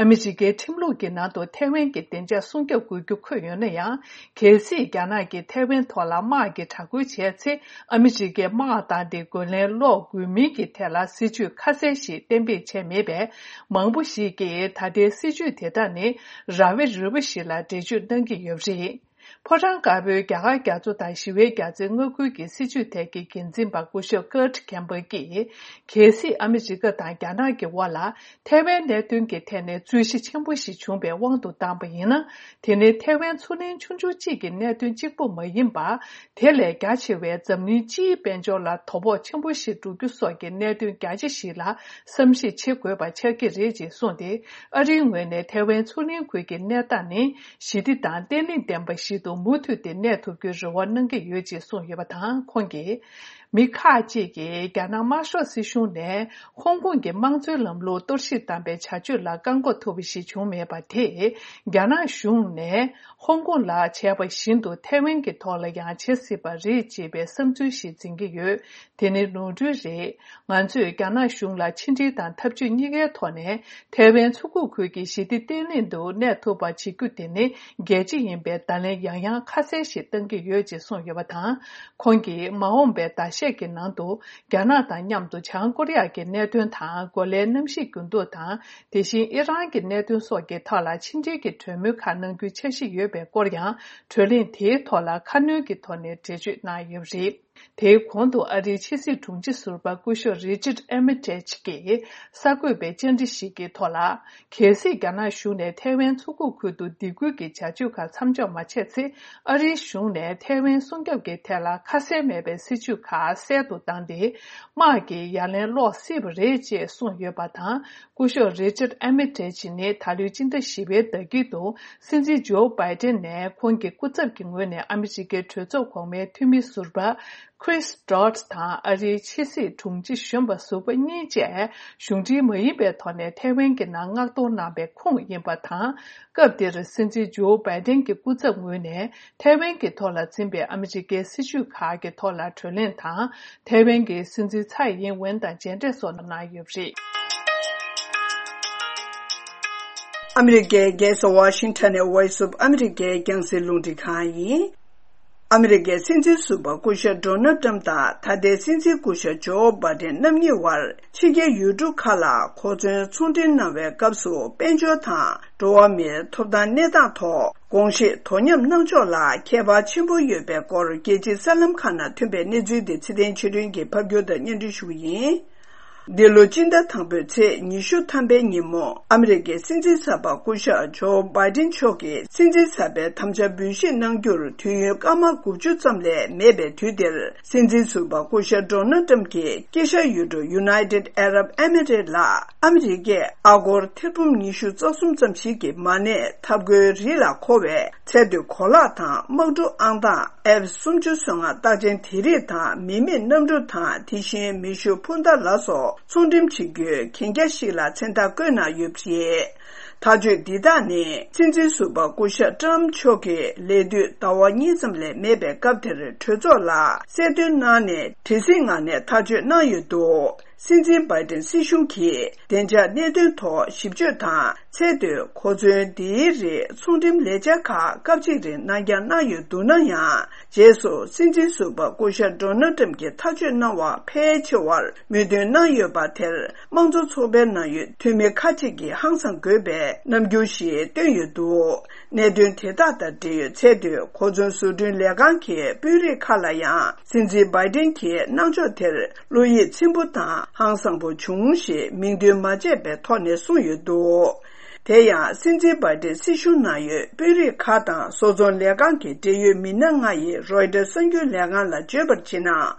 ཨ་མི་རི་ཀའི་ཁྲིམས་ལུགས་ཀྱི་ནང་དུ་ཐའེ་ཝན་གྱི་བདེ་འཇགས་སྲུང་སྐྱོབ་དགོས་རྒྱུ་འཁོད་ཡོད་ན་ཡང་། གལ་སྲིད་རྒྱ་ནག་གིས་ཐའེ་ཝན་ཐོག་ལ་དམག་གི་དྲག་རྒོལ་བྱས་ཚེ། ཨ་མི་རི་ཀས་དམག་བཏང་སྟེ་རྒོལ་ལན་སློག་དགོས་མིན་གྱི་ཐད་ལ་སྲིད་ཇུས་ཁ་གསལ་ཞིག་གཏན་འབེབས་བྱས་མེད་པས། མང་པོ་ཞིག་གིས་ད་ལྟའི་སྲིད་ཇུས་དེ་དག་ནི་ར་བའི་རུས་པ་ཞིག་ལ་འགྲེལ་བརྗོད་གནང་གི་ཡོད་པ་རེད། ཕོ་བྲང་དཀར་པོའི་རྒྱ་གར་རྒྱ་མཚོ་དང་ཞི་བའི་རྒྱ་མཚོའི་མངའ་ཁུལ་གྱི་སྲིད་བྱུས་ཐད་ཀྱི་འགན་འཛིན་པ་སྐུ་ཞབས་Kurt Campbell་གྱིས། གལ་སྲིད་ཨ་མི་རི་ཀ་དང་རྒྱ་ནག་གི་དབར་ལ། ཐའེ་ཝན་གནད་དོན་གྱི་ཐད་ནས་རྩོད་གཞི་ཆེན་པོ་ཞིག་བྱུང་བའི་དབང་དུ་བཏང་པ་ཡིན་ན། དེ་ནི་ཐའེ་ཝན་མཚོ་གླིང་ཆུང་ཆུང་གཅིག་གི་གནད་དོན་གཅིག་པུ་མ་ཡིན་པར། དེ་ལས་རྒྱ་ཆེ་བའི་འཛམ་གླིང་སྤྱིའི་དཔལ་འབྱོར་ལ་དོ་ཕོག་ཆེན་པོ་ཞིག་འགྲོ་རྒྱུ་སོགས་ཀྱི་གནད་དོན་རྒྱ་ཆེ་ཞིག་ལ་བསམ་གཞིག་བྱེད་དགོས་པ་ཆགས་ཀྱི་རེད་ཅེས་གསུངས་ཏེ། ཨ་རིའི་ངོས་ནས་ཐའེ་ཝན་མཚོ་གླིང་ཁུལ་གྱི་གནས་སྟངས་ནི་ཞི་བདེ་དང་བརྟན་ལྷིང་ལྡན་པ་ཞིག་ཏུ་མུ་མཐུད་དེ་གནས་ཐུབ་རྒྱུའི་རེ་བ་གནང་གི་ཡོད་ཅེས་གསུངས་ཡོད་པ་དང་། ཁོང་གིས། མི་ཁག་ཅིག་གིས་རྒྱ་ནག་དམར་ཤོག་སྲིད་གཞུང་ནས་ཧོང་ཀོང་གི་དམངས་གཙོའི་ལམ་ལུགས་གཏོར་བཤིག་བཏང་པའི་བྱ་སྤྱོད་ལ་བཀག་འགོག་ཐུབ་པ་ཞིག་བྱུང་མེད་པ་དེས། རྒྱ་ནག་གཞུང་ནས་ཧོང་ཀོང་ལ་བྱས་པ་བཞིན་དུ་ཐའེ་ཝན་གྱི་ཐོག་ལ་ཡང་བྱེད་སྲིད་པ་རེད་ཅེས་པའི་བསམ་ཚུལ་ཞིག་འཛིན་གྱི་ཡོད། དེ་ནི་ནོར་འཁྲུལ་རེད། ང་ཚོས་རྒྱ་ནག་གཞུང་ལ་ཕྱི་འབྲེལ་དང་ཐབས་ཇུས་གཉིས་ཀའི་ཐོག་ནས། ཐའེ་ཝན་མཚོ་ཁུག་ཁུལ་གྱི་ཞི་བདེ་བརྟན་ལྷིང་དུ་གནས་ཐུབ་པ་བྱེད་རྒྱུ་དེ་ནི་གལ་ཆེ་ཡིན་པའི་བརྡ་ལན་ཡང་ཡང་ཁ་གསལ་ཞིག་བཏང་གི་ཡོད་ཅེས་གསུངས་ཡོད་པ་དང་། ཁོང་གིས་མ་འོངས་པའི་ཟླ་ཤས་ཀྱི་ནང་དུ་རྒྱ་ནག་དང་མཉམ་དུ་བྱང་ཀོ་རི་ཡ་གི་གནད་དོན་དང་། གོ་ལའི་གནམ་གཤིས་འགྱུར་ལྡོག་དང་། དེ་བཞིན་ཨི་རན་གྱི་གནད་དོན་སོགས་ཀྱི་ཐོག་ལ་ཕྱི་འབྲེལ་གྱི་གྲོས་མོལ་ཁག་གནང་རྒྱུའི་འཆར་གཞི་ཡོད་པའི་སྐོར་ཡང་། གྲོས་གླེང་དེའི་ཐོག་ལ་ཁ་སྣོན་གྱི་ཐོག་ནས་འགྲེལ་བརྗོད་གནང་ཡོད་པ་རེད། དེའི་གོང་དུ་ཨ་རིའི་ཕྱི་སྲིད་དྲུང་ཆེ་ཟུར་པ་སྐུ་ཞབས་Richard Armitage་གྱིས་གསར་འགོད་པའི་བཅར་འདྲི་ཞིག་གི་ཐོག་ལ། གལ་སྲིད་རྒྱ་ནག་གཞུང་ནས་ཐའེ་ཝན་མཚོ་ཁུག་ཁུལ་དུ་སྡིགས་སྐུལ་གྱི་བྱ་སྤྱོད་ཁག་མཚམས་འཇོག་མ་བྱས་ཚེ། ཨ་རིའི་གཞུང་ནས་ཐའེ་ཝན་སྲུང་སྐྱོབ་ཀྱི་ཐད་ལ་ཁ་གསལ་མེད་པའི་སྲིད་ཇུས་ཁག་གསལ་དུ་བཏང་སྟེ། དམག་གི་ཡ་ལན་སློག་སྲིད་པ་རེད་ཅེས་གསུངས་ཡོད་པ་དང་། སྐུ་ཞབས་Richard Armitage་ནི་ད་ལོའི་སྤྱི་ཟླ་བཞི་པའི་ཟླ་དཀྱིལ་དུ་སྲིད་འཛིན་ཇོ་བྷའི་ཏན་ནས་ཁོང་གི་སྐུ་ཚབ་ཀྱི་ངོས་ནས་ཨ་མི་རི་ཀའི་གྲོས་ཚོགས་གོང་མའི་འཐུས་མི་ཟུར་པ་Chris Dodd་དང་ཨ་རིའི་ཕྱི་སྲིད་དྲུང་ཆེ་གཞོན་པ་ཟུར་པ་གཉིས་བཅས་གཞུང་འབྲེལ་མ་ཡིན་པའི་ཐོག་ནས་ཐའེ་ཝན་གྱི་ནང་མངགས་གཏོང་གནང་པའི་ཁོངས་ཡིན་པ་དང་། སྐབས་དེར་སྲིད་འཛིན་ཇོ་བྷའི་ཏན་གྱི་སྐུ་ཚབ་ངོས་ནས་ཐའེ་ཝན་གྱི་ཐོག་ལ་འཛིན་པའི་ཨ་མི་རི་ཀའི་སྲིད་བྱུས་ཁག་གི་ཐོག་ལ་གྲོས་གླེང་དང་། ཐའེ་ཝན་གྱི་སྲིད་འཛིན་ཚའེ་ཡིན་ཝེན་དང་མཇལ་འཕྲད་སོགས་གནང་ཡོད་པ་རེད། ཨ་མི་རི་ཀའི་རྒྱལ་ས་ཝ་ཤིང་ཊོན་ནས་Voice of America་རྒྱང་སྲིང་རླུང་འཕྲིན་ཁང་ཡིན། ཨ་མི་རི་ཀའི་སྲིད་འཛིན་ཟུར་པ་སྐུ་ཞབས་ཌོ་ནལ་ཏྲམ་དང་ད་ལྟའི་སྲིད་འཛིན་སྐུ་ཞབས་ཇོ་བྷའི་ཏན་རྣམ་གཉིས་དབར་ཕྱི་རྒྱལ་ཡུལ་གྲུ་ཁག་ལ་གོ་མཚོན་ཚོང་འབྲེལ་གནང་བའི་སྐབས་སུ་དཔལ་འབྱོར་དང་འགྲོ་བ་མིའི་ཐོབ་ཐང་གནས་སྟངས་ཐོག་དགོངས་བཞེས་དོ་མཉམ་གནང་ཕྱོགས་ལ་ཁྱད་པར་ཆེན་པོ་ཡོད་པའི་སྐོར་རྒྱལ་སྤྱིའི་གསར་ལམ་ཁག་ནང་ཐོན་པའི་གནས་ཚུལ་དེ་ཚེ་བརྟན་ཆོས་སྒྲོན་གྱིས་ཕབ་སྒྱུར་དང་སྙན་སྒྲོན་ཞུ་གི་ཡིན། འདི་ལོ་སྤྱི་ཟླ་དང་པོའི་ཚེས་ཉི་ཤུ་ཐམ་པའི་ཉིན་མོ། ཨ་མི་རི་ཀའི་སྲིད་འཛིན་གསར་པ་སྐུ་ཞབས་ཇོ་བྷའི་ཏིན་མཆོག་གིས་སྲིད་འཛིན་གསར་པའི་དམ་བཅའ་འབུལ་བཞེས་གནང་རྒྱུར་དུས་ཡུན་སྐར་མ་དགུ་བཅུ་ཙམ་ལས་མེད་པའི་དུས་འདིར། སྲིད་འཛིན་ཟུར་པ་སྐུ་ཞབས་ཌོ་ནལ་ཏྲམ་གྱིས་དཀྱིལ་ཤར་ཡུལ་གྲུ་United Arab Emirates ལ་ཨ་མི་རི་ཀས་ཨ་སྒོར་ཐེར་འབུམ་ཉི་ཤུ་རྩ་གསུམ་ཙམ་ཞིག་གི་མ་གནས་ཐབ་མགོའི་རི་ལ་མཁོ་བའི་ཚལ་དུད་གོ་ལག་དང་། དམག་གྲུ་ཨང་གྲངས་F་སུམ་ཅུ་སོ་ལྔ་རྟགས་ཅན་དེ་རིགས་དང་། མི་མེད་གནམ་གྲུ་དང་། དེ་བཞིན་མེ་ཤུགས་འཕུར་མདའ་ལ་སོགས་ཚོང་འགྲེམས་བྱེད་རྒྱུའི་གན་རྒྱ་ཞིག་ལ་མཚན་རྟགས་བཀོད་གནང་ཡོད་པ་རེད། ཐག་གཅོད་འདི་དག་ནི། སྲིད་འཛིན་ཟུར་པ་སྐུ་ཞབས་ཏྲམ་མཆོག་གི་ལས་དུས་ཟླ་བ་གཉིས་ཙམ་ལས་མེད་པའི་སྐབས་དེར་གྲོས་ཚོགས་ལ་གསལ་སྟོན་གནང་ནས། དེ་སྲིད་ངང་ནས་ཐག་གཅོད་གནང་ཡོད་འདུག་སྲིད་འཛིན་བྷའི་ཏིན་སྲིད་གཞུང་གིས་བདེ་འཇགས་གནད་དོན་ཐོག་ཞིབ་དཔྱོད་དང་། ཚལ་དུད་གོ་མཚོན་འདིའི་རིགས་ཚོང་འགྲེམས་ལས་འཆར་ཁག་སྐབས་གཅིག་རིང་གནང་འགྱངས་གནང་ཡོད་འདུག་ན་ཡང་། རྗེས་སུ་སྲིད་འཛིན་ཟུར་པ་སྐུ་ཞབས་ཌོ་ནལ་ཏྲམ་གྱིས་ཐག་གཅོད་གནང་བ་ཕལ་ཆེ་བར་མོས་མཐུན་གནང་ཡོད་པ་དེར། དམངས་གཙོ་ཚོགས་པའི་ནང་ཡོད་འཐུས་མི་ཁག་ཅིག་གིས་ཧང་སང་དགོས་པའི་རྣམ་འགྱུར་ཞིག་བཏོན་ཡོད་འདུག་གནད་དོན་དེ་དག་དང་འབྲེལ་ཡོད་ཚལ་དུད་གོ་མཚོན་བཟོ་སྐྲུན་ལས་ཁང་གི་དཔོན་རིགས་ཁག་ལ་ཡང་། སྲིད་འཛིན་བྷའི་ཏིན་གྱི་གནང་ཕྱོགས་དེར་བློ་ཡིད་ཚིམ་པོ་དང་ཧང་སང་པོ་བྱུང་ཞེས་མིང་འདོན་མ་བྱས་པའི་ཐོག་ནས་གསུངས་ཡོད་འདུག་དེ་ཡང་། སྲིད་འཛིན་བྷའི་ཏིན་སྲིད་གཞུང་ནང་ཡོད་དཔོན་རིགས་ཁག་དང་བཟོ་ཚོང་ལས་ཁང་གི་འབྲེལ་ཡོད་མི་སྣ་ལྔ་ཡིས་རོའི་ཊར་གསར་འགྱུར་ལས་ཁང་ལ་བརྗོད་པར་བྱས་ན།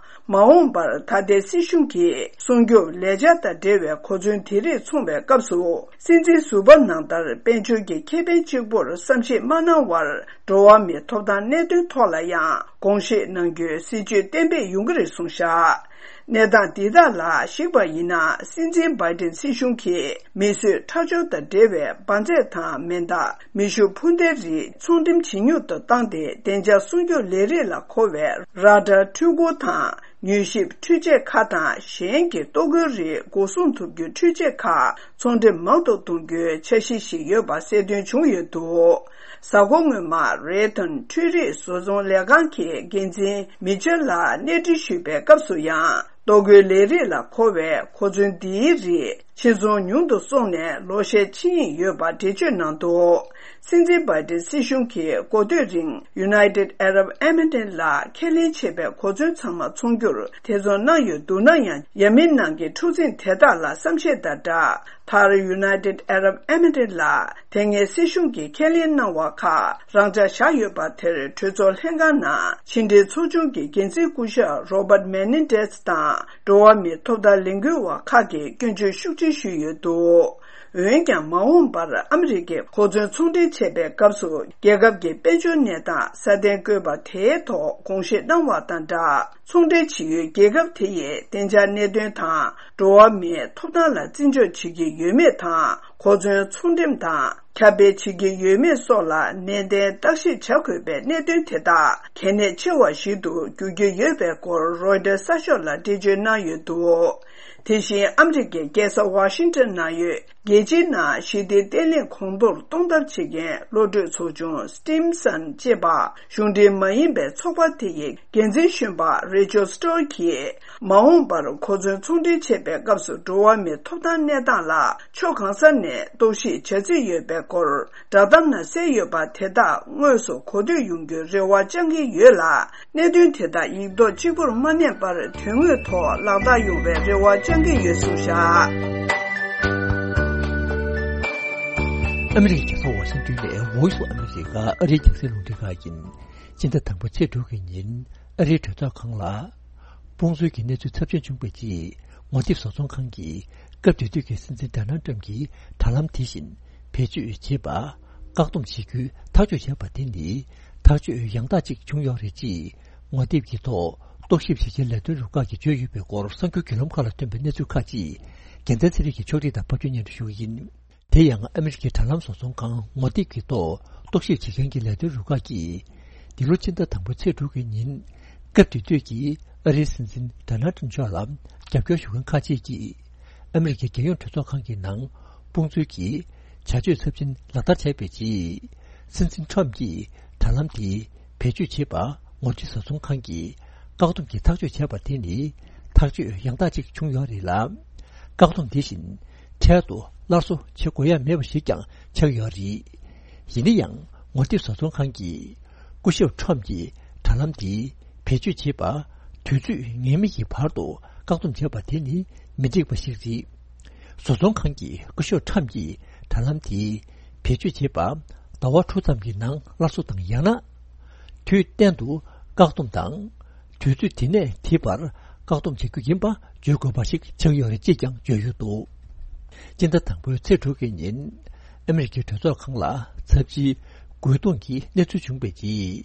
མ་འོངས་པར་ད་ལྟའི་སྲིད་གཞུང་གིས་སྲུང་སྐྱོབ་ལས་འཆར་དང་འབྲེལ་བའི་གོ་མཚོན་དེ་རིགས་འཚོང་བའི་སྐབས་སུ། སྲིད་འཛིན་ཟུར་པ་ནང་ལྟར་དཔལ་འབྱོར་གྱི་ཁེ་ཕན་གཅིག་པུར་བསམ་ཤེས་མ་གནང་བར། འགྲོ་བ་མིའི་ཐོབ་ཐང་གནད་དོན་ཐོག་ལ་ཡང་དགོངས་བཞེས་གནང་རྒྱུའི་སྲིད་བྱུས་གཏན་འབེབས་ཡོང་གི་རེད་གསུངས་བཞག་གནས་སྟངས་འདི་དག་ལ་གཞིགས་པ་ཡིན་ན། སྲིད་འཛིན་བྷའི་ཏིན་སྲིད་གཞུང་གིས་མིས་བཟོས་ཁྲག་སྦྱོར་དང་འབྲེལ་བའི་འབར་རྫས་དང་མེ་མདའ། མེ་ཤུགས་འཕུར་མདའི་རིགས་ཚོང་འགྲེམས་ཇེ་ཉུང་དུ་བཏང་སྟེ། བདེ་འཇགས་སྲུང་སྐྱོབ་ལས་རིགས་ལ་མཁོ་བའི་ར་ཌར་འཕྲུལ་འཁོར་དང་། མྱུལ་ཞིབ་འཕྲུལ་ཆས་ཁག་དང་གཞན་གྱི་ལྟོ་གོས་རིགས་འགོག་སྲུང་ཐུབ་རྒྱུའི་འཕྲུལ་ཆས་ཁག་ཚོང་འགྲེམས་མང་དུ་གཏོང་རྒྱུའི་འཆར་གཞི་ཞིག་ཡོད་པ་གསལ་སྟོན་བྱུང་ཡོད་འདུག་གཟའ་འཁོར་སྔོན་མ། རེ་ཐོན་འཕྲུལ་རིག་བཟོ་ཚོང་ལས་ཁང་གི་འགན་འཛིན་མི་ཆེལ་ལ་གནས་འདྲི་ཞུས་པའི་སྐབས་སུ་ཡང་། ལྟོ་གོས་ལས་རིགས་ལ་མཁོ་བའི་གོ་མཚོན་འདིའི་རིགས་ཕྱིར་ཚོང་ཉུང་དུ་སོང་ནས་ལོ་ཤས་ཕྱིན་ཡོད་པ་འགྲེལ་བརྗོད་གནང་འདུག་སྲིད་འཛིན་བྷའི་ཏིན་སྲིད་གཞུང་གིས་འགོ་སྟོད་རིང་United Arab Emirates ལ་ཁས་ལེན་བྱས་པའི་གོ་མཚོན་ཚང་མ་ཚོང་རྒྱུར་ཐེ་ཚོམ་གནང་ཡོད་འདུག་ན་ཡང་། ཡ་མིན་ནང་གི་འཁྲུག་འཛིང་དེ་དག་ལ་བསམ་ཤེས་དང་སྦྲགས། མཐར་United Arab Emirates ལ་དེ་སྔའི་སྲིད་གཞུང་གིས་ཁས་ལེན་གནང་བ་ཁག་རང་འཇགས་བཞག་ཡོད་པ་དེར། གྲོས་ཚོགས་ལྷན་ཁང་ནང་ཕྱི་འབྲེལ་ཚོགས་ཆུང་གི་འགན་འཛིན་སྐུ་ཞབས་Robert Menendez དང་འགྲོ་བ་མིའི་ཐོབ་ཐང་ལས་འགུལ་བ་ཁག་གིས་སྐྱོན་བརྗོད་ཤུགས་ཆེ་ཞུས་ཡོད་འདུག་འོན་ཀྱང་། མ་འོངས་པར་ཨ་མི་རི་ཀས་གོ་མཚོན་ཚོང་འབྲེལ་བྱེད་པའི་སྐབས་སུ། རྒྱལ་ཁབ་ཀྱི་དཔལ་འབྱོར་གནས་སྟངས་སྲ་བརྟན་དགོས་པ་དེའི་ཐོག་དགོངས་བཞེས་གནང་བ་དང་སྦྲགས། ཚོང་འབྲེལ་བྱེད་ཡུལ་རྒྱལ་ཁབ་དེ་ཡི་བདེ་འཇགས་གནད་དོན་དང་། འགྲོ་བ་མིའི་ཐོབ་ཐང་ལ་བརྩི་འཇོག་བྱེད་ཀྱི་ཡོད་མེད་དང་། གོ་མཚོན་ཚོང་འགྲེམས་དང་ཁྱབ་སྤེལ་བྱེད་ཀྱི་ཡོད་མེད་སོགས་ལ་ནན་ཏན་བརྟག་ཞིབ་བྱ་དགོས་པའི་གནད་དོན་དེ་དག་གལ་གནད་ཆེ་བ་ཞིག་ཏུ་འགྱུར་གྱི་ཡོད་པའི་སྐོར་རོའི་ཊར་གསར་ཤོག་ལ་འགྲེལ་བརྗོད་གནང་ཡོད་འདུག་དེ་བཞིན། ཨ་མི་རི་ཀའི་རྒྱལ་ས་ཝ་ཤིང་ཊོན་ནང་ཡོད། རྒྱལ་སྤྱིའི་ནང་ཞི་བདེ་བརྟན་ལྷིང་གོང་མཐོར་གཏོང་ཐབས་བྱེད་མཁན་བློ་གྲོས་ཚོགས་ཆུང་Stimson ཅེས་པ། གཞུང་འབྲེལ་མ་ཡིན་པའི་ཚོགས་པ་དེ་ཡི་འགན་འཛིན་གཞོན་པ་Rachel Stone གྱིས། མ་འོངས་པར་གོ་མཚོན་ཚོང་འབྲེལ་བྱེད་པའི་སྐབས་སུ། འགྲོ་བ་མིའི་ཐོབ་ཐང་གནས་སྟངས་ལ་ཕྱོགས་གང་ས་ནས་རྟོག་ཞིབ་བྱ་རྩིས་ཡོད་པའི་སྐོར། བསྒྲགས་གཏམ་ནང་གསལ་ཡོད་པ་དེ་དག་དངོས་སུ་གོ་ཐོས་ཡོང་རྒྱུའི་རེ་བ་བཅང་གི་ཡོད་ལ། གནད་དོན་དེ་དག་ཡིག་ཐོག་གཅིག་པུར་མ་གནས་པར་དོན་དངོས་ཐོག་ལག་བསྟར་ཡོང་བའི་རེ་བ་བཅང་གི་ཡོད་གསུངས་བཞག་ཨ་མི་རི་ཀའི་རྒྱལ་ས་ཝ་ཤིང་ཏོན་ནས་Voice of America ཨ་རིའི་རྒྱང་སྲིང་རླུང་འཕྲིན་ཁང་ཡིན། སྤྱི་ཟླ་དང་པོའི་ཚེས་དྲུག་གི་ཉིན་ཨ་རིའི་གྲོས་ཚོགས་ཁང་ལ། དཔུང་འཛུལ་གྱི་གནས་ཚུལ་ཚབས་ཆེན་བྱུང་བའི་རྗེས། ངོ་དེབ་བཟོ་ཚོང་ཁང་གིས་སྐབས་དེ་དུས་ཀྱི་སྲིད་འཛིན་ཌོ་ནལ་ཏྲམ་གྱི་དྲ་ལམ་དེ་བཞིན་བེད་སྤྱོད་བྱེད་པ། བཀག་སྡོམ་བྱེད་རྒྱུའི་ཐག་གཅོད་བྱས་པ་དེ་ནི་ཐག་གཅོད་ཡང་དག་ཅིག་བྱུང་ཡོད་རེད་ཅེས་ངོ་དེབ་ཀྱི་ཐོག་རྟོག་ཞིབ་བྱེད་ཀྱི་ལས་དོན་རུ་ཁག་གིས་བརྗོད་ཡོད་པའི་སྐོར་གསར་འགྱུར་བརྒྱུད་ལམ་ཁག་ལ་ཐོན་པའི་གནས་ཚུལ་ཁག་ཅིག་རྒྱལ་མཚན་ཚེ་རིང་གིས་ཕྱོགས་སྒྲིག་དང་ཕབ་སྒྱུར་སྙན་སྒྲོན་ཞུ་གི་ཡིན། དེ་ཡང་ཨ་མི་རི་ཀའི་དྲ་ལམ་བཟོ་ཚོང་ཁང་ངོ་དེབ་ཀྱི་ཐོག་རྟོག་ཞིབ་བྱེད་མཁན་གྱི་ལས་དོན་རུ་ཁག་གིས། འདི་ལོ་སྤྱི་ཟླ་དང་པོའི་ཚེས་དྲུག་གི་ཉིན། སྐབས་དེ་དུས་ཀྱི་ཨ་རིའི་སྲིད་འཛིན་ཌོ་ནལ་ཏྲམ་མཆོག་ལ་རྒྱབ་སྐྱོར་ཞུ་མཁན་ཁག་ཅིག་གིས། ཨ་མི་རི་ཀའི་རྒྱལ་ཡོངས་གྲོས་ཚོགས་ཁང་གི་ནང་དཔུང་འཛུལ་གྱི་བྱ་སྤྱོད་ཚབས་ཆེན་ལག་བསྟར་བྱས་པའི་རྗེས། སྲིད་འཛིན་ཏྲམ་གྱིས་དྲ་ལམ་དེ་བེད་སྤྱོད་བྱེད་པ་ངོ་སྤྲོད་བཟོ་ཚོང་ཁང་གིས་བཀག་སྡོམ་གྱི་ཐག་གཅོད་བྱས་པ་དེ་ནི་ཐག་གཅོད་ཡང་དག་ཅིག་བྱུང་ཡོད་རེད་ལ། བཀག་སྡོམ་དེ་བཞིན་འཕྲལ་དུ་སླར་གསོ་བྱེད་དགོས་ཡ་མེད་པ་ཞིག་ཀྱང་ཆགས་ཡོད་རེད། ཡིན་ན་ཡང་ངོ་དེབ་བཟོ་ཚོང་ཁང་གིས་སྐུ་ཞབས་ཁྲོམ་གྱིས་དྲ་ལམ་འདི་བེད་སྤྱོད་བྱེད་པ་དུས་ཚོད་ངེས་མེད་ཀྱི་བར་དུ་བཀག་སྡོམ་བྱས་པ་དེ་ནི་ མི་འགྲིག་པ་ཞིག་རེད། བཟོ་ཚོང་ཁང་གི་སྐུ་ཞབས་ཁྲམ་གྱིས་དྲ་ལམ་དེ་བེད་སྤྱོད་བྱེད་པ་ཟླ་བ་དྲུག་ཙམ་གྱི་ནང་སླར་གསོ་དང་ཡང་ན། དུས་གཏན་དུ་བཀག་སྡོམ་དང་། དུས་ཚོད་དེ་ནས་དེ་བར་བཀག་སྡོམ་བྱེད་རྒྱུ་ཡིན་པ་བརྗོད་དགོས་པ་ཞིག་ཆགས་ཡོད་རེད་ཅེས་ཀྱང་བརྗོད་ཡོད་འདུག་སྤྱི་ཟླ་དང་པོའི་ཚེས་དྲུག་གི་ཉིན། ཨ་མེ་རི་ཁའི་གྲོས་ཚོགས་ཁང་ལ་ཚབས་ཆེའི་རྒོལ་རྡུང་གི་གནས་ཚུལ་བྱུང་བའི་རྗེས།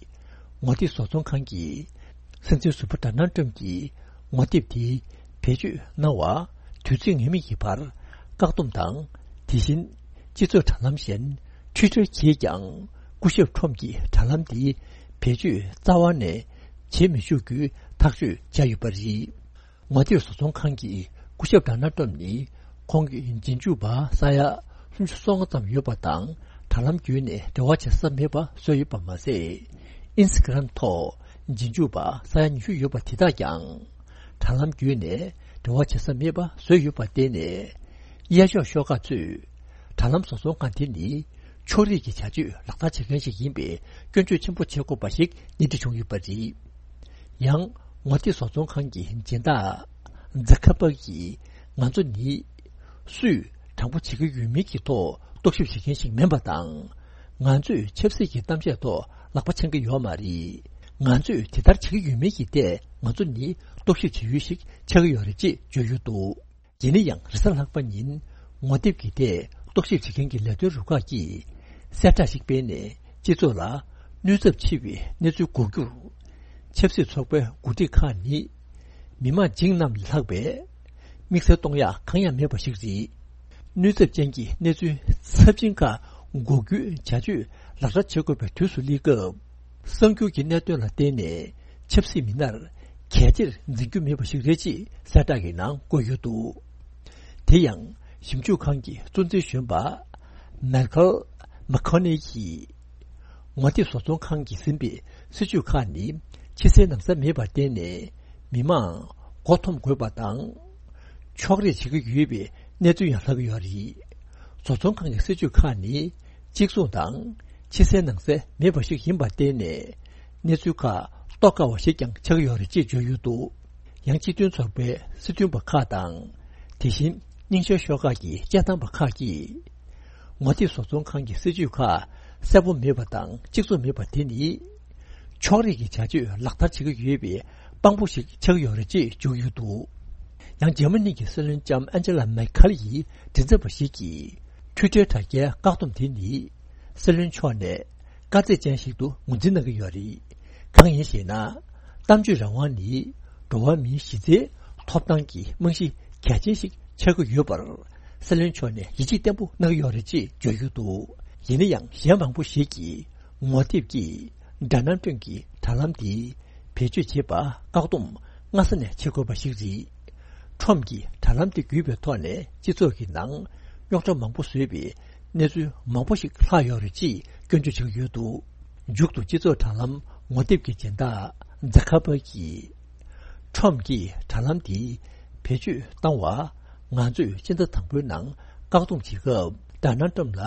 ངོ་དེབ་བཟོ་ཚོང་ཁང་གིས་སྲིད་འཛིན་ཟུར་པ་ཌོ་ནལ་ཊམ་གྱི་ངོ་དེབ་དེ་བེད་སྤྱོད་གནང་བ་དུས་ཚོད་ངེས་མེད་ཀྱི་བར་བཀག་སྡོམ་དང་། དེ་བཞིན་སྤྱི་ཚོགས་དྲ་ལམ་གཞན་ཊུའི་ཊར་གྱིས་ཀྱང་སྐུ་ཞབས་ཁྲོམ་གྱི་དྲ་ལམ་དེ་བེད་སྤྱོད་རྩ་བ་ནས་བྱེད་མི་ཆོག་རྒྱུའི་ཐག་གཅོད་བྱས་ཡོད་པ་རེད། ངོ་དེབ་བཟོ་ཚོང་ཁང་གི་སྐུ་ཞབས་ཌོ་ནལ་ཊམ་ནི་ཁོང་གི་རྗེས་འཇུག་པ་ས་ཡ་སུམ་ཅུ་སོ་ལྔ་ཙམ་ཡོད་པ་དང་། དྲ་ལམ་བརྒྱུད་ནས་འབྲེལ་བ་བྱེད་ས་མེད་པ་བཟོས་ཡོད་པ་མ་ཟད། ཨིན་སི་ཊ་གྷི་རམ་ཐོག་རྗེས་འཇུག་པ་ས་ཡ་ཉི་ཤུ་ཡོད་པ་དེ་དག་ཀྱང་དྲ་ལམ་བརྒྱུད་ནས་འབྲེལ་བ་བྱེད་ས་མེད་པ་བཟོས་ཡོད་པར་བརྟེན་ནས། གཡས་ཕྱོགས་ཤོག་ཁག་ཚོས་དྲ་ལམ་བཟོ་ཚོང་ཁང་དེ་ནི་ཕྱོགས་རིས་ཀྱི་བྱ་སྤྱོད་ལག་བསྟར་བྱེད་མཁན་ཞིག་ཡིན་པའི་སྐྱོན་བརྗོད་ཆེན་པོ་བྱེད་དགོས་པ་ཞིག་སྣེ་ཁྲིད་བྱུང་ཡོད་པ་རེད། ཡང་ངོ་དེབ་བཟོ་ཚོང་ཁང་གི་སྦྱིན་བདག་ཛ་ཁ་པར་གྱིས་ང་ཚོ་ནི་སུས་དྲང་པོ་བྱེད་ཀྱི་ཡོད་མེད་ཀྱི་ཐོག་རྟོག་ཞིབ་བྱེད་མཁན་ཞིག་མིན་པ་དང་། ང་ཚོས་ཆབ་སྲིད་ཀྱི་གཏམ་བཤད་ཐོག་ལག་པ་འཆང་གི་ཡོད་མ་རེད། ང་ཚོས་དེ་ལྟར་བྱེད་ཀྱི་ཡོད་མེད་ཀྱི་ཐད་ང་ཚོ་ནི་རྟོག་ཞིབ་བྱེད་ཡུལ་ཞིག་ཆགས་ཀྱི་ཡོད་རེད་ཅེས་བརྗོད་ཡོད་འདུག་ཡིན་ན་ཡང་རེས་གཟའ་ལྷག་པ་ཉིན་ངོ་དེབ་ཀྱི་ཐད་རྟོག་ཞིབ་བྱེད་མཁན་གྱི་ལས་དོན་རུ་ཁག་གིས་གསལ་བསྒྲགས་ཤིག་སྤེལ་ནས་སྤྱི་ཚོགས་ལ་གནོད་ཚབས་ཆེ་བའི་གནས་ཚུལ་འགོག་རྒྱུར། ཆབ་སྲིད་ཚོགས་པའི་འགོ་ཁྲིད་ཁག་ནི་མི་དམངས་བྱིངས་རྣམས་ལས་ལྷག་པའི་དམིགས་བསལ་གཏོང་ཡག་གང་ཡང་མེད་པ་ཞིག་རེད། གནོད་ཚབས་ཅན་གྱི་གནས་ཚུལ་ཚབས་ཆེན་ཁག་འགོག་རྒྱུའི་བྱ་སྤྱོད་ལག་བསྟར་བྱེད་དགོས་པའི་དུས་སུ་སླེབས་སྐབས། གསར་འགྱུར་གྱི་གནད་དོན་ལ་བརྟེན་ནས་ཆབ་སྲིད་མི་སྣར་གལ་ཆེར་འཛིན་རྒྱུ་མེད་པ་ཞིག་རེད་ཅེས་གསལ་བསྒྲགས་ཀྱི་ནང་བཀོད་ཡོད་འདུག་དེ་ཡང་ཞིབ་འཇུག་ཁང་གི་གཙོ་འཛིན་གཞོན་པ་མའི་ཁལ་མ་ཁོ་ནེ་ཡིས། ངོ་དེབ་བཟོ་ཚོང་ཁང་གིས་ཟིན་པའི་སྲིད་ཇུས་ཁག་ནི་ཕྱི་གསལ་ནང་གསལ་མེད་པར་བརྟེན་ནས་མི་མང་མགོ་འཐོམ་དགོས་པ་དང་། ཕྱོགས་རིས་བྱེད་ཀྱི་ཡོད་པའི་གནས་ཚུལ་ཡང་ལྷག་གི་ཡོད་རེད། བཟོ་ཚོང་ཁང་གི་སྲིད་ཇུས་ཁག་ནི་གཅིག་མཚུངས་དང་ཕྱི་གསལ་ནང་གསལ་མེད་པ་ཞིག་ཡིན་པར་བརྟེན་ནས་གནས་ཚུལ་ཁག་རྟོགས་དཀའ་བ་ཞིག་ཀྱང་ཆགས་ཀྱི་ཡོད་རེད་ཅེས་བརྗོད་ཡོད་འདུག་ཡང་སྤྱི་མཐུན་ཚོགས་པའི་སྲིད་དོན་པ་ཁག་དང་། དེ་བཞིན་རྙིང་ཤོས་ཤོག་ཁག་གི་སྤྱི་བཏང་པ་ཁག་གིས། ངོ་དེབ་བཟོ་ཚོང་ཁང་གི་སྲིད་ཇུས་ཁག་གསལ་པོ་མེད་པ་དང་གཅིག་མཚུངས་མེད་པ་དེ་ནི། ཕྱོགས་རིས་ཀྱི་བྱ་སྤྱོད་ལག་བསྟར་བྱེད་ཀྱི་ཡོད་པའི་དཔང་པོ་ཞིག་ཆགས་ཀྱི་ཡོད་རེད་ཅེས་བརྗོད་ཀྱི་ཡོད་འདུག་ཡང་འཇར་མ་ནི་གི་སྲིད་བློན་ལྕམ་ཨན་ཇེ་ལ་མེར་ཁལ་ཡི་མགྲིན་ཚབ་པ་ཞིག་གིས་ཊུའི་ཊར་དྲ་རྒྱའི་བཀག་སྡོམ་དེ་ནི་སྲིད་བློན་མཆོག་ནས་དཀའ་ཚེགས་ཅན་ཞིག་ཏུ་ངོས་འཛིན་གནང་གི་ཡོད་རེད། གང་ཡིན་ཞེ་ན། གཏམ་བརྗོད་རང་དབང་ནི་འགྲོ་བ་མིའི་གཞི་རྩའི་ཐོབ་ཐང་གི་རྨང་གཞི་གལ་ཆེན་ཞིག་ཆགས་ཀྱི་ཡོད་པར་སྲིད་བློན་མཆོག་ནས་ཡིད་ཆེས་བརྟན་པོ་གནང་གི་ཡོད་རེད་ཅེས་བརྗོད་ཀྱི་འདུག་ཡིན་ན་ཡང་གཞན་མང་པོ་ཞིག་གིས་ངོ་དེབ་ཀྱིས་ཌོ་ནལ་ཊམ་གྱི་དྲ་ལམ་དེ་བེད་སྤྱོད་བྱེད་པར་བཀག་སྡོམ་སྔ་ས་ནས་བྱེད་དགོས་པ་ཞིག་རེད། ཁྲོམ་གྱིས་དྲ་ལམ་དེ་བརྒྱུད་པའི་ཐོག་ནས་སྤྱི་ཚོགས་ཀྱི་ནང་རྙོག་དྲ་མང་པོ་བཟོས་པའི་གནས་ཚུལ་མང་པོ་ཞིག་ལྷག་ཡོད་རེད་ཅེས་སྐྱོན་བརྗོད་བྱེད་ཀྱི་ཡོད་འདུག་མཇུག་ཏུ་སྤྱི་ཚོགས་དྲ་ལམ་ངོ་དེབ་ཀྱི་སྦྱིན་བདག་ཛ་ཁ་པར་གྱིས། ཁྲོམ་གྱིས་དྲ་ལམ་དེ་བེད་སྤྱོད་བཏང་བ། ང་ཚོས་སྤྱི་ཟླ་དང་པོའི་ནང་བཀག་སྡོམ་བྱེད་སྐབས་ཌོ་ནལ་ཊམ་ལ་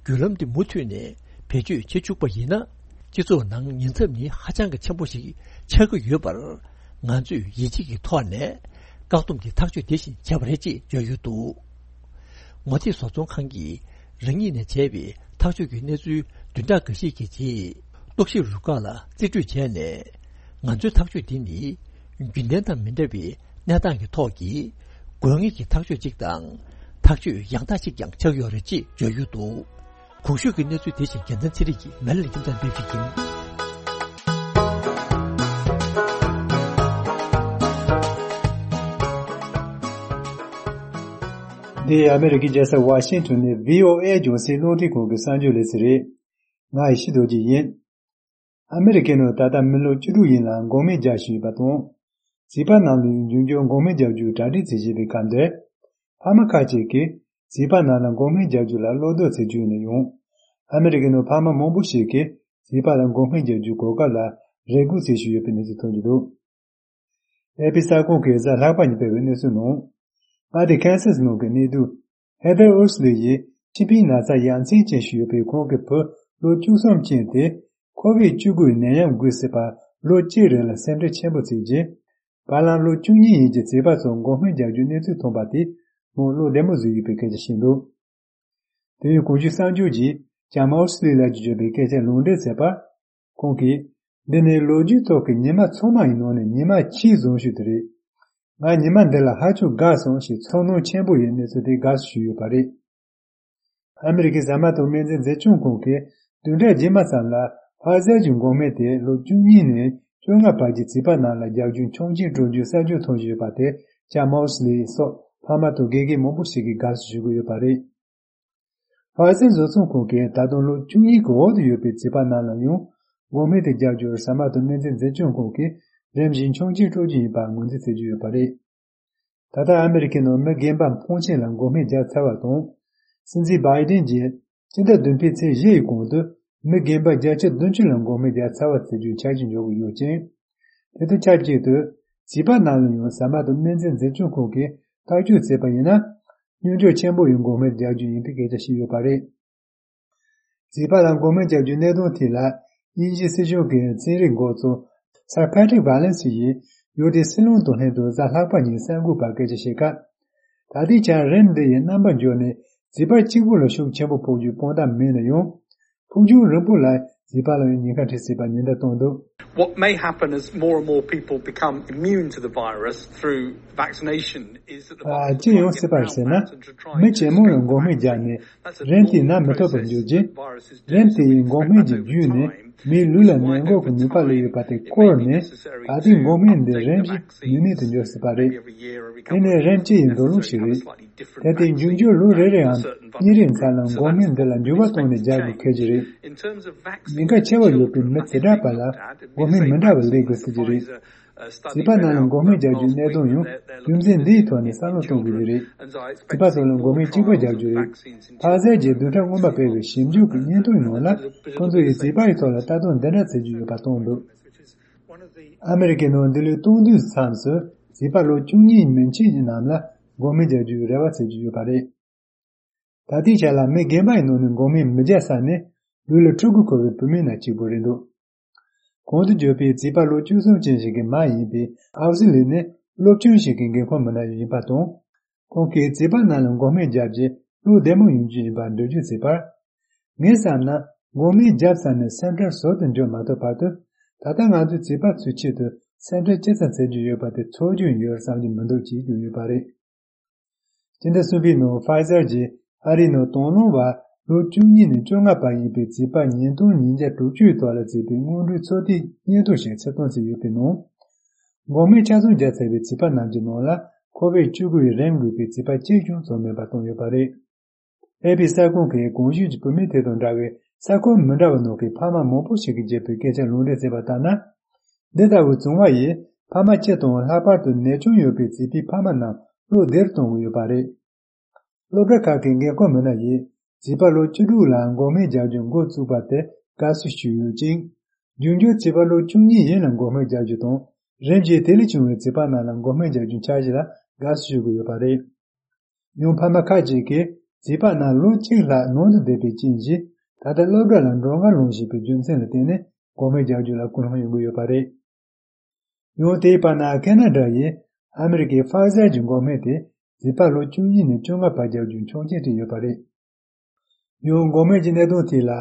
བརྒྱུད་ལམ་དེ་མུ་མཐུད་ནས་བེད་སྤྱོད་བྱེད་བཅུག་པ་ཡིན་ན། སྤྱི་ཚོགས་ནང་ཉེན་ཚབས་ནི་ཧ་ཅང་གི་ཆེན་པོ་ཞིག་ཆགས་ཀྱི་ཡོད་པར། ང་ཚོས་ཡིད་ཆེས་ཀྱི་ཐོག་ནས་བཀག་སྡོམ་གྱི་ཐག་གཅོད་དེ་བཞིན་བྱས་པ་རེད་ཅེས་བརྗོད་ཡོད་འདུག་ངོ་དེབ་བཟོ་ཚོང་ཁང་གིས་རང་ཉིད་ནས་བྱས་པའི་ཐག་གཅོད་ཀྱི་གནས་ཚུལ་བདུན་ཕྲག་འགའ་ཤས་ཀྱི་རྗེས། རྟོག་ཞིབ་རུ་ཁག་ལ་རྩིས་སྤྲོད་བྱས་ནས། ང་ཚོའི་ཐག་གཅོད་འདི་ནི་རྒྱུན་ལྡན་དང་མི་འདྲ་བའི་གནས་སྟངས་ཀྱི་ཐོག་གི་དགོས་ངེས་ཀྱི་ཐག་གཅོད་ཅིག་དང་། ཐག་གཅོད་ཡང་དག་ཅིག་ཀྱང་ཆགས་ཡོད་རེད་ཅེས་བརྗོད་ཡོད་འདུག་གོང་ཞུས་ཀྱི་གནས་ཚུལ་དེ་བཞིན་རྒྱལ་མཚན་ཚེ་རིང་གིས་མལ་ལ་ཁྱིམ་ཚང་སྤེལ་ཞིག་ཡིན། འདི་ཨ་མེ་རི་ཀའི་རྒྱལ་ས་ཝ་ཤིང་ཊོན་ནས་བྷི་ཨོ་ཨེ་རྒྱང་སྲིང་རླུང་འཕྲིན་ཁང་གི་གསར་འགྱུར་ལེ་ཚན་རེད། ང་ཡེ་ཤེས་རྡོ་རྗེ་ཡིན། ཨ་མེ་རི་ཀའི་ནང་ད་ལྟ་མི་ལོ་བཅུ་དྲུག་ཡན་ལ་འགོག་སྨན་རྒྱག་བཞིན་ཡོད་པ་དང་། བྱིས་པ་རྣམས་ལ་ཡང་འབྱུང་འགྱུར་འགོག་སྨན་རྒྱག་རྒྱུའི་གྲ་སྒྲིག་བྱེད་བཞིན་པའི་སྐབས་འདིར། ཕ་མ་ཁག་ཅིག་གིས་བྱིས་པ་རྣམས་ལ་འགོག་སྨན་རྒྱག་རྒྱུ་ལ་བློ་དོགས་བྱེད་ཀྱི་ཡོད་ན་ཡང་། ཨ་མེ་རི་ཀའི་ནང་ཕ་མ་མང་པོ་ཞིག་གིས་བྱིས་པ་ལ་འགོག་སྨན་རྒྱག་རྒྱུའི་གོ་སྐབས་ལ་རེ་སྒུག་བྱེད་བཞིན་ཡོད་པའི་གནས་ཚུལ་ཐོན་གྱི་འདུག་ཨེ་པི་གསར་ཁང་གིས་གཟའ་ལྷག་པ་ཉིན་སྤེལ་བའི་གནས་ཚུལ་ནང་། མངའ་སྡེ་ཁན་སཱ་སི་ནང་གི་གནས་སྡོད་ཧེ་ཐར་ཨུར་སི་ལི་ཡིས་མཆིན་པའི་ན་ཚ་ཡ་མཚན་ཅན་ཞིག་ཡོད་པའི་ཁོང་གི་བུ་ལོ་བཅུ་གསུམ་ཅན་དེ་ཁོ་བིད་བཅུ་དགུའི་ནད་ཡམས་འགོས་སྲིད་པར་ལོ་གཅིག་རིང་ལ་སེམས་ཁྲལ་ཆེན་པོ་བྱས་རྗེས། བར་ལམ་ལོ་བཅུ་གཉིས་ཡན་གྱི་བྱིས་པ་ཚོར་འགོག་སྨན་རྒྱག་རྒྱུའི་གནས་ཚུལ་ཐོན་པ་དེས་མོ་བློ་བདེ་མོ་བཟོས་ཡོད་པའི་སྐད་ཆ་བཤད་འདུག་དེ་ཡང་གོང་ཞུས་གསར་འགྱུར་གྱིས་ལྕམ་ཨོ་སི་ལི་ལགས་ཀྱིས་བརྗོད་པའི་སྐད་ཆར་ལུང་འདྲེན་བྱས་པར། ཁོང་གིས། འདི་ནི་ལོ་རྒྱུས་ཐོག་གི་ཉི་མ་ཚང་མ་ཡི་ནང་ནས་ཉི་མ་ཆེས་བཟང་ཤོས་དེ་རེད། ང་ཉི་མ་འདི་ལ་ཧ་ཅང་དགའ་སོང་ཞེས་ཚོར་སྣང་ཆེན་པོ་ཡོད་གནས་ཚུལ་དེ་དགའ་བསུ་ཞུས་ཡོད་པ་རེད། ཨ་མི་རི་ཀའི་ཟ་མ་དང་སྨན་རྫས་འཛིན་སྐྱོང་ཁང་གིས་བདུན་ཕྲག་རྗེས་མ་ཙམ་ལ་ཕ་ཟེར་གྱི་འགོག་སྨན་དེ་ལོ་བཅུ་གཉིས་ནས་བཅོ་ལྔ་བར་གྱི་བྱིས་པ་རྣམས་ལ་རྒྱག་རྒྱུའི་ཆོག་མཆན་སྤྲོད་རྒྱུའི་གསར་འགྱུར་ཐོན་བཞིན་ཡོད་པ་དེ་ལྕམ་ཨོ་སི་ལི་སོགས་ཕ་མ་དང་དགེ་རྒན་མང་པོ་ཞིག་གིས་དགའ་བསུ་ཞུ་གི་ཡོད་པ་རེད། ཕ་ཟེར་བཟོ་ཚོང་ཁང་གིས་ད་དུང་ལོ་བཅུ་གཉིས་ཀྱི་འོག་ཏུ་ཡོད་པའི་བྱིས་པ་རྣམས་ལ་ཡང་འགོག་སྨན་དེ་རྒྱག་རྒྱུར་ཟ་མ་དང་སྨན་རྫས་འཛིན་སྐྱོང་ཁང་གིས་རིམ་བཞིན་ཆོག་མཆན་སྤྲོད་རྒྱུ་ཡིན་པ་ངོས་འཛིན་བྱེད་ཀྱི་ཡོད་པ་རེད། ད་ལྟ་ཨ་མི་རི་ཀའི་ནང་མི་རྒན་པ་འཕོངས་ཆེན་ལ་འགོག་སྨན་བརྒྱབ་ཚར་བ་དང་། སྲིད་འཛིན་བྷའི་ཌེན་གྱིས་སྤྱི་ཟླ་བདུན་པའི་ཚེས་བཞི་ཡི་གོང་དུ་མི་རྒན་པ་བརྒྱ་ཆ་བདུན་ཅུ་ལ་འགོག་སྨན་བརྒྱབ་ཚར་བ་བྱེད་རྒྱུའི་འཆར་གཞི་འཇོག་གི་ཡོད་ཅིང་། དེ་དང་ཆབས་ཅིག་ཏུ་བྱིས་པ་རྣམས་ལ་ཡང་ཟ་མ་དང་སྨན་རྫས་འཛིན་སྐྱོང་ཁང་གིས་ཐག་གཅོད་བྱས་པ་ཡིན་ན། སྙོམས་འཇུག་ཆེན་པོ་ཡི་འགོག་སྨན་རྒྱག་རྒྱུ་ཡིན་པའི་སྐད་ཆ་བཤད་ཡོད་པ་རེད། བྱིས་པ་ལ་འགོག་སྨན་རྒྱག་རྒྱུའི་གནད་དོན་ཐད་ལ། དབྱིན་ཇིའི་སྲིད་གཞུང་གི་ཚན་རིག་འགོ་གཙོ་སར་ཕེ་ཏྲིག་བྷ་ལན་སི་ཡིས་ཡུལ་དེའི་སྲིད་བློན་དང་ལྷན་དུ་གཟའ་ལྷག་པ་ཉིན་གསར་འགོད་པར་སྐད་ཆ་བཤད་སྐབས། ད་ལྟའི་ཆར་རིམས་འདི་ཡི་རྣམ་པ་འགྱུར་ནས་བྱིས་པ་གཅིག་པུ་ལ་ཤུགས་ཆེན་པོ་ཕོག་རྒྱུའི་དཔང་རྟགས་མེད་ན་ཡང་། ཕུགས་རྒྱང་རིང་པོ་ལ་བྱིས་པ་ལ་ཡང་ཉེན་ཁ་འཕྲད་སྲིད་པ་ཉེན་བརྡ་བཏང་འདུག What may happen as more and more people become immune to the virus through vaccination is that the ཨ། virus ཅི་ཡོང་སྲིད་པ་རེད་ཟེར་ན། མི་ཇེ་མང་ལ་འགོག་སྨན་བརྒྱབ་ནས་རིམས་དེས་ན་མི་ཐུབ་པར་འགྱུར་རྗེས། རིམས་དེ་ཡི་འགོག་སྨན་གྱི་བརྒྱུད་ནས་མིའི་ལུས་ལ་ནད་འགོག་གི་ནུས་པ་སླེབས་ཡོད་པ་དེ་སྐོར་ནས། ད་ལྟའི་འགོག་སྨན་འདི་རིམས་ཀྱིས་ནུས་མེད་དུ་འགྱུར་སྲིད་པ་རེད། དེ་ནི་རིམས་སྤྱི་ཡི་འདོད་བློ་ཞིག་རེད། དེ་དེ་འབྱུང་འགྱུར་ལོ་རེ་རེའམ་གཉིས་རེའི་མཚམས་ལ་འགོག་སྨན་འདི་ལ་འགྱུར་བ་གཏོང་ནས་རྒྱག་དགོས་ཁེལ་གྱི་རེད། ཉེན་ཁ་ཆེ་བ་ཡོད་པའི་མི་དེ་འདྲ་བ་ལ་འགོག་སྨན་མི་འདྲ་བ་ལས་དགོས་སྲིད་ཀྱི་རེད། བྱིས་པ་རྣམས་ལ་འགོག་སྨན་རྒྱག་རྒྱུའི་གནད་དོན་ཡང་རྒྱུ་མཚན་འདིའི་ཐོག་ནས་བསམ་བློ་གཏོང་དགོས་ཀྱི་རེད། བྱིས་པ་ཚོ་ལ་འགོག་སྨན་གཅིག་པ་རྒྱག་རྒྱུ་རེད། ཕ་ཟེར་གྱིས་བདུན་ཕྲག་སྔོན་མ་སྤེལ་བའི་ཞིབ་འཇུག་གི་སྙན་ཐོའི་ནང་ལ། ཁོང་ཚོ་ཡིས་བྱིས་པ་ཡི་ཐོག་ལ་ལྟ་རྟོག་འདི་འདྲ་བྱེད་ཀྱི་ཡོད་པ་གཏོང་འདུག་ཨ་མི་རི་ཀའི་ནང་འདི་ལོའི་སྟོང་བདུན་མཚམས་སུ་བྱིས་པ་ལོ་བཅུ་གཉིས་མན་ཆད་རྣམས་ལ་འགོག་སྨན་རྒྱག་རྒྱུའི་རེ་བ་བྱེད་ཀྱི་ཡོད་པ་རེད། ད་ལྟའི་ཆ་ལ་མི་རྒན་པ་ཡི་ནང་ནས་འགོག་སྨན་མི་རྒྱག་ས་ནི་ལུས་ལ་ཕྲུ་གུ་འཁོར་བའི་བུད་མེད་ནང་གཅིག་པུ་རེད་འདུག་གོང་དུ་བརྗོད་པའི་བྱིས་པ་ལོ་བཅུ་གསུམ་ཅན་ཞིག་གི་མ་ཡིན་པའི་ཨའུ་སི་ལི་ནི་སློབ་ཆུང་ཞིག་གི་འགན་ཁུར་མི་སྣ་ཡིན་པ་དང་། ཁོང་གིས་བྱིས་པ་རྣམས་ལ་འགོག་སྨན་བརྒྱབ་རྗེས་བློ་བདེ་མོ་ཡོང་རྒྱུ་ཡིན་པར་འགྲེལ་བརྗོད་བྱས་པར། ངས་བསམ་ན་འགོག་སྨན་བརྒྱབ་ཚར་ནས་སེམས་ཁྲལ་ཟུར་དུ་འཇོག་མ་ཐུབ་བར་དུ། ད་ལྟ་ང་ཚོས་བྱིས་པ་ཚོའི་ཆེད་དུ་སེམས་ཁྲལ་ཅི་ཙམ་བྱེད་རྒྱུ་ཡོད་པ་དེ་ཚོར་རྒྱུ་ཡོད་བསམ་རྒྱུ་མི་འདུག་ཅེས་བརྗོད་ཡོད་པ་རེད། སྤྱི་ཟླ་གསུམ་པའི་ནང་ཕའི་ཟར་གྱིས་ཨ་རིའི་ནང་དང་བླངས་པ་ལོ་བཅུ་གཉིས་ནས་བཅོ་ལྔ་བར་ཡིན་པའི་བྱིས་པ་ཉིས་སྟོང་ཉིས་བརྒྱ་དྲུག་ཅུ་ཡི་ཐོག་ལ་བྱས་པའི་སྔོན་འགྲོའི་ཚོད་ལྟའི་སྙན་ཐོ་ཞིག་ཕྱིར་གཏོང་བྱས་ཡོད་པའི་ནང་། འགོག་སྨན་ཆ་ཚང་བརྒྱབ་ཚར་བའི་བྱིས་པ་རྣམས་ཀྱི་ནང་ལ་ཁོ་བིཌ་བཅུ་དགུ་ཡི་རིམས་འགོས་པའི་བྱིས་པ་གཅིག་ཀྱང་ཚོར་མེད་པ་བཏང་ཡོད་པ་རེད། ཨེ་པི་གསར་ཁང་གིས་གོང་ཞུས་ཀྱི་བུད་མེད་དེ་དང་འདྲ་བའི་ས་ཁུལ་མི་འདྲ་བ་ནང་གི་ཕ་མ་མང་པོ་ཞིག་གིས་བརྗོད་པའི་སྐད་ཆ་ལུང་འདྲེན་བྱས་པ་ལྟར་ན། འདི་ལྟ་བུའི་བྱུང་བ་ཡིས་ཕ་མ་སྤྱི་དང་ལྷག་པར་དུ་ནད་སྐྱོན་ཡོད་པའི་བྱིས་པའི་ཕ་མ་རྣམས་བློ་བདེར་གཏོང་གི་ཡོད་པ་རེད། སློབ་གྲྭ་ཁག་གི་འགན་ཁུར་མི་སྣ་ཡིས་བྱིས་པ་ལོ་བཅུ་དྲུག་ལ་འགོག་སྨན་རྒྱག་རྒྱུ་འགོ་བཙུགས་པ་དེ་དགའ་བསུ་ཞུས་ཡོད་ཅིང་། རྒྱུན་སྐྱོང་བྱིས་པ་ལོ་བཅུ་གཉིས་ཡན་ལ་འགོག་སྨན་རྒྱག་རྒྱུ་དང་། རིམས་ཀྱིས་དེ་ལས་བྱུང་བའི་བྱིས་པ་རྣམས་ལ་འགོག་སྨན་རྒྱག་རྒྱུའི་འཆར་གཞི་ལ་དགའ་བསུ་ཞུ་གི་ཡོད་པ་རེད། ཡང་ཕ་མ་ཁག་ཅིག་གིས་བྱིས་པ་རྣམས་ལོ་གཅིག་ལྷག་ནང་དུ་བསྡད་པའི་རྐྱེན་གྱིས་ད་ལྟ་སློབ་གྲྭ་ལ་འགྲོ་གར་ལངས་བཞིན་པའི་རྒྱུ་མཚན་ལ་བརྟེན་ནས་འགོག་སྨན་རྒྱག་རྒྱུ་ལ་སྐུལ་སློང་ཡོང་གི་ཡོད་པ་རེད། ཡང་དེའི་བར་ན་ཁེ་ན་ཌ་ཡིས་ཨ་མི་རི་ཀའི་ཕ་ཟར་གྱི་འགོག་སྨན་དེ་བྱིས་པ་ལོ་བཅུ་གཉིས་ནས་བཅོ་ལྔ་བར་རྒྱག་རྒྱུའི་ཆོག་མཆན་སྤྲད་ཡོད་པ་རེད། ཡང་འགོག་སྨན་གྱི་གནད་དོན་ཐད་ལ་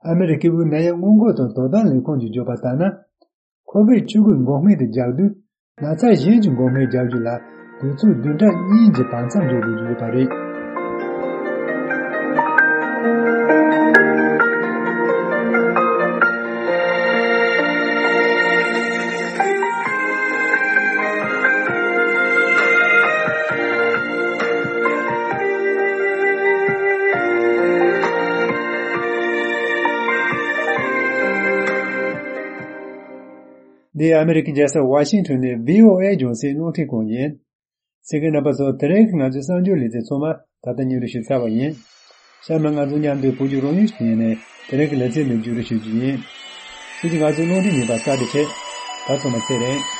ཨ་མི་རི་ཀའི་དབུས་ནད་ཡམས་སྔོན་འགོག་དང་དོ་དམ་ལས་ཁུངས་ཀྱིས་བརྗོད་པ་ལྟར་ན། ཁོ་བིཌ་བཅུ་དགུ་འགོག་སྨན་དེ་རྒྱག་དུས། ན་ཚ་གཞན་གྱི་འགོག་སྨན་རྒྱག་རྒྱུ་ལ་དུས་ཚོད་བདུན་ཕྲག་གཉིས་ཀྱི་བར་མཚམས་འཇོག་དགོས་ཀྱི་ཡོད་པ་རེད། འདི་ཨ་མི་རི་ཀའི་རྒྱལ་ས་ཝ་ཤིང་ཊོན་ནས་བྷི་ཨོ་ཨེ་རྒྱང་སྲིང་རླུང་འཕྲིན་ཁང་ཡིན། གསན་མཁན་རྣམ་པ་ཚོ། དེ་རིང་གི་ང་ཚོའི་གསར་འགྱུར་ལེ་ཚན་ཚང་མ་ད་ལྟ་སྙན་སྒྲོན་ཞུས་ཚར་བ་ཡིན། གཤམ་ལ་ང་ཚོ་མཉམ་དུ་བོད་ཀྱི་རང་ཡུལ་ཞིག་ཡིན་ནས་དེ་རིང་གི་ལེ་ཚན་འདི་མཇུག་སྒྲིལ་ཞུ་རྒྱུ་ཡིན། ཁྱེད་ཀྱིས་ང་ཚོའི་རླུང་འཕྲིན་ཉན་པར་བཀའ་དྲིན་ཆེ། ད་ཚང་མ་ཚེ་རིང་།